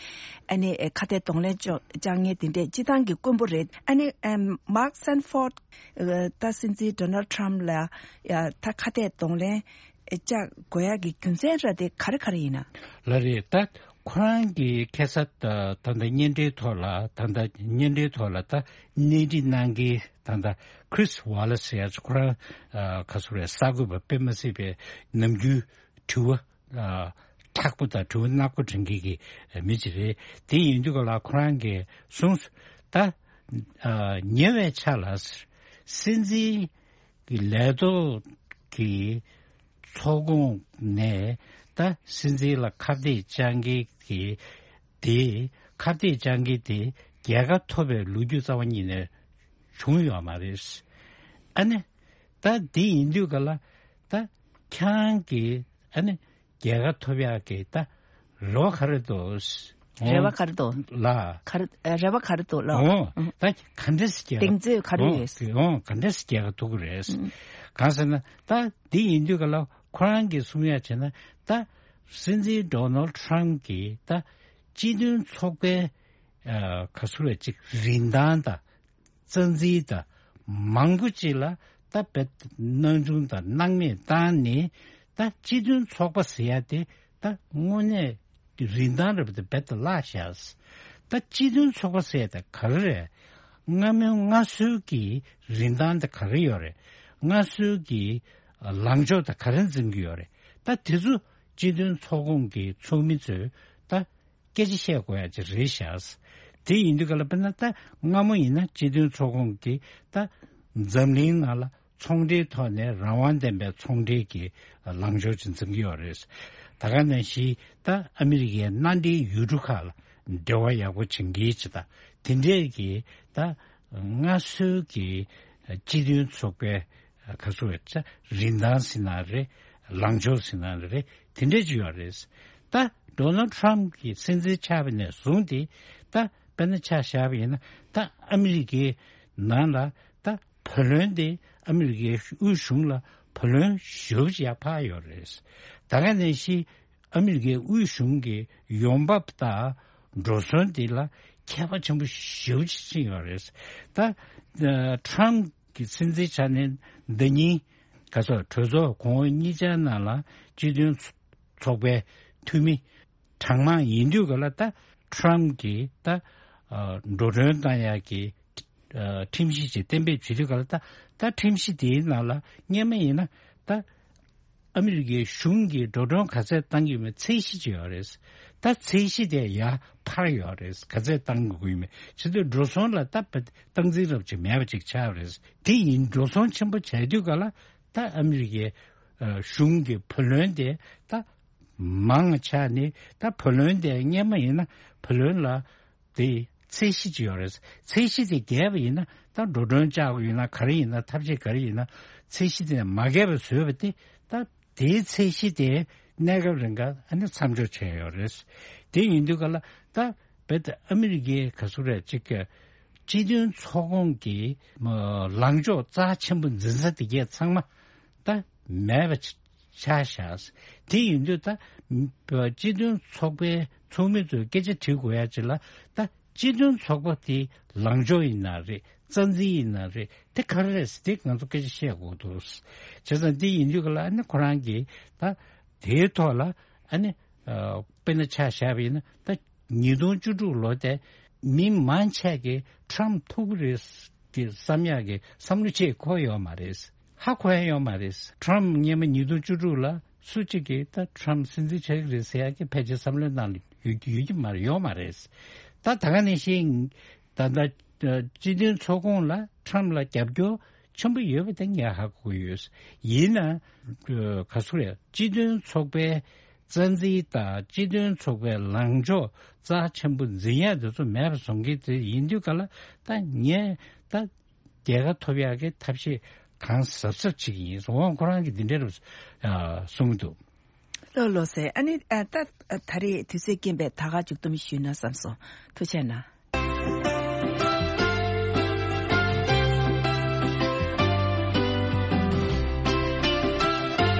ཨ་ནི་ཨེ་ཁ་གཏད་གདོང་ལེན་བཅོ་བཅག་མཁན་དེ་འདྲས་སྤྱི་བཏང་གི་དཀོན་པོ་རེད། ཨ་ནི་ཨེམ་Mark Sanford ཨ་ད་སྲིད་འཛིན་Donald Trump ལ་ཡ་ད་ཁ་གཏད་གདོང་ལེན་བཅག་དགོས་ཡག་གི་རྒྱུ་མཚན་ར་དེ་ག་རེ་ག་རེ་ཡིན་ན། ལགས་རེད། ད་ཁོ་རང་གིས་ཁ་སང་ད་ད་ལྟ་བརྙན་འཕྲིན་ཐོག་ལ་ད་ལྟ་བརྙན་འཕྲིན་ཐོག་ལ་ད་གནས་འདྲི་གནང་མཁན་ད་ལྟ་Chris Wallace ཟེར་ཡ་ཁོ་རང་ཨ་ག་ཚོད་རེད་གསར་འགོད་པ་དཔེ་མ་སྲིད་པའི་ནམ་རྒྱུན་དྲི་བ་ཨ་མཁྲེགས་པོ་དང་དྲི་བ་ནག་པོ་དྲི་མཁན་གྱི་མི་ཅིག་རེད། དེ་ཡིན་དུས་ག་ལ་ཁོ་རང་གིས་གསུངས་སོང་། ད་ཨ་ཉེ་བའི་ཆར་ལ་སྲིད་འཛིན་གྱི་ལས་ཐོག་གི་ཚོགས་ཁོངས་ནས་ད་སྲིད་འཛིན་ལ་ཁ་གཏད་བཅག་མཁན་གྱི་དེ་ཁ་གཏད་བཅག་མཁན་དེ་རྒྱལ་ཁ་ཐོབ་པའི་ལོ་རྒྱུས་རྩ་བ་ཉིད་ནས་བྱུང་ཡོད་མ་རེད། ཨ་ནི་ད་འདི་ཡིན་དུས་ག་ལ་ད་ཁྱེད་རང་གིས་ཨ་ནི་རྒྱལ་ཁ་ཐོབ་ཡག་གི་ད་རེ་བ་ག་རེ་འདུག་རེ་བ་ག་རེ་འདུག་ལ། ག་རེ་ཨ་རེ་བ་ག་རེ་འདུག་ལ། འོ་ཨ་ད་ག་འདྲས་སེ་རྒྱལ་གདེང་ཚོད་ག་རེ་ཡོད། འོ་ག་འདྲས་སེ་རྒྱལ་ཁ་ཐོབ་ཀྱི་རེད། ཨང་གང་ཟེར་ན་ད་འདི་ཡིན་དུས་ག་ལ་ཁོ་རང་གིས་གསུང་ཡག་བྱས་ན་ད་སྲིད་འཛིན་Donald Trump གིས་ད་སྤྱི་མཐུན་ཚོགས་པའི་ཨ་ག་ཚོད་རེད་ཅིག་རིན་ཐང་དང་། རྩ་འཛིན་དང་མང་པོ་ཅིག་ལ་ད་རྦད་སྣང་ཆུང་དང་སྣང་མེད་བཏང་ནས་ད་སྤྱི་མཐུན་ཚོགས་པ་ཟེར་ཡ་དེ་ད་དངོས་གནས་རིན་ཐང་རབ་དེ་རྦད་དེ་བརླག་བཞག་ད་སྤྱི་མཐུན་ཚོགས་པ་ཟེར་ཡ་དེ་ག་རེ་རེད། སྔ་མོའི་སྔ་སྲོལ་གྱི་རིན་ཐང་དེ་ག་རེ་ཡོད་རེད། སྔ་སྲོལ་གྱི་ལངས་ཕྱོགས་དེ་ག་རེ་འཛིན་གྱི་ཡོད་རེད། ད་དེ་ཚོ་སྤྱི་མཐུན་ཚོགས་ཁོངས་ཀྱི་ཚོགས་མི་ཚོས་ད་སྐད་ཆ་བཤད་དགོས་ཡ་ཅིག་རེད་ཤག་དེ་ཡིན་དུས་ག་ལ་དཔེར་ན་ད་སྔ་མོ་ཡིན་ན་སྤྱི་མཐུན་ཚོགས་ཁོངས་ཀྱི་ད་འཛམ་གླིང་ནང་ལ་ཚོང་འབྲེལ་ཐོག་ནས་རང་དབང་ལྡན་པའི་ཚོང་འབྲེལ་གྱི་ལངས་ཕྱོགས་ཅིག་འཛིན་གྱི་ཡོད་རེད། ད་ག་ནང་བཞིན་ད་ཨ་མི་རི་ཀའི་མནའ་འབྲེལ་ཡུལ་གྲུ་ཁག་ལ་འབྲེལ་བ་ཡག་པོ་བྱེད་མཁན་ཅིག་དང་དེ་འདྲས་ཀྱི་ད་སྔ་སྲོལ་གྱི་ སྤྱི་མཐུན་ཚོགས་པའི་ག་ཚོད་རེད་ཆ་རིན་ཐང་ཟེར་ན་རེད། ལངས་ཕྱོགས་ཟེར་ན་རེད། དེ་འདྲས་ཅིག་ཡོད་རེད། ད་ཌོ་ནལ་ཊམ་གྱི་སྲིད་འཛིན་ཆགས་པ་ནས་བཟུང་སྟེ་ད་དཔེར་ན་ཆ་བཞག་པ་ཡིན་ན་ད་ཨ་མི་རི་ཀའི་ནང་ལ་ད་བུ་ལོན་དེ་ཨ་མི་རི་ཀའི་དབུས་གཞུང་ལ་བུ་ལོན་ཞེ་པོ་ཅིག་ཡར་འཕར་ཡོད་རེད། ད་ག་ནང་བཞིན་ཨ་མི་རི་ཀའི་དབུས་གཞུང་གི་ཡོང་འབབ་དང་འགྲོ་སོང་དེ་ལ་ཁྱད་པར་ཆེན་པོ་ཞེ་པོ་ཅིག་ཕྱིན་ཡོད་རེད། ད་ཨ་ཊམ་གྱི་སྲིད་འཛིན་ཆགས་ནས་ཟླ་ཉིན་ག་ཚོད་གྲོས་ཚོགས་གོང་འོག་གཉིས་ཆར་ནང་ལ་སྤྱི་མཐུན་ཚོགས་པའི་འཐུས་མི་གྲངས་མང་ཡིན་དུས་ག་ལ་ད་ཊམ་གྱིས་ད་ཨ་འགྲོ་གྲོན་བཏང་ཡག་གི་ཨ་ཁྲིམས་གཞི་ཅིག་གཏན་འབེབས་བྱེད་དུས་ག་ལ་ད་ད་ཁྲིམས་གཞི་དེའི་ནང་ལ་སྔོན་མ་ཡིན་ན་ད་ཨ་མི་རི་ཀའི་གཞུང་གིས་འགྲོ་གྲོན་ག་ཚད་བཏང་གི་ཡོད་མེད་ཚད་གཞི་ཅིག་ཡོད་རེད། ད་ཚད་གཞི་དེ་ཡར་འཕར་ཡོད་རེད། ག་ཚད་བཏང་དགོས་ཀྱི་ཡོད་མེད་བྱེད་དུས་འགྲོ་སོང་ལ་ད་སྟངས་འཛིན་རབ་ཅིག་མེད་པ་ཅིག་ཆགས་རེད། དེ་ཡིན་འགྲོ་སོང་ཆེན་པོ་བྱས་དུས་ག་ལ་ད་ཨ་མི་རི་ཀའི་ཨ་གཞུང་གི་བུ་ལོན་དེ་ད་མང་ཆགས་ནས་ད་བུ་ལོན་དེ་སྔོན་མ་ཡིན་ན་བུ་ལོན་ལ་དེ་ཚད་གཞི་ཅིག་ཡོད་རེད། ཚད་གཞི་དེ་བརྒལ་བ་ཡིན་ན་ད་འགྲོ་གྲོན་བཅག་དགོས་ཡིན་ན་ག་རེ་ཡིན་ན་ཐབས་ཤེས་ག་རེ་ཡིན་ན་ཚད་གཞི་དེ་མ་བརྒལ་བ་བཟོས་པ་དེ་ད་དེའི་ཚད་གཞི་དེ་གནས་སྐབས་རིང་ག་ཨ་ནི་མཚམས་འཇོག་བྱས་ཡོད་རེད། དེ་ཡིན་དུས་ག་ལ་ད་རྦད་དེ་ཨ་མི་རི་ཀའི་ག་ཚོད་རེད་ཅིག་གི་སྤྱི་མཐུན་ཚོགས་ཁོངས་ཀྱི་ལངས་ཕྱོགས་རྩ་ཆེན་པོ་འཛིན་ས་དེ་གས་ཚང་མ་ད་མེད་པ་ཆགས་བཞག་དེ་ཡིན་དུས་ད་སྤྱི་མཐུན་ཚོགས་པའི་ཚོགས་མི་ཚོས་སྐད་ཆ་དྲི་དགོས་ཡ་ཅིག་ལ་ད་སྤྱི་མཐུན་ཚོགས་པ་དེ་ལངས་ཕྱོགས་ཡིན་ན་རེད། རྩ་འཛིན་ཡིན་ན་རེད། དེ་ག་རེ་རེད་ཟེར་དེ་ང་ཚོ་སྐད་ཆ་བཤད་དགོས་འདུག་བྱས་ཙང་དེ་ཡིན་དུས་ག་ལ་ཨ་ནི་ཁོ་རང་གིས་ད་དེའི་ཐོག་ལ་ཨ་ནི་ཨ་དཔེར་ན་ཆ་བཞག་པ་ཡིན་ན་ད་ཉིས་སྟོང་བཅུ་དྲུག་ལོ་དེ་མི་མང་ཆེ་གིས་ཊམ་ཐུག་གི་རེད་ཀྱི་བསམ་ཡག་གི་བསམ་བློ་ཅིག་འཁོར་ཡོད་མ་རེད། ཧ་གོ་ཡ་ཡོད་མ་རེད། ཊམ་སྔོན་མ་ཉིས་སྟོང་བཅུ་དྲུག་ལ་སུ་གཅིག་གིས་ད་ཊམ་སྲིད་འཛིན་ཆགས་ཀྱི་རེད་ཟེར་ཡག་གི་ཕལ་ཆེར་བསམ་བློའི་ནང་ལ་ཡོད་ཡོད་ཀྱི་མ་རེད། ཡོད་མ་རེད། ད་ད་ག་ནང་བཞིན་ད་ལྟ་སྤྱི་མཐུན་ཚོགས་ཁོངས་ལ་ཊམ་ལ་རྒྱབ་སྐྱོར་ཆེན་པོ་ཡོད་པ་དེ་ངས་ཧ་གོ་གི་ཡོད། ཡིན་ན་ག་ཚོད་རེད། སྤྱི་མཐུན་ཚོགས་པའི་རྩ་འཛིན་དང་སྤྱི་མཐུན་ཚོགས་པའི་ལངས་ཕྱོགས་རྩ་ཆེན་པོ་འཛིན་ཡག་དེ་ཚོ་མེད་པ་བཟོ་མཁན་དེ་ཡིན་དུས་ག་ལ་ད་ངས་ད་རྒྱལ་ཁ་ཐོབ་ཡག་གི་ཐབས་ཤེས་གང་གཟབ་གཟབ་བྱེད་ཀྱི་ཡིན། འོང་ཁོ་རང་གིས་འདི་འདྲ་རུ་གསུངས་འདུག་ལགས་ལགས་སེ། ཨ་ནི་ཨ་ད་ད་རེས་དུས་ཚོད་རྐྱེན་པས་ད་ག་མཇུག་བསྡོམས་ཞུས་ན་བསམ་སོང་། ཐུགས་རྗེ་གནང་།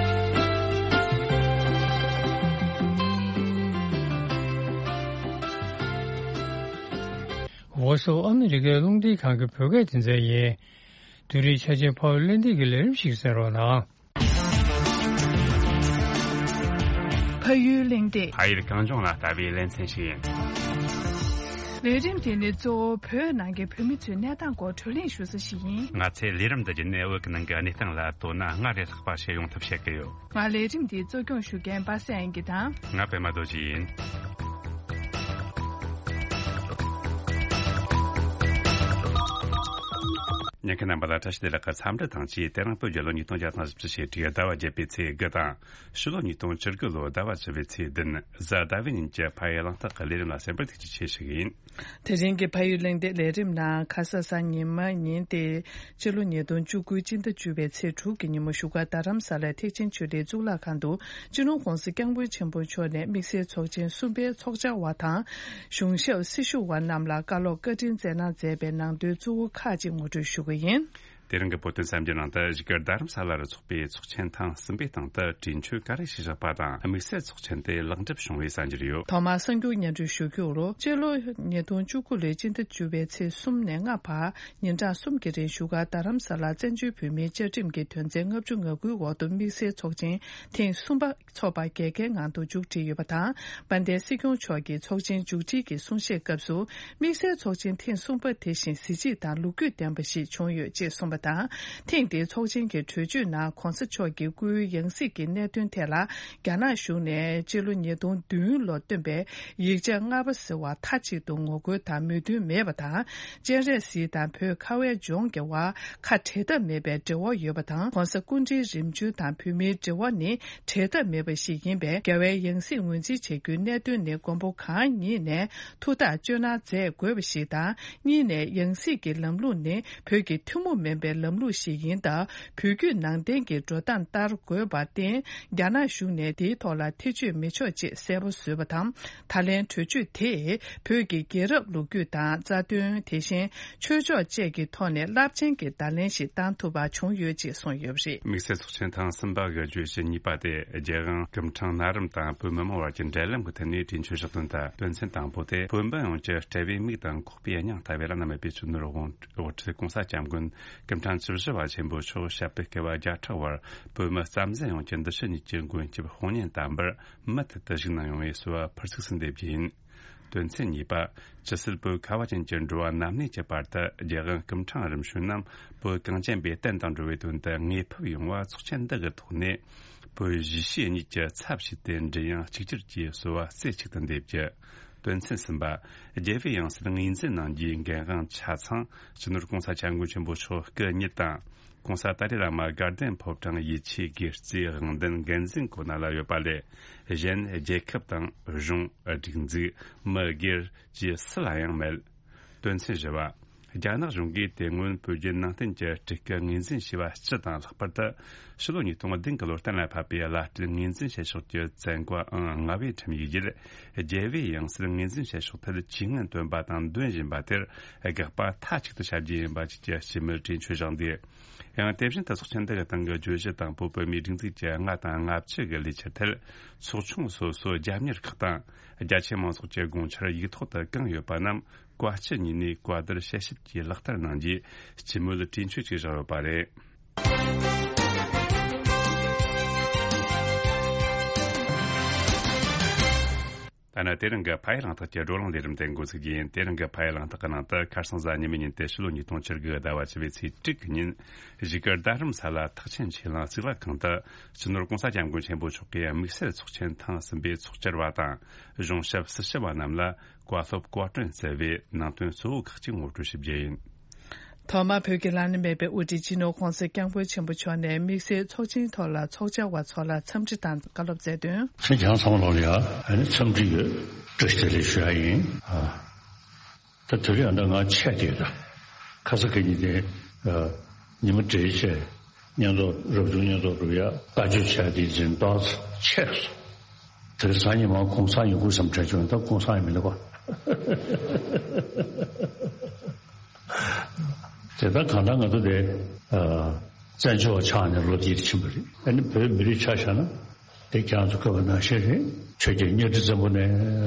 Voice of America་རླུང་འཕྲིན་ཁང་གི་བོད་སྐད་སྡེ་ཚན་ཡིན། དེ་རིང་ཆ་ཆེན་ཕ་བོད་གླེང་སྟེགས་ཀྱི་ལས་རིམ་ཞིག་གསན་རོགས་གནང་། ཕ་ཡུལ་གླེང་སྟེགས། ཕ་ཡུལ་གངས་ལྗོངས་ལ་ལྟ་བའི་ལེ་ཚན་ཞིག་ཡིན། ལས་རིམ་དེ་ནི་གཙོ་བོ་བོད་ནང་གི་བོད་མི་ཚོའི་གནས་སྟངས་སྐོར་བགྲོ་གླེང་ཞུ་ས་ཞིག་ཡིན། ང་ཚོས་ལས་རིམ་འདི་བརྒྱུད་ནས་བོད་ཀྱི་ནང་གི་གནས་སྟངས་ལ་དོ་སྣང་སྔར་ལས་ལྷག་པ་བྱེད་ཡོང་ཐབས་བྱེད་ཀྱི་ཡོད། ང་ལས་རིམ་འདི་གཙོ་སྐྱོང་ཞུ་མཁན་པ་སངས་དབྱངས་སྐྱིད་དང་། ང་པད་མ་རྡོ་རྗེ་ཡིན། ཉན་མཁན་རྣམ་པ་ལ་བཀྲ་ཤིས་བདེ་ལེགས་ཀྱི་འཚམས་འདྲི་དང་བཅས། དེ་རིང་བོད་རྒྱལ་ལོ་ཉིས་སྟོང་བརྒྱ་དང་བཞི་བཅུ་ཞེ་དྲུག་ཟླ་བ་བརྒྱད་པའི་ཚེས་དགུ་དང་། ཕྱི་ལོ་ཉིས་སྟོང་བཅུ་དགུ་ལོ་ཟླ་བ་བཅུ་པའི་ཚེས་བདུན། གཟའ་ཟླ་བའི་ཉིན་གྱི་ཕ་ཡུལ་གླེང་སྟེགས་ཀྱི་ལས་རིམ་ལ་གསན་པར་ཐུགས་རྗེ་ཆེ་ཞུ་གི་ཡིན། དེ་རིང་གི་ཕ་ཡུལ་གླེང་སྟེགས་ལས་རིམ་ནང་ཁ་ས་གཟའ་ཉི་མ་ཉིན་ཏེ་སྤྱི་ལོ་ཉིས་སྟོང་བཅུ་དགུ་སྤྱི་ཟླ་བཅུ་པའི་ཚེས་དྲུག་གི་ཉིན་མོ་བཞུགས་སྒར་རྡ་རམ་ས་ལའི་ཐེག་ཆེན་ཆོས་གླིང་གཙུག་ལག་ཁང་དུ་སྤྱི་ནོར་༸གོང་ས་༸སྐྱབས་མགོན་ཆེན་པོ་མཆོག་ནས་དམིགས་བསལ་ཚོགས་ཆེན་གསུམ་པའི་ཚོགས་བཅར་བ་དང་། གཞུང་ཞབས་སྲི་ཞུ་བ་རྣམས་ལ་བཀའ་སློབ་བཀའ་དྲིན་སྩལ་གནང་མཛད་པའི་ནང་དོན་གཙོ་བོ་ཁག་ཅིག་ངོ་སྤྲོད་ཞུ་གི་ཡིན། དེ་རིང་གི་བོད་དོན་གསར་འགྱུར་ནང་དུ་བཞུགས་སྒར་རྡ་རམ་ས་ལ་རུ་ཚོགས་པའི་ཚོགས་ཆེན་ཐེངས་གསུམ་པའི་སྟེང་དུ་གྲོས་ཆོད་ག་རེ་ཞིག་བཞག་པ་དང་། དམིགས་བསལ་ཚོགས་ཆེན་དེ་ལེགས་འགྲུབ་བྱུང་བའི་གསར་འགྱུར་ཡོད། ཐོག་མར་གསར་འགྱུར་སྙན་སྒྲོན་ཞུ་རྒྱུ་རུ། སྤྱི་ལོ་ཉིས་སྟོང་བཅུ་དགུ་ལོའི་སྤྱི་ཟླ་བཅུ་པའི་ཚེས་གསུམ་ནས་ལྔ་བར་ཉིན་གྲངས་གསུམ་གྱི་རིང་བཞུགས་སྒར་རྡ་རམ་ས་ལར་བཙན་བྱོལ་བོད་མིའི་བཅའ་ཁྲིམས་ཀྱི་དོན་ཚན་ལྔ་བཅུ་ང་དགུའི་འོག་ཏུ་དམིགས་བསལ་ཚོགས་ཆེན་ཐེངས་གསུམ་པ་འཚོགས་པ་རྒྱལ་ཁའི་ངང་དུ་མཇུག་སྒྲིལ་ཡོད་པ་དང་། དཔལ་ལྡན་སྲིད་སྐྱོང་མཆོག་གིས་ཚོགས་ཆེན་མཇུག་སྒྲིལ་གྱི་གསུང་བཤད་སྐབས་སུ། དམིགས་བསལ་ཚོགས་ཆེན་ཐེངས་གསུམ་པ་དེ་བཞིན་གཟི་བརྗིད་དང་ལོ་རྒྱུས་ལྡན་པ་ཞིག་བྱུང་ཡོད་ཅེས་གསུངས་པ་དང་། ཐེངས་འདིའི་ཚོགས་ཆེན་གྱི་གྲོས་ཆོད་ནང་གོང་ས་མཆོག་གིས་སྐུའི་ཡང་སྲིད་ཀྱི་གནད་དོན་ཐད་ལ། རྒྱ་ནག་གཞུང་ནས་སྤྱི་ལོ་ཉིས་སྟོང་བདུན་ལོར་བཏོན་པའི་ཡིག་ཆ་ལྔ་པ་ཟེར་བ་མཐའ་གཅིག་ཏུ་ངོ་རྒོལ་དང་མོས་མཐུན་མེད་པ་དང་། སྤྱན་རས་གཟིགས་དང་བོད་ཁ་བའི་ལྗོངས་ཀྱི་བར་ཁ་འབྲལ་ཐབས་མེད་པའི་འབྲེལ་བ་ཡོད་པ་དང་། ྋགོང་ས་སྐུ་ཕྲེང་རིམ་བྱོན་དང་བོད་མིའི་འབྲེལ་བ་ནི་འབྲལ་ཐབས་མེད་པ་ཞིག་ཡིན་པས། རྒྱལ་བའི་ཡང་སྲིད་ངོས་འཛིན་བྱ་རྒྱུའི་གནད་དོན་ནི་མགོན་པོ་གང་ཉིད་ནས་ཐུགས་ཐག་གཅོད་གནང་མཛད་དགོས་པ་ཞིག་དང་། གཉིས་ནས་ཡང་སྲིད་ཀྱི་ལམ་ལུགས་ནི་བོད་ཀྱི་ཐུན་མོང་མིན་པ། པའི་ལམ་ལུགས་ཤིག་ཡིན་སྟབས། བོད་བརྒྱུད་ནང་བསྟན་གྱི་འགྲོ་སྟངས་ལྟར་དགོས་པར་བརྟེན། རྒྱ་ནག་གཞུང་ནས་དེའི་ཐོག་ལ་ཐེ་བྱུས་མི་ཆོག་ཅེས་གསལ་པོ་བཟོས་པ་དང་། ད་ལན་གྲོས་ཆོད་དེས་བོད་ཀྱི་རྒྱལ་རབས་ལོ་རྒྱུས་དང་། རྩ་དོན། དེ་བཞིན་ཆོས་ཕྱོགས་བཅས་ཀྱི་ཐོག་ནས་རླབས་ཆེན་གྱི་བརྡ་ལན་ཞིག་བཏང་ཐུབ་པ་བྱུང་ཡོད་ཅེས་གསུངས་ཡོད་པ་རེད། དམིགས་བསལ་ཚོགས་ཆེན་ཐེངས་གསུམ་པ་གི་བརྗོད་གཞི་གཉིས་པ་དེ། རྒྱལ་དབང་སྐུ་ཕྲེང་ན་རིམ་དང་བོད་མི་མང་བར་གྱི་འབྲེལ་ལམ་གྱི་ཐད་ནས་གྲོས་ཆོད་བཞག་དོན་དང་། དོན་ཚན་དང་པོ་དེ། བོད་འབངས་ཡོངས་ཀྱི་དཔྲལ་བའི་མིག་དང་ཁོག་པའི་སྙིང་ལྟ་བུའི་བླ་ན་མེད་པའི་སྤྱི་ནོར་༸གོང་ས་༸སྐྱབས་མགོན་སྐུ་ཕྲེང་བཅུ་བཞི་པ་ཆེན་པོ་མཆོག་བཤད་པའི་སྐལ་བ་བརྒྱ་ཕྲག་བར་བོད་མི་རྩ་འཛིན་ཡོངས་ཀྱི་འདི་ཕྱི་གཉིས་ཀྱི་མགོན་སྐྱབས་དཔུང་གཉེན་དམ་པར་མུ་མཐུད་དུ་བཞུགས་གནང་ཡོང་བའི་གསོལ་བ་ཕུར་ཚུགས་སུ་འདེབས་རྒྱུ་ཡིན། དོན་ཚན་གཉིས་པ། ཇི་སྲིད་བོད་ཁ་བ་ཅན་གྱི་འགྲོ་བ་ནམ་གནས་ཀྱི་བར་དུ་རྒྱལ་དབང་སྐུ་ཕྲེང་རིམ་བྱོན་རྣམས་བོད་གངས་ཅན་པའི་བསྟན་དང་འགྲོ་བའི་དོན་དུ་དངོས་ཕེབས་ཡོང་བ་ཚོགས་ཆེན་འདི་གི་ཐོག་ནས་བོད་གཞིས་བྱེས་གཉིས་ཀྱི་ཚབ་བྱས་ཏེ་མགྲིན་དབྱངས་གཅིག་གྱུར་གྱིས་གསོལ་བ་རྩེ་གཅིག་ཏུ་འདེབས་རྒྱུ། དོན་ཚན་གསུམ་པ། རྒྱལ་བའི་ཡང་སྲིད་ངོས་འཛིན་གནང་རྒྱུའི་འགན་དབང་ཆ་ཚང་སྤྱི་ནོར་༸གོང་ས་༸སྐྱབས་མགོན་ཆེན་པོ་མཆོག་སྐུ་ཉིད་དང་། ༸གོང་ས་ཏཱ་ལའི་བླ་མ་དགའ་ལྡན་ཕོ་བྲང་ཡིད་ཆེས་དགེ་རྩའི་དབང་ལྡན་འགན་འཛིན་གོ་གནས་ལ་ཡོད་པ་ལས་གཞན། རྒྱལ་ཁབ་དང་གཞུང་། སྒྲིག་འཛུགས། མི་སྒེར་བཅས་སུ་ལ་ཡང་མེད། དོན་ཚན་བཞི་པ། རྒྱ་ནག་གཞུང་གིས་དེ་སྔོན་བོད་བརྒྱུད་ནང་བསྟན་གྱི་སྤྲུལ་སྐུ་ངོས་འཛིན་བྱས་པ་སྤྱི་དང་། ལྷག་པར་དུ་ཕྱི་ལོ་ཉིས་སྟོང་བདུན་གྱི་ལོར་གཏན་ལ་ཕབ་པའི་བླ་སྤྲུལ་ངོས་འཛིན་བྱེད་ཕྱོགས་ཀྱི་བཙན་བཀའ་ཨང་ལྔ་པའི་ཁྲིམས་ཡིག་བརྒྱུད། རྒྱལ་བའི་ཡང་སྲིད་ངོས་འཛིན་བྱེད་ཕྱོགས་ཐད་ཇུས་ངན་བཏོན་པ་དང་འདོན་བཞིན་པ་དེར་དགག་པ་མཐའ་གཅིག་ཏུ་བྱ་རྒྱུ་ཡིན་པ་བཅས་ཀྱི་སྤྱི་མོས་གྲོས་ཆོད་བཞག་འདུག་ཡང་དེ་བཞིན་དུ་ཚོགས་ཆེན་འདི་གི་སྟེང་གི་བརྗོད་གཞི་དང་པོ་བོད་མིའི་སྒྲིག་འཛུགས་ཀྱི་ལྔ་དང་ལྔ་བཅུ་གི་ལས་འཆར་ཐད། ཚོགས་ཆུང་སོ་སོའི་རྒྱབ་གཉེར་ཁག་དང་རྒྱ་ཆེ་མང་ཚོགས་ཀྱི་དགོངས་འཆར་ཡིག་ཐོག་ཏུ་བཀང་ཡོད་པ་རྣམས་བཀའ་སྤྱི་གཉིས་ནས་བཀའ་བསྡུར་དཔྱད་ཞིབ་ཀྱིས་ལག་བསྟར་གནང་རྒྱུའི་སྤྱི་མོས་གྲོས་ཆོད་ཅིག་བཞག་ཡོད་པ་རེད། ད་ནི་དེ་རིང་གི་ཕ་ཡུལ་གླེང་སྟེགས་ཀྱི་བགྲོ་གླེང་ལས་རིམ་དེ་འགོ་ཚུགས་རྒྱུ་ཡིན། དེ་རིང་གི་ཕ་ཡུལ་གླེང་སྟེགས་ཀྱི་ནང་དུ། ཁ་སང་གཟའ་ཉི་མའི་ཉིན་ཏེ་ཕྱི་ལོ་ཉིས་སྟོང་བཅུ་དགུ་ཟླ་བ་བཅུ་པའི་ཚེས་དྲུག་གི་ཉིན། གཞིས་ཀ་རྡ་རམ་ས་ལ་ཐེག་ཆེན་ཆོས་གླིང་གཙུག་ལག་ཁང་དུ་སྤྱི་ནོར་༸གོང་ས་༸སྐྱབས་མགོན་ཆེན་པོ་མཆོག་གིས་དམིགས་བསལ་ཚོགས་ཆེན་ཐེངས་གསུམ་པའི་ཚོགས་བཅར་བ་དང་གཞུང་ཞབས་སྲི་ཞུ་བ་རྣམས་ལ་བཀའ་སློབ་བཀའ་དྲིན་སྩལ་བའི་ནང་དོན་གཙོ་བོ་ཁག་ཅིག་ངོ་སྤྲོད་ཞུ་རྒྱུ་ཡིན། ཐོག་མར་བོད་ཀྱི་བླ་ན་མེད་པའི་དབུ་ཁྲིད་སྤྱི་ནོར་༸གོང་ས་༸སྐྱབས་མགོན་ཆེན་པོ་མཆོག་ནས་དམིགས་བསལ་ཚོགས་ཆེན་ཐོག་ལ་ཚོགས་བཅར་བ་ཚོ་ལ་འཚམས་འདྲི་དང་བཀའ་སློབ་སྩལ་དོན། ཁྱེད་རང་ཚང་མ་ལོག་ལ་ཡ་ཨ་ནི་འཚམས་འདྲི་ཡོད། བཀྲ་ཤིས་བདེ་ལེགས་ཞུ་ཡ་ཡིན། ཨ། ད་དེ་རིང་ཨ་ད་ང་ཆད་དེ་ད་ཁ་ས་ཁ་ཉིན་དེ་ཉི་མ་འདྲེས་བྱས་བསྙེན་རྫོགས་རབ་བྱུང་བསྙེན་རྫོགས་སྒྲུབ་ཡ་བཀའ་ཆོས་བྱས་དེ་འཛིན་སྟངས་ཆད་སོང་། དེ་རིང་སང་ཉིན་མ་གུང་སེང་ཡོང་དགོས་བསམ་དྲན་བྱུང་། ད་གུང་སེང་ཡང་མི་འདུག་ག་དེ་ལྟར་གང་ལྟར་ང་ཚོ་དེ་ཨ་བཙན་བྱོལ་བ་ཆགས་ནས་ལོ་འདིར་ཕྱིན་པ་རེད། ཨ་ནི་བོད་མི་རིགས་ཆ་བཞག་ན་དེ་ཁྱེད་རང་ཚོ་བཀོད་པ་ནང་བཞིན་རེད། ཆོས་རྒྱལ་གཉའ་ཁྲི་བཙན་པོ་ནས་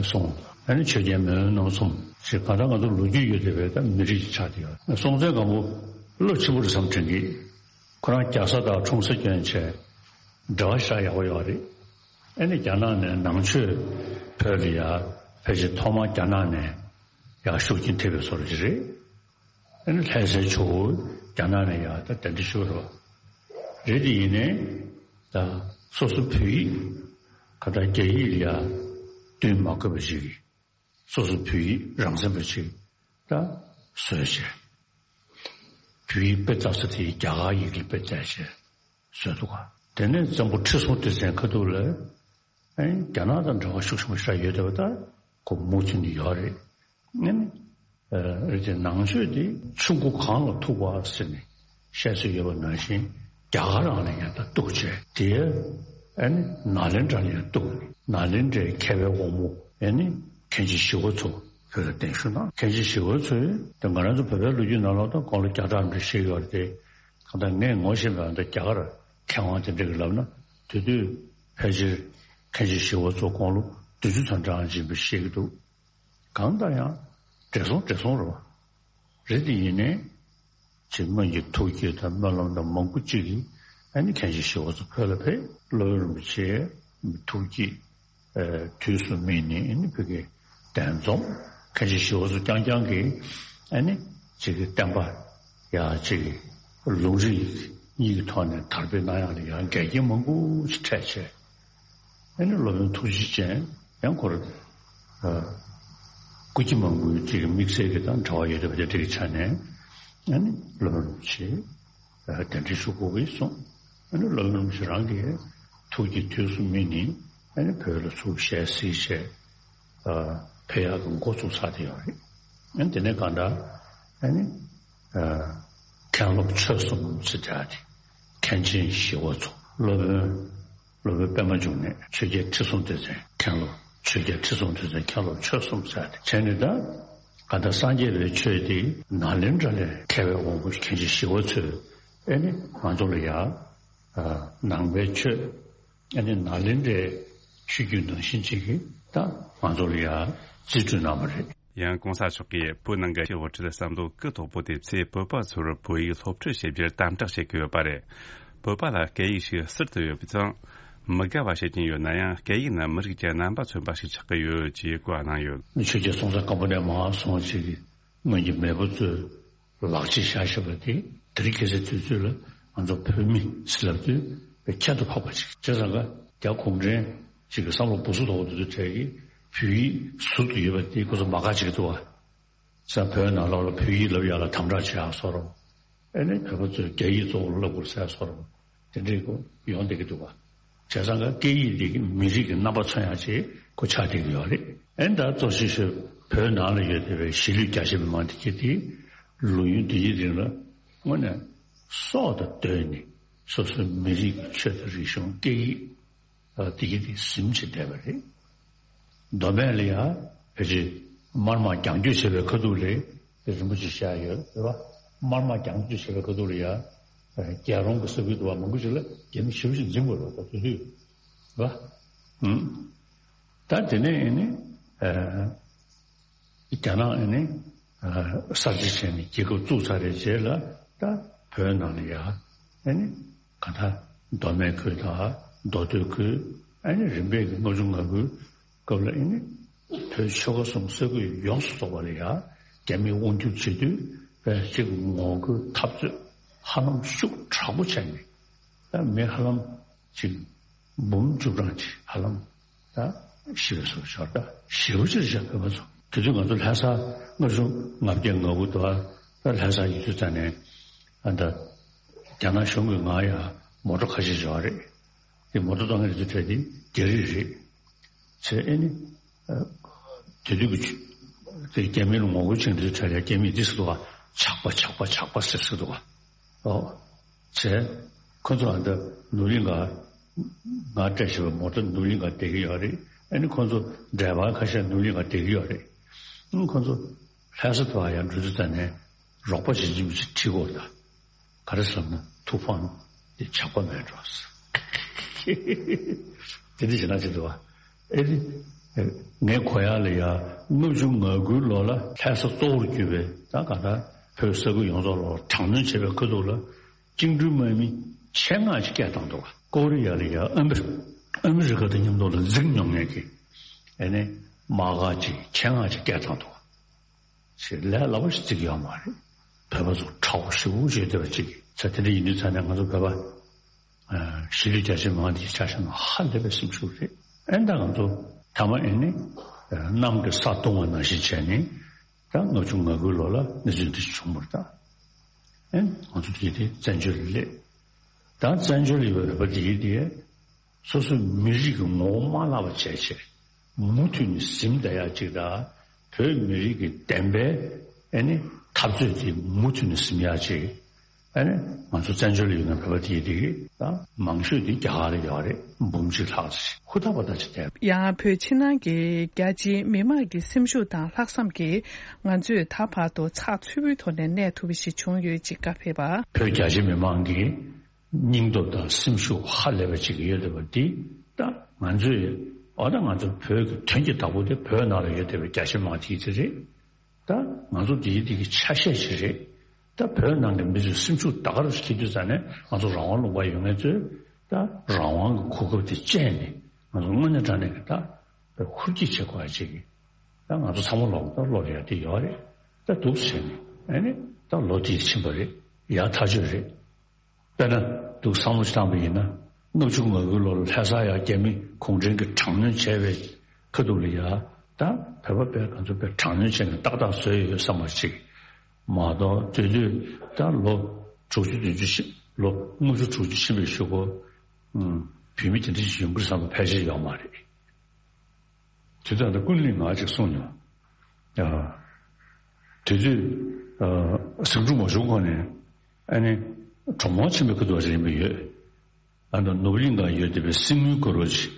བཟུང་ཨ་ནི་ཆོས་རྒྱལ་མེས་དབོན་རྣམ་གསུམ་ཞེས་གང་ལྟར་ང་ཚོ་ལོ་རྒྱུས་ཡོད་བསྡད་པའི་ད་མི་རིགས་ཆགས་བསྡད་ཡོད། སྲོང་བཙན་སྒམ་པོ་བློ་ཆེན་པོ་རེད་བསམ་དྲན་གི། ཁོ་རང་རྒྱ་བཟའ་དང་འཁྲུངས་ས་སྐྱོན་བྱས་འབྲེལ་བ་ཞེ་དྲག་ཡག་པོ་ཡོད་རེད། ཨ་ནི་རྒྱ་ནག་ནས་ནང་ཆོས་བོད་ལ་ཡར་ཕལ་ཆེར་ཐོག་མར་རྒྱ་ནག་ནས་ཡར་ཤུགས་རྐྱེན་ཐེབས་པའི་བཟོ་འདྲ་ཅིག་རེད། ཨ་ནི་ལྷ་སའི་ཇོ་བོ་རྒྱ་ནག་ནས་ཡར་ད་གདན་འདྲེན་ཞུས་པ་རེད། རེད་དེ་ཡིན་ནའི་ད་སོ་སོ་བོད་ཡིག་ག་ད་རྒྱ་ཡིག་ལ་ཡར་བསྟུན་མ་དགོས་པ་ཞིག་གིས་སོ་སོ་བོད་ཡིག་རང་བཙན་པ་ཞིག་ད་བཟོས་བྱས། བོད་ཡིག་དཔེ་ལྟ་ས་དེ་རྒྱ་གར་ཡི་གེ་དཔེ་བལྟས་བྱས་བཟོས་འདུག་ག་དེ་ནས་བཙན་པོ་ཁྲི་སྲོང་ལྡེ་བཙན་ཁ་ཐུག་ལ་ཨེ་རྒྱ་ནག་དང་འབྲེལ་བ་ཤུགས་ཆེན་པོ་ཞིག་ཡོད་བསྡད་པ་ད་ཁོ་མུ་མཐུད་ནས་ཡོད་རེད། ཨེ་ནི་ཨ་རེད་དེ་ནང་ཆོས་དེ་ཆུ་མགོ་གངས་ལ་ཐུག་པ་ཟེར་ནས་བཤད་སྲོལ་ཡོད་པ་ནང་བཞིན་རྒྱ་གར་རང་ལ་ཡང་ད་གཏུགས་བྱས་དེ་ཨེ་ནི་ནཱ་ལེནྡྲ་ལ་ཡང་གཏུགས། ནཱ་ལེནྡྲའི་མཁས་པའི་དབང་མོ་ཨེ་ནི་མཁན་ཆེན་ཞི་བ་འཚོ་བོད་ལ་གདན་ཞུ་གནང་། མཁན་ཆེན་ཞི་བ་འཚོས་དེ་ང་རང་ཚོ་བོད་པའི་ལོ་རྒྱུས་ནང་ལོགས་ད་དགུང་ལོ་བརྒྱ་ཕྲག་འདྲ་བཤད་ཡོད་རེད་དེ། གང་ལྟར་ངས་ངོ་ཤེས་པའི་ད་རྒྱ་གར་མཁས་དབང་དེ་འདྲ་གིས་ལབ་ན་དེ་དུས་ཕལ་ཆེར་མཁན་ཆེན་ཞི་བ་འཚོ་དགུང་ལོ་བདུན་ཅུ་ཙམ་འདྲ་ཡིན་པ་བཤད་ཀྱི་འདུག་གང་ལྟར་ཡང་བགྲེས་སོང་བགྲེས་སོང་རེད་བ། རེད་དེ་ཡིན་ནའི་ཅིག་སྔོན་གྱི་ཐུགས་བསྐྱེད་དང་སྨོན་ལམ་དང་མང་པོ་ཅིག་གིས་ཨ་ནི་མཁན་ཆེན་ཞི་བ་འཚོ་བོད་ལ་ཕེབས། སློབ་དཔོན་རིན་པོ་ཆེའི་ཐུགས་བསྐྱེད་དུས་སུ་སྨིན་ནས་ཨ་ནི་བོད་ཀྱི་གདན་འཛོམས། མཁན་ཆེན་ཞི་བ་འཚོ་རྐྱང་རྐྱང་གིས་ཨ་ནི་ཅིག་གི་བསྟན་པ་ཡ་ཅིག་གི་ལུང་རིགས་གཉིས་ཀྱི་ཐོག་ནས་དར་སྤེལ་གནང་ཡག་ལ་ཡང་འགལ་རྐྱེན་མང་པོ་ཞིག་འཕྲད་བྱས། ཨ་ནི་སློབ་དཔོན་ཐུགས་རྗེ་ཅན་ཡང་ཁོ་རང་སྐུ་སྐྱེ་མང་པོའི་ཅིག་དམིགས་བསལ་གྱི་དང་འབྲེལ་བ་ཡོད་བསྡད་པ་དེ་འདྲ་གི་ཆ་ནས་ཨ་ནི་སློབ་དཔོན་རིན་པོ་ཆེ་གདན་འདྲེན་ཞུ་དགོས་ཀྱི་གསུངས། ཨ་ནི་སློབ་དཔོན་རིན་པོ་ཆེ་རང་གིས་ཐུགས་ཀྱི་དུས་སུ་སྨིན་ནས་ཨ་ནི་བོད་ལ་ཚུར་ཞལ་གཟིགས་བྱས་ཕེབས་ཡག་གི་འགོ་བཙུགས་ཚར་བསྡད་ཡོད་རེད། ཨ་ནི་དེ་ནས་གང་ལྟར་ཨ་ནི། མཁན་སློབ་ཆོས་གསུམ་ཟེར་བྱ་སྟེ། མཁན་ཆེན་ཞི་བ་འཚོ། སློབ་དཔོན། སློབ་དཔོན་པད་མ་འབྱུང་གནས། ཆོས་རྒྱལ་ཁྲི་སྲོང་ལྡེ་བཙན། མཁན་སློབ། ཆོས་རྒྱལ་ཁྲི་སྲོང་ལྡེ་བཙན། མཁན་སློབ་ཆོས་གསུམ་ཟེར་ཏེ་བྱས་ནས། ད་ག་ད་སངས་རྒྱས་པའི་ཆོས་དེ་ནཱ་ལེནྡྲ་ལས་མཁས་པའི་དབང་པོ་མཁན་ཆེན་ཞི་བ་འཚོས། ཨེ་ནི་ང་ཚོ་ལ་ཡ། ཨ། ནང་པའི་ཆོས། ཨེ་ནི་ནཱ་ལེནྡྲའི་ཆོས་བརྒྱུད་ནང་བཞིན་ཅིག་གིས་ད་ང་ཚོ་ལ་ཡ་རྩིས་སྤྲོད་གནང་བ་རེད། ཡང་གོང་ས་མཆོག་གིས་བོད་ནང་གི་དབུ་ཁྲིད་བསམ་བློ་གུ་དོག་པོ་དེ་ཚོས་བོད་པ་ཚོར་བོད་ཡིག་སློབ་ཁྲིད་བྱེད་རྒྱུར་དམ་དྲག་བྱེད་ཀྱི་ཡོད་པ་རེད། བོད་པ་ལ་སྐད་ཡིག་ཞིག་ཟུར་དུ་ཡོད་པ་དང་། མི་དགའ་བ་བྱེད་ཀྱིན་ཡོད་ན་ཡང་སྐད་ཡིག་ནི་མི་རིགས་ཀྱི་རྣམ་པ་མཚོན་པ་ཞིག་ཆགས་ཀྱི་ཡོད་ཅེས་བཀའ་གནང་ཡོད། ཆོས་རྒྱལ་སྲོང་བཙན་སྒམ་པོ་ནས་མར་སོང་ཅིག་གི་སྔོན་གྱི་མེས་པོ་ཚོས་ལག་ཆས་བཞག་བཞག་པ་དེ་དེ་རིང་ཁ་སང་དུས་ཚོད་ལ་ང་ཚོ་བོད་མི་ཟེར་ལབ་དུས་ཁྱད་དུ་འཕགས་པ་ཅིག་བྱས་ཙང་ཀ་རྒྱ་གུང་ཁྲན་ཅིག་གི་བསམ་བློ་སྦུ་སུ་དོག་དུ་དུ་གྲས་ཀྱི་བོད་ཡིག་ཟུར་དུ་ཡོད་པ་དེ་ཁོ་ཚོ་མ་དགའ་ཅིག་འདུག་བ། ས་བོད་ནང་ལོགས་ལ་བོད་ཡིག་ལབ་ཡག་ལ་དམ་དྲག་བྱེད་ཡག་བཟོ་འདྲ། ཨེ་ནི་བོད་པ་ཚོས་རྒྱ་ཡིག་གཙོ་བོར་ལབ་དགོས་ཟེར་བཟོ་འདྲ། དེ་འདྲའི་སྐོར་ཡོང་བསྡད་ཀྱི་འདུག་བ། བྱས་ཙང་ཀ་སྐད་ཡིག་འདི་གི་མི་རིགས་ཀྱི་རྣམ་པ་མཚོན་ཡག་ཅིག་ཁོ་ཆགས་བསྡད་ཀྱི་ཡོད་རེད། ཨེ་ད་གཙོ་ཆེ་ཤོས་བོད་ནང་ལ་ཡོད་བསྡད་པའི་གཞིས་ལུས་རྒྱ་ཆེ་མི་མང་དེ་གྱད་དེ་ལོ་ཡུན་འདི་ཡི་རིང་ལ་དངོས་གནས་སྲོག་དང་བསྟུན་ནས་སོ་སོའི་མི་རིགས་ཀྱི་ཆོས་དང་རིག་གཞུང་སྐད་ཡིག་ཨ། དེ་གི་དེ་ཟིན་བྱས་བསྡད་པ་རེད། མདོ་སྨད་ལ་ཡ་ཕལ་ཆེར་དམར་དམག་རྒྱང་སྐྱོད་བྱས་པའི་ཁ་ཐུག་ལ་རིན་པོ་ཆེ་བཞག་ཡོད་རེད་བ། དམར་དམག་རྒྱང་སྐྱོད་བྱས་པའི་ཁ་ཐུག་ལ་ཡ། ཨ། རྒྱལ་རོང་གི་ས་ཁུལ་དུ་བ་མང་པོ་ཞིག་ལ་རྒྱ་མི་ཞེ་པོ་ཞིག་འཛིང་དགོས་རེད་བ། ད་དེ་དུས་བ། ཨུམ། ད་དེ་ནས་ཨེ་ནི། ཨ། རྒྱ་ནག་ཨེ་ནི། ཨ། གསར་བརྗེ་བྱས་ནས་རྒྱལ་ཁབ་བཙུགས་ཚར་བའི་རྗེས་ལ་ད་བོད་ནང་ལ་ཡ་ཨེ་ནི་ག་ད་མདོ་སྨད་ཁུལ་དང་མདོ་སྟོད་ཁུལ། ཨེ་ནི་རིམ་པས་ཀྱི་ལྔ་བཅུ་ང་དགུའི་སྐབས་ལ་ཨེ་ནི་བོད་ཆོལ་ཁ་གསུམ་ས་ཁུལ་ཡོངས་སུ་རྫོགས་པ་ལ་ཡ་རྒྱ་མིས་དབང་སྒྱུར་བྱེད་དུས་དཔེ་ཅིག་ངོ་རྒོལ་འཐབ་རྩོད་ཧ་ལམ་ཤུགས་དྲག་པོ་བྱས་ནས་ད་མི་ཧ་ལམ་ཅིག་འབུམ་བཅུ་གྲངས་ཅིག་ཧ་ལམ་ད་ཤི་བའི་བཟོ་ཤོར། ད་ཞེ་པོ་ཅིག་བཞག་པའི་བཟོ། དེ་དུས་ང་ཚོ་ལྷ་ས་ལྔ་བཅུ་ང་བརྒྱད་ང་དགུ་དུ་བ། ད་ལྷ་ས་ཡིན་དུས་ཙ་ནས་ཨ་ད་རྒྱ་ནག་གཞུང་གིས་ང་ཡང་མོ་ཊ་ཁ་ཤས་ཡོད་རེད། དེ་མོ་ཊ་གཏོང་མཁན་དེ་ཚོ་གྲས་དེ་རྒྱ་རིགས་རེད། ཚེ་ཨེ་ནི། ཨ། དེ་དུས་ཀྱི་ཆུ། དེ་རྒྱ་མི་ལ་ངོ་རྒོལ་བྱེད་དུས་གྲས་ལ་རྒྱ་མིས་འདི་ཟེར་འདུག་བ། ཇག་པ་ཇག་པ་ཇག་པ་ཟེར་ཟེར་འདུག་བ། ཨོ། བྱས། ཁོ་ཚོ་ཨ་ད་ནུབ་གླིང་ག་ང་སྤྲད་བཞག་པའི་མོ་ཊ་ནུབ་གླིང་ག་བསྡད་ཀྱི་ཡོད་རེད། ཨ་ནི་ཁོ་ཚོ་ཌ་རའི་བར་ཁ་ཤས་ནུབ་གླིང་ག་བསྡད་ཀྱི་ཡོད་རེད། ཨ་ནི་ཁོ་ཚོ་ལྷ་ས་དུ་བ་ཡང་འགྲོ་དུས་ཙ་ནས་རོགས་པ་བྱེད་ཀྱི་མི་ཚོ་ཁྲིད་དགོས་ད། ག་རེ་ཟེར་ན་ཐུགས་ཕམ་དེ་ཇག་པ་མེད་འགྲོ་ཟེར། དེ་འདྲ་བྱེད་ན་ཆེ་འདུག་བ། ཨེ་རེད། ངས་གོ་ཡག་ལ་ཡ་ལྔ་བཅུ་ང་དགུའི་ལོ་ལ་ལྷ་ས་གཙོ་བོར་གྱུར་པའི་ད་ག་ད་བོད་ས་ཁུལ་ཡོངས་རྫོགས་ལ་དྲག་གནོན་བྱས་པའི་ཁ་ཐུག་ལ་བཅིངས་འགྲོལ་དམག་མི་ཆེད་མངགས་ཅིག་སྐད་བཏང་འདུག་བ། ཀོ་རི་ཡ་ལ་ཡ་ཨ་མི་རི་ཨ་མི་རི་ཀ་དང་མཉམ་དུ་ལ་འཛིང་མྱོང་མཁན་གྱི་ཨེ་ནས་དམག་སྒར་ཅིག་ཆེད་མངགས་ཅིག་སྐད་བཏང་འདུག་བ། ཞེས་ལས་སླ་པོ་ཞིག་བརྩི་གི་ཡོད་མ་རེད། བོད་པ་ཚོ་ཁྲ་བོ་ཞེ་པོ་བྱས་བསྡད་པ་ཅིག་ཚེ་དེ་འདྲ་ཡིན་དུས་ཙ་ནས་ང་ཚོ་བོད་པ་གཞིས་ལུས་རྒྱ་ཆེ་མང་དེ་ཆ་བཞག་ན་ཧ་ལས་པའི་སེམས་ཤུགས་རེད། ཨེ་ད་ང་ཚོ་ཐ་མ་ཨེ་ནི་གནམ་གྱི་ས་བརྡུངས་པ་ནང་བཞིན་བྱས་ནས་ད་ལྔ་བཅུ་ང་དགུའི་ལོ་ལ་གནས་ཚུལ་འདི་བྱུང་བ་རེད་ད། ཨེ་ང་ཚོ་དེ་དེ་བཙན་བྱོལ་ལ་སླེབས། ད་བཙན་བྱོལ་ལ་ཡོད་པའི་བོད་པ་དེ་གིས་དེ། སོ་སོའི་མི་རིགས་ཀྱི་ངོ་བོ་མ་བརླག་པ་བྱས་བྱས། མུ་མཐུད་ནས་ཟིན་བསྡད་ཡག་ཅིག་དང་། བོད་མི་རིགས་ཀྱི་བདེན་པའི་ཨེ་ནི་འཐབ་རྩོད་དེ་མུ་མཐུད་ནས་ཟིན་ཡག་ཅིག་ཨེ་ནི་ང་ཚོ་བཙན་བྱོལ་ལ་ཡོད་ན་བོད་པ་དེ་དེ་གི་ད་མང་ཤོས་དེ་རྒྱ་གར་ལ་ཡོད་རེད། འབུམ་གཅིག་ལྷག་ཅིག་ཧུར་ཐག་པ་ཐག་ཅིག་བསྡད། ཡང་བོད་ཕྱི་ནང་གི་རྒྱ་ཆེའི་མི་མང་གི་སེམས་ཤུགས་དང་ལྷག་བསམ་གྱིས་ང་ཚོས་ད་བར་དུ་ཚགས་ཚུད་པོའི་ཐོག་ནས་གནས་ཐུབ་པ་ཞིག་བྱུང་ཡོད་ཅེས་བཀའ་ཕེབས་པ། བོད་རྒྱ་ཆེ་མི་མང་གིས། སྙིང་སྟོབས་དང་སེམས་ཤུགས་ཧ་ལས་པ་ཅིག་ཡོད་བསྡད་པ་འདི་ད་ང་ཚོས་འོ་ད་ང་ཚོ་བོད་ཀྱི་དོན་གྱི་བདག་པོ་དེ་བོད་ནང་ལ་ཡོད་བསྡད་པའི་རྒྱ་ཆེ་མང་དེ་ཚོ་རེད། ད་ང་ཚོ་འདིའི་འདི་གི་ཆ་ཤས་ཤིག་རེད། ད་བོད་ནང་གི་མི་ཚོས་སེམས་ཤུགས་ད་ག་རུ་ཁྱེར་དུས་ཙ་ནས་ང་ཚོ་རང་དབང་ལུང་པ་ཡོད་མཁན་ཚོས་ད་རང་དབང་གི་གོ་སྐབས་དེ་སྤྱད་ནས་ང་ཚོ་དངོས་གནས་དྲང་གནས་ཀྱི་ད་ཧུར་བསྐྱེད་བྱེད་དགོས་ཡ་ཅིག་གི་ད་ང་ཚོ་ཚང་མ་ལོག་ད་ལོག་ཡ་དེ་ཡོད་རེད། ད་འདུག་བྱས་ནས་ཨ་ནི་ད་ལོ་དེ་ཕྱིན་པ་རེད། ཡར་ཐག་ཆོད་རེད། དཔེར་ན་འདུག་བསམ་བློ་ཞིག་བཏང་པ་ཡིན་ན། ལྔ་བཅུ་ང་དགུའི་ལོ་ལ་ལྷ་ས་ཡ་རྒྱ་མི་གུང་ཁྲན་གྱིས་དྲག་གནོན་བྱས་པའི་ཁ་ཐུག་ལ་ཡ། ད་བོད་པ་དཔེ་ང་ཚོ་དཔེ་དྲག་གནོན་བྱས་ནས་ཏག་ཏག་བཟོས་ཡོད་བསམ་པ་ཅིག་མ་གཏོགས་དེ་དུས་ད་ལོ་དྲུག་ཅུ་བདུན་ཅུ་ཕྱིན། ལོ་ལྔ་བཅུ་དྲུག་ཅུ་ཕྱིན་པའི་གཞུག་གུ། ཨུམ། བོད་མི་དེ་འདྲ་ཞིག་ཡོང་གི་རེད་བསམ་པ་ཕལ་ཆེར་ཡོད་མ་རེད། དེ་ལྟར་ད་ཀུན་གླེང་ང་ཅིག་གསུངས་མྱོང་། ཡ། དེ་དུས། ཨ། ཟིང་འཁྲུག་མ་བྱུང་གོང་ནས། ཨ་ནི་གྲོ་མོ་ཆེན་པོའི་ཁ་ཐུག་རིམ་པ་ཡོད། ཨ་ནི་ནོར་བུ་གླིང་ག་ཡོད་བསྡད་པའི་གསེར་དངུལ་གུ་རུ་ཆེ།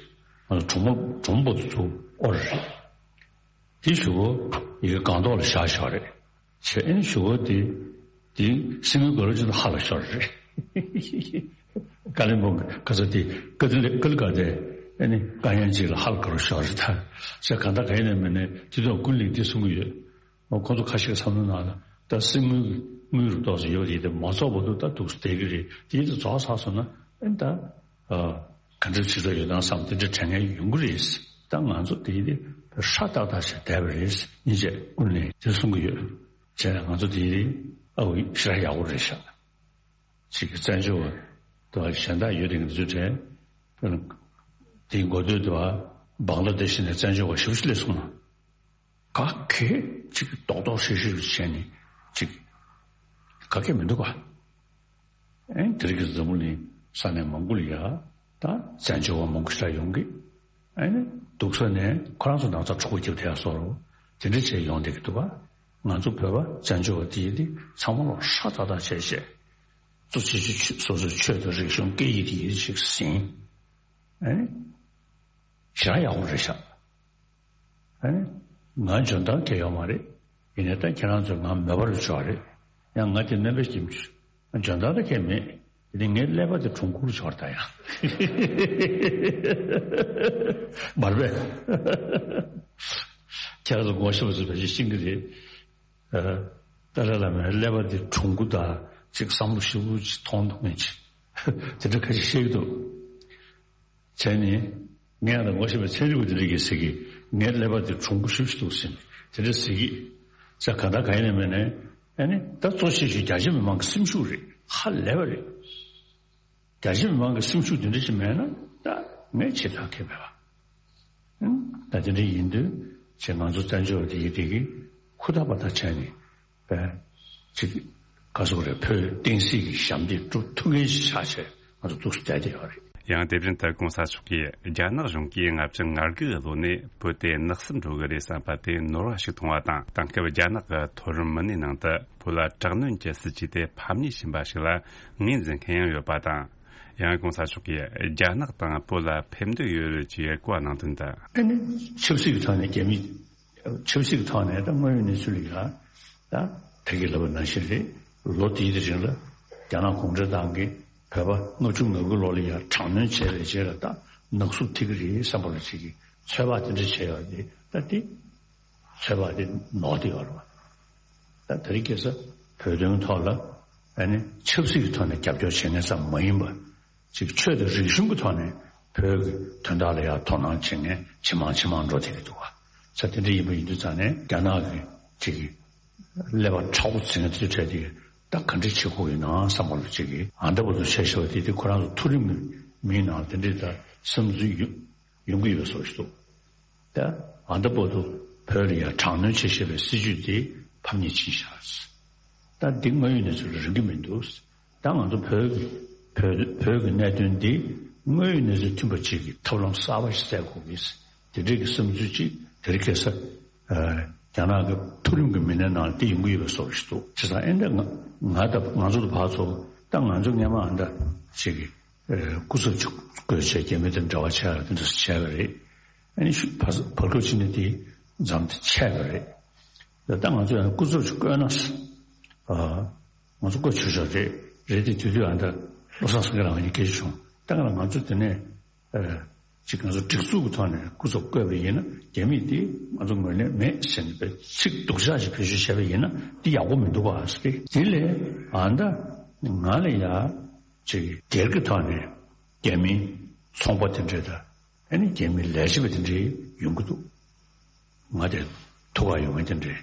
ཨ་ནི་གྲོ་མོ་གྲོ་མོ་པོ་ཏི་ཚུ་ཨོ་རེད། དེ་ཞུ་བོ་ཡི་གེ་སྒང་ཐོག་ལ་བཞག་ཞོར་རེད། བྱས་ཨ་ནི་ཞུ་བོ་དེ་དེ་གསེར་དངུལ་གུ་རུ་ཆེ་ན་ཧ་ལ་ཤོར་རེད། ཀ་ལི་མོང་གི་ག་ས་དེ་ཀ་ལི་ཀ་ལི་ག་དེ་ཨ་ནི་ཀ་ཡན་ཅིག་ལ་ཧ་ལ་གུ་རུ་ཤོར་རེད། ད་བྱས་གང་ལྟར་ག་ཡིན་ནའི་མིན་ནའི་དེ་དུས་ཀུན་གླིང་དེ་གསུང་གི་ཡོད། ཁོང་ཚོ་ཁ་ཤས་བསམ་བློ་ནང་ལ་ད་གསེར་དངུལ་དངུལ་རུ་ཏོག་ཙམ་ཡོད་དེ་དེ་མ་རྫོགས་བར་དུ་ད་འདུག་བསྡད་ཀྱི་རེད། དེ་དེ་རྫོགས་ཚར་སོང་ན་ཨེ་ད་ཨ་ག་འདྲ་བྱེད་འདོད་ཡོད་དམ་བསམ་དེ་འདྲ་དྲན་མཁན་ཡོང་གི་རེད། ད་ང་ཚོ་དེ་དེ་ཧྲ་ཏག་ཏག་བྱས་བསྡད་པ་རེད། སྙིང་རྗེ་ཀུན་ལས་དེ་གསུང་གི་ཡོད། བྱས་ན་ང་ཚོ་དེ་དེ་ཨ་འུ་ཞེ་དྲག་ཡག་པོ་རེད་ཤག་ཅིག་གི་བཙན་བྱོལ་བ་དུ་བ་གཞན་དག་ཡོད་དེ་འདི་ཚོ་དྲན། དེའི་འགོ་སྟོད་དུ་བ་བང་ལ་དེ་བཞིན་ནས་བཙན་བྱོལ་བ་ཞེ་པོ་ཅིག་སླེབས་སོང་ན། ག་གེ་ཅིག་རྡོག་རྡོག་ཧྲིལ་ཧྲིལ་བྱས་ནས་ཅིག་ག་གེ་མི་འདུག་ག་ཨེ་དེ་རིང་གི་འཛམ་བུ་གླིང་ས་གནས་མང་པོ་ལ་ཡ་ད་བཙན་བྱོལ་བ་མང་པོ་ཞིག་ཡོང་གི། ཨེ་ནི་འདུག་ས་ནས་ཁོ་རང་ཚོ་ནང་ཚ་གྲོགས་པོ་རྒྱབ་དེ་ཡ་སོ་རོ། དེ་འདྲ་བྱས་ཡོང་བསྡད་ཀྱི་འདུག་ག་ང་ཚོ་བོད་པ་བཙན་བྱོལ་བ་དེ་ཡི་དེ་ཚང་མ་ལོ་ཧྲ་ཏག་ཏག་བྱས་བྱས། གཙོ་ཆེ་ཆེ་སོ་སོའི་ཆོས་དང་རིག་གཞུང་སྐད་ཡིག་དེ་ཡིད་ཆེས་ཟིན། ཨེ་ནི་ཞེ་དྲག་ཡག་པོ་རེད་ཤག་ཨེ་ནི་ང་འཇོན་ཐང་གང་ཡོད་མ་རེད། ཡིན་ནའི་ད་ཁྱེད་རང་ཚོས་ང་མོས་པ་རུ་ཆོག་རེད། ཡང་ང་དེ་རྣམ་པའི་ཁྱིམ་ཆུ་འཇོན་ཐང་ད་གང་མེད། དེ་ནི་ངའི་ཀླད་པ་དེ་གྲུང་ཁུར་ཆོག་ད་ཡང་མར་པས་ཁྱེད་རང་ཚོ་ངོ་ཤེས་པ་ཚོས་ཕལ་ཆེར་ཤེས་ཀྱི་རེད། ཨ། ཏཱ་ལའི་བླ་མའི་ཀླད་པ་འདི་གྲུང་པོ་དང་ཅིག་བསམ་བློ་ཞིབ་པོ་ཅིག་ཐོང་འདུག་མིན་ཅིག་དེ་འདྲ་ཁ་ཅིག་བཤད་ཀྱི་འདུག་བྱས་ནས་ངས་ཨ་ད་ངོ་ཤེས་པའི་ཚན་རིག་པ་དེ་འདྲ་གིས་ཟེར་གི། ངའི་ཀླད་པ་འདི་གྲུང་པོ་ཞེ་པོ་ཅིག་འདུག་ཟེར་ནས་དེ་འདྲ་ཟེར་གི། ས་ག་ད་ག་ཡིན་ནའི་མིན་ནའི་ཨ་ནི་ད་གཙོ་ཆེ་ཤོས་རྒྱ་ཆེ་མི་མང་གི་སེམས་ཤུགས་རེད། ཧ་ལས་པ་རེད། རྒྱ་ཆེ་མི་མང་གི་སེམས་ཤུགས་དེ་འདྲ་ཞིག་མེད་ན་ད་ངས་བྱེད་ཐབས་མཁས་མེད་པ། ཨང་། ད་དེ་འདྲ་ཡིན་དུས་ཅེས་ང་ཚོ་བཙན་བྱོལ་བ་དེ་ཡི་དེ་གི་ཧུར་ཐག་པ་ཐག་བྱས་ནས་པས་ཅིག་ག་ཟེར་དགོས་རེད། བོད་བསྟན་སྲིད་ཀྱི་ཞབས་འདེགས་སྒྲུབ་ཐུབ་མཁན་ཞིག་ཆགས་བྱས་ང་ཚོ་འདུག་སེ་བསྡད་བསྡད་ཡོད་རེད། ཡང་དེ་བཞིན་དུ་གོང་ས་མཆོག་གིས་རྒྱ་ནག་གཞུང་གིས་ལྔ་བཅུ་ང་དགུ་གི་ལོ་ནས་བོད་དེ་ནག་སུབ་འགྲོ་གི་རེད་བསམ་པ་དེ་ནོར་བ་ཞིག་མཐོང་བ་དང་། དེང་སྐབས་རྒྱ་ནག་གི་མཐོ་རིམ་མི་སྣའི་ནང་དུ་བོད་ལ་དྲག་གནོན་གྱི་སྲིད་ཇུས་དེ་ཕམ་ཉེས་ཕྱིན་པ་ཞིག་ལ་ངོས་འཛིན་མཁན་ཡང་ཡོད་པ་དང་། ཡང་གོང་ས་མཆོག་གིས་རྒྱ་ནག་དང་བོད་ལ་ཕན་འདོད་ཡོད་རེད་ཅེས་གོ་བ་གནང་དོན་དུ། ཨ་ནི་ཆབ་སྲིད་ཀྱི་ཐོག་ནས་རྒྱ་མི་ཆབ་སྲིད་ཀྱི་ཐོག་ནས་ད་དངོས་ཡོད་གནས་ཚུལ་ལ་ཡ་ད་ད་གིན་ལབ་པ་ནང་བཞིན་རེད། ལོ་དེའི་རིང་ལ་རྒྱ་ནག་གུང་ཁྲན་ཏང་གིས་བོད་པ་ལྔ་བཅུ་ང་དགུ་ལོ་ལ་ཡ་དྲག་གནོན་བྱས་པའི་རྗེས་ལ་ད་ནག་སུབ་ཐེབས་ཀྱི་རེད་བསམ་པ་ལ་ཅིག་གིས་ཚོད་དཔག་དེ་འདྲ་བྱས་ཡོད་རེད། ད་དེ་ཚོད་དཔག་དེ་ནོར་བསྡད་ཡོད་རེད་བ། ད་དེ་རིང་ཁ་སང་བོད་དོན་ཐོག་ལ་ཨ་ནི་ཆབ་སྲིད་ཀྱི་ཐོག་ནས་རྒྱབ་སྐྱོར་བྱེད་མཁན་ཙམ་མ་ཡིན་པ། ཅིག་ཆོས་དང་རིག་གཞུང་གི་ཐོག་ནས་བོད་ཀྱི་དོན་དག་ལ་ཡང་དོ་སྣང་བྱེད་མཁན་ཇེ་མང་ཇེ་མང་འགྲོ་བསྡད་ཀྱི་འདུག་བ། ས་དེ་འདྲ་ཡིན་པ་ཡིན་དུས་ཙང་ནས་རྒྱ་ནག་གི་ཅིག་ཀླད་པ་མཁྲེགས་པོ་འཛིན་མཁན་དེ་ཚོའི་གྲས་དེ་ད་ག་འདྲ་བྱེད་དགོས་ཡིན་ནམ་བསམ་པ་ལ་ཅིག་གིས་ཨ་འདྲ་པོ་ཚོ་བྱས་བཞག་པ་དེ་དེ་ཁོ་རང་ཚོ་མཐོ་རིམ་གྱི་མིའི་ནང་དེ་འདྲའི་ད་བསམ་ཚུལ་ཡོད། ཡོང་གི་ཡོད་བཟོ་ཞིག་འདུག་ད་ཨ་ད་བར་དུ་བོད་ལ་ཡང་དྲག་གནོན་བྱེད་བཞིན་པའི་སྲིད་ཇུས་དེ་ཕམ་ཉེས་ཕྱིན་བཞག་ད་འདི་དངོས་ཡོད་གནས་ཚུལ་ལ་རིང་གི་མི་འདུག་ད་ང་ཚོ་བོད་ཀྱི་བོད་བོད་ཀྱི་གནད་དོན་འདི་དངོས་ཡོད་གནས་ཚུལ་མཐུན་པ་ཅིག་གི་ཐབས་ལམ་གསར་པ་ཞིག་བཙལ་དགོས་ཀྱི། དེ་འདྲའི་གི་བསམ་ཚུལ་ཅིག་དེ་རིང་ཁ་སང་རྒྱ་ནག་གི་མཐོ་རིམ་གྱི་མི་སྣའི་ནང་ལ་དེ་ཡོང་གི་ཡོད་པའི་བཟོ་ཞིག་འདུག་བྱས་ཙང་ཨེ་འདྲ་ང་ང་ད་ང་ཚོ་ད་ཕར་ཚུར་ད་ང་ཚོ་སྔན་མ་ཨ་འདྲ་ཅིག་གི་སྐུ་ཚབ་ཅིག་བསྐོས་བྱས་རྒྱ་མི་དང་འབྲེལ་བ་བྱས་ཡ་དེ་འདྲ་བྱས་པ་རེད། ཨ་ནི་ཤུ་བར་བར་སྐབས་ཅིག་ནས་དེ་མཚམས་དེ་ཆད་པ་རེད། ད་ལྟ་ང་ཚོ་ཡང་སྐུ་ཚབ་ཅིག་བསྐོས་ན་ཨ་ང་ཚོ་བསྐོས་ཆོག་ཆོག་རེད། རེད་དེ་དེ་དུས་ཨ་ད་བློ་བཟང་སེང་གེ་རང་ངེད་ཀྱི་སྐད་ཆ་བྱུང་། ད་ག་ལ་ང་ཚོ་དེ་ནས་ཨ་ཅིག་ང་ཚོ་སྒྲིག་འཛུགས་ཀྱི་ཐོག་ནས་སྐུ་ཚབ་བསྐོས་པ་ཡིན་ན་རྒྱ་མིས་དེ་ང་ཚོ་ངོས་ལེན་མེད་ཟེར་ནས་པའི་ཚིག་སྡུག་ཅག་ཅིག་བེད་སྤྱོད་བྱས་པ་ཡིན་ན་དེ་ཡག་པོ་མི་འདུག་ག་ཟེར་ཏེ། དེ་ལས་ཨ་ད་ང་ལ་ཡ་ཅིག་སྒེར་གྱི་ཐོག་ནས་རྒྱ་མིའི་ཚོང་པ་དེ་འདྲས་དང་། ཨ་ནི་རྒྱ་མི་ལས་བྱེད་པ་དེ་འདྲས་ཡོང་གི་འདུག་ང་དེ་ཐུག་ག་ཡོང་མཁན་དེ་འདྲས་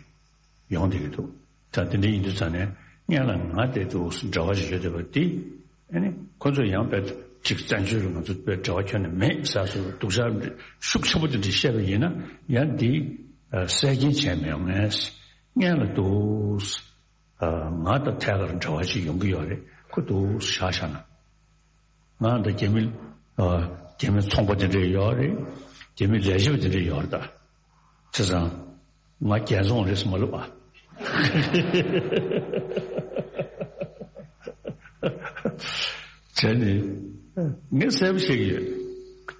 ཡོང་བསྡད་ཀྱི་འདུག་ད་དེ་འདྲས་ཡིན་དུས་ཙང་ནས་སྔོན་ལ་ང་དེ་འདུག་འབྲེལ་བ་ཞིག་ཡོད་བསྡད་པ་དེ། ཨ་ནི་ཁོ་ཚོ་ཡང་དཔེ་ཅིག་བཙན་བྱོལ་རུ་ང་ཚོ་དཔེ་འབྲེལ་བ་ཁྱོན་ནས་མེད་ཟེར་སོ་སྡུག་ཅག་ཤུགས་ཆེན་པོ་དེ་འདྲས་བཤད་པ་ཡིན་ན་ཡང་འདི་གསལ་རྐྱེན་བྱས་མི་ཡོང་ངས། སྔོན་ལ་འདུག་ང་དང་ཐད་ཀར་འབྲེལ་བ་ཞིག་ཡོང་གི་ཡོད་རེད། ཁོ་འདུག་བཞག་བཞག་ན། ང་འདི་རྒྱ་མི་ཨ་རྒྱ་མི་ཚོང་པ་དེ་འདྲས་ཡོད་རེད། རྒྱ་མི་ལས་བྱེད་པ་དེ་འདྲས་ཡོད་རེད་ད། བྱས་ཙང་ང་རྒྱལ་བཙོང་རེད་ཟེར་མ་ལབ་ཨ། བྱས་ནས་ངས་གསལ་པོ་བཤད་ཀྱི་ཡོད།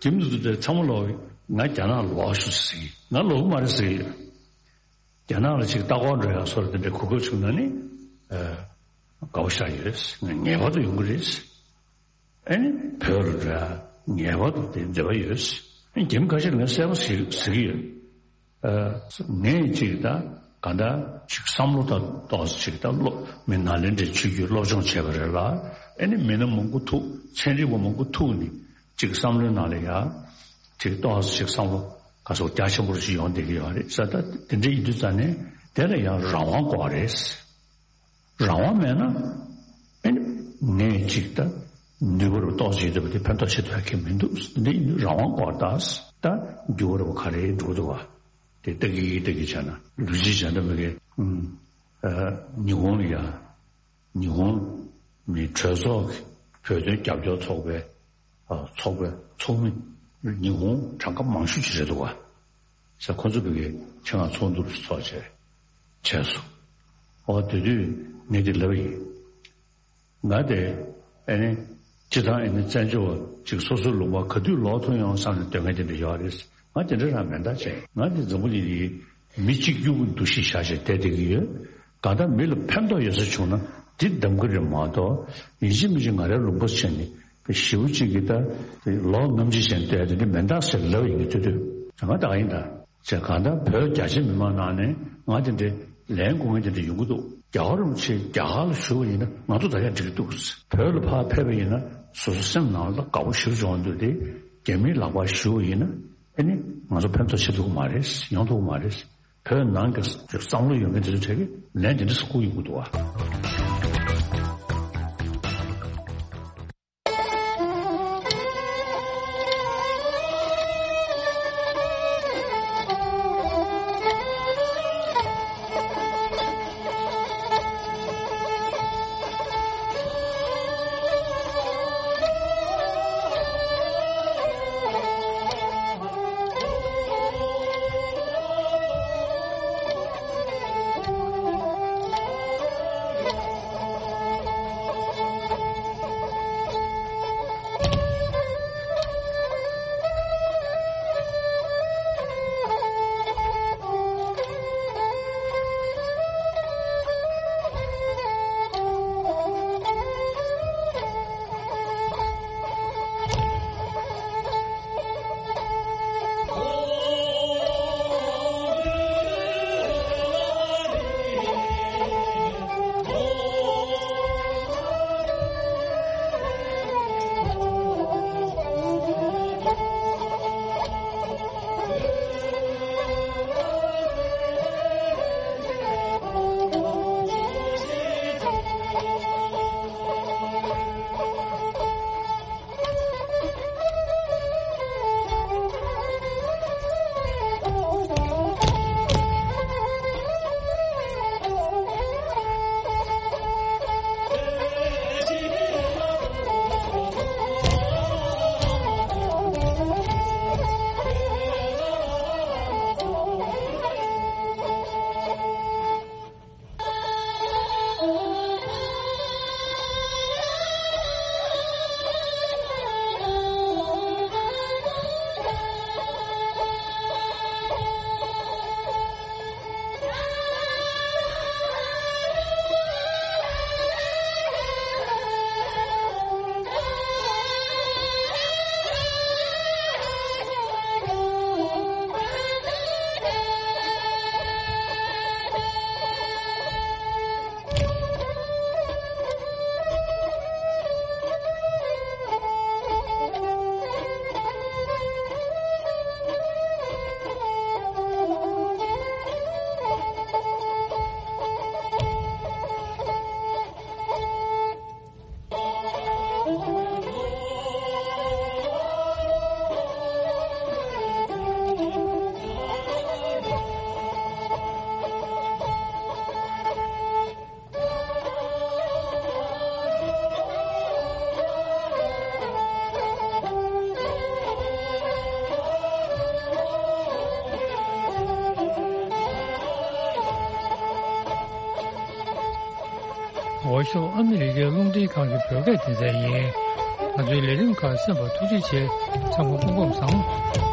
ཁྱིམ་དུ་དུ་དེ་ཚང་མ་ལོག་ང་རྒྱ་ནག་ལོག་ཤོག་ཟེར་གྱི། ང་ལོག་གི་མ་རེད་ཟེར་གྱི་ཡོད། རྒྱ་ནག་ལ་ཅིག་ལྟ་སྐོར་འགྲོ་ཡག་སོགས་དེ་འདྲའི་གོ་སྐབས་བྱུང་ན་ནི་ཨ་དགའ་པོ་ཤར་ཡོད། ང་ངེས་པར་དུ་ཡོང་གི་རེད། ཨ་ནི་བོད་ལ་འགྲོ་ཡག་ངེས་པར་དུ་དེ་འདོད་པ་ཡོད། ཨ་ནི་རྒྱ་མི་ཁ་ཤས་ལ་ང་གསལ་པོ་ཟེར་ཟེར་གྱི་ཡོད། ཨ་ངས་ཅིག་ད་ག་འདྲ་ཅིག་བསམ་བློ་ད་ཏོག་ཙམ་ཅིག་ད་སློབ་མི་ནཱ་ལེནྡྲའི་ཆོས་བརྒྱུད་སློབ་སྦྱོང་བྱས་པ་རེད་ལ། ཨ་ནི་མི་སྣ་མང་པོ་ཐུག་ཚན་རིག་པ་མང་པོ་ཐུག་ནས་ཅིག་བསམ་བློའི་ནང་ལ་ཡ་ཅིག་ཏོག་ཙམ་ཅིག་བསམ་བློ་ག་ཚོད་རྒྱ་ཆེན་པོ་ཞིག་ཡོང་བསྡད་ཀྱི་ཡོད་རེད་ས། ད་དེ་འདྲ་ཡིན་དུས་ཙང་ནས་དེ་ལ་ཡང་རང་དབང་དགོས་རེད། རང་དབང་མེད་ན་ཨ་ནི་ངས་ཅིག་ད་ནུས་པ་རུ་ཏོག་ཙམ་ཡོད་པ་དེ་ཕན་ཐོགས་ཆེ་ཐུབ་ཡག་གི་མི་འདུག་འདི་ཡིན་དུས་རང་དབང་དགོས་ད་ད་འགྱུར་བ་རུ་ག་རེ་འགྲོ་འདུག་བ། དེ་ལྟ་གི་ལྟ་གི་བྱས་ན་ལུས་ཅི་བྱས་ན་མི་དགེ་ཨུམ་ཨ་ཉི་ཧོང་ལ་ཡ་ཉི་ཧོང་མི་གྲོས་ཚོགས་ཀྱི་བོད་དོན་རྒྱབ་སྐྱོར་ཚོགས་པའི་ཨ་ཚོགས་པའི་ཚོགས་མི་ཉི་ཧོང་གྲངས་ཀ་མང་ཤོས་ཅིག་རེད་འདུག་བ། ས་ཁོ་ཚོ་བོད་ཀྱི་ཆེད་མངགས་ཚོགས་འདུ་ཚོགས་བྱས་བྱས་སོང་། ཨོ་དེ་དུས་ངས་དེ་ལབ་ཡིན། ང་དེ་ཨ་ནི་སྤྱི་བཏང་ཨ་ནི་བཙན་བྱོལ་བ་ཅིག་སོ་སོའི་ལུང་པ་ག་དུས་ལོག་ཐུབ་ཡོང་བསམ་ནས་སྡོད་མཁན་དེ་འདྲ་ཡོད་རེད། ང་དེ་འདྲ་རང་མེད་ད་བྱས། ང་དེ་འཛམ་བུ་གླིང་འདི་མི་གཅིག་གྱུར་གྱི་འདུ་ཤེས་བཞག་བྱས་བསྡད་བསྡད་ཀྱི་ཡོད། གང་ལྟར་མི་ལ་ཕན་ཐོགས་ཡོད་ས་བྱུང་ན་འདི་གདམ་གྱི་རེད་མ་གཏོགས་ཡིན་གཅིག་མིན་གཅིག་ང་རའི་ལུང་པ་བྱས་ནས་ཞེ་པོ་གཅིག་གིས་ད་ལོ་ངམ་གཅིག་བྱས་ནས་བསྡད་དེ་འདྲ་མེད་ད་ཟེར་ལབ་ཡིན་གྱི་ཐུབ་ཐུབ་ང་ད་ག་ཡིན་ད། ཅེས་གང་ལྟར་བོད་རྒྱ་ཆེ་མི་མང་ནང་ནས་ང་དེ་འདྲའི་ལན་དགོས་མཁན་དེ་འདྲ་ཡོང་གི་འདུག་རྒྱ་གར་རིན་པོ་ཆེ་རྒྱ་གར་ལ་བཞུགས་པ་ཡིན་ན་ང་ཚོ་ད་ཡང་འགྲིག་གི་འདུག་བོད་ལ་ཕར་ཕེབས་པ་ཡིན་ན་སོ་སོ་སེམས་ནང་ལ་དགའ་པོ་ཞེ་པོ་བྱུང་འདུག་དེ་རྒྱ་མིའི་ལག་པར་བཞུགས་པ་ཡིན་ན་ཨ་ནི་ང་ཚོ་ཕན་ཐོགས་ཆེ་ཐུབ་ཀྱི་མ་རེད། ཡོང་ཐུབ་ཀྱི་མ་རེད། བོད་ནང་གི་བསམ་བློ་ཡོད་མཁན་དེ་ཚོ་གྲས་ཀྱིས་ལན་དེ་འདྲ་ཟེར་ཁུག་ཡོང་གི་འདུག་བ། འོ་ཤོག་ཨ་མི་རི་ཀའི་རླུང་འཕྲིན་ཁང་གི་བོད་སྐད་སྡེ་ཚན་ཡིན། ང་ཚོའི་ལས་རིམ་ཁག་གསན་པར་ཐུགས་རྗེ་ཆེ། ཚང་མ་སྐུ་ཁམས་བཟང་།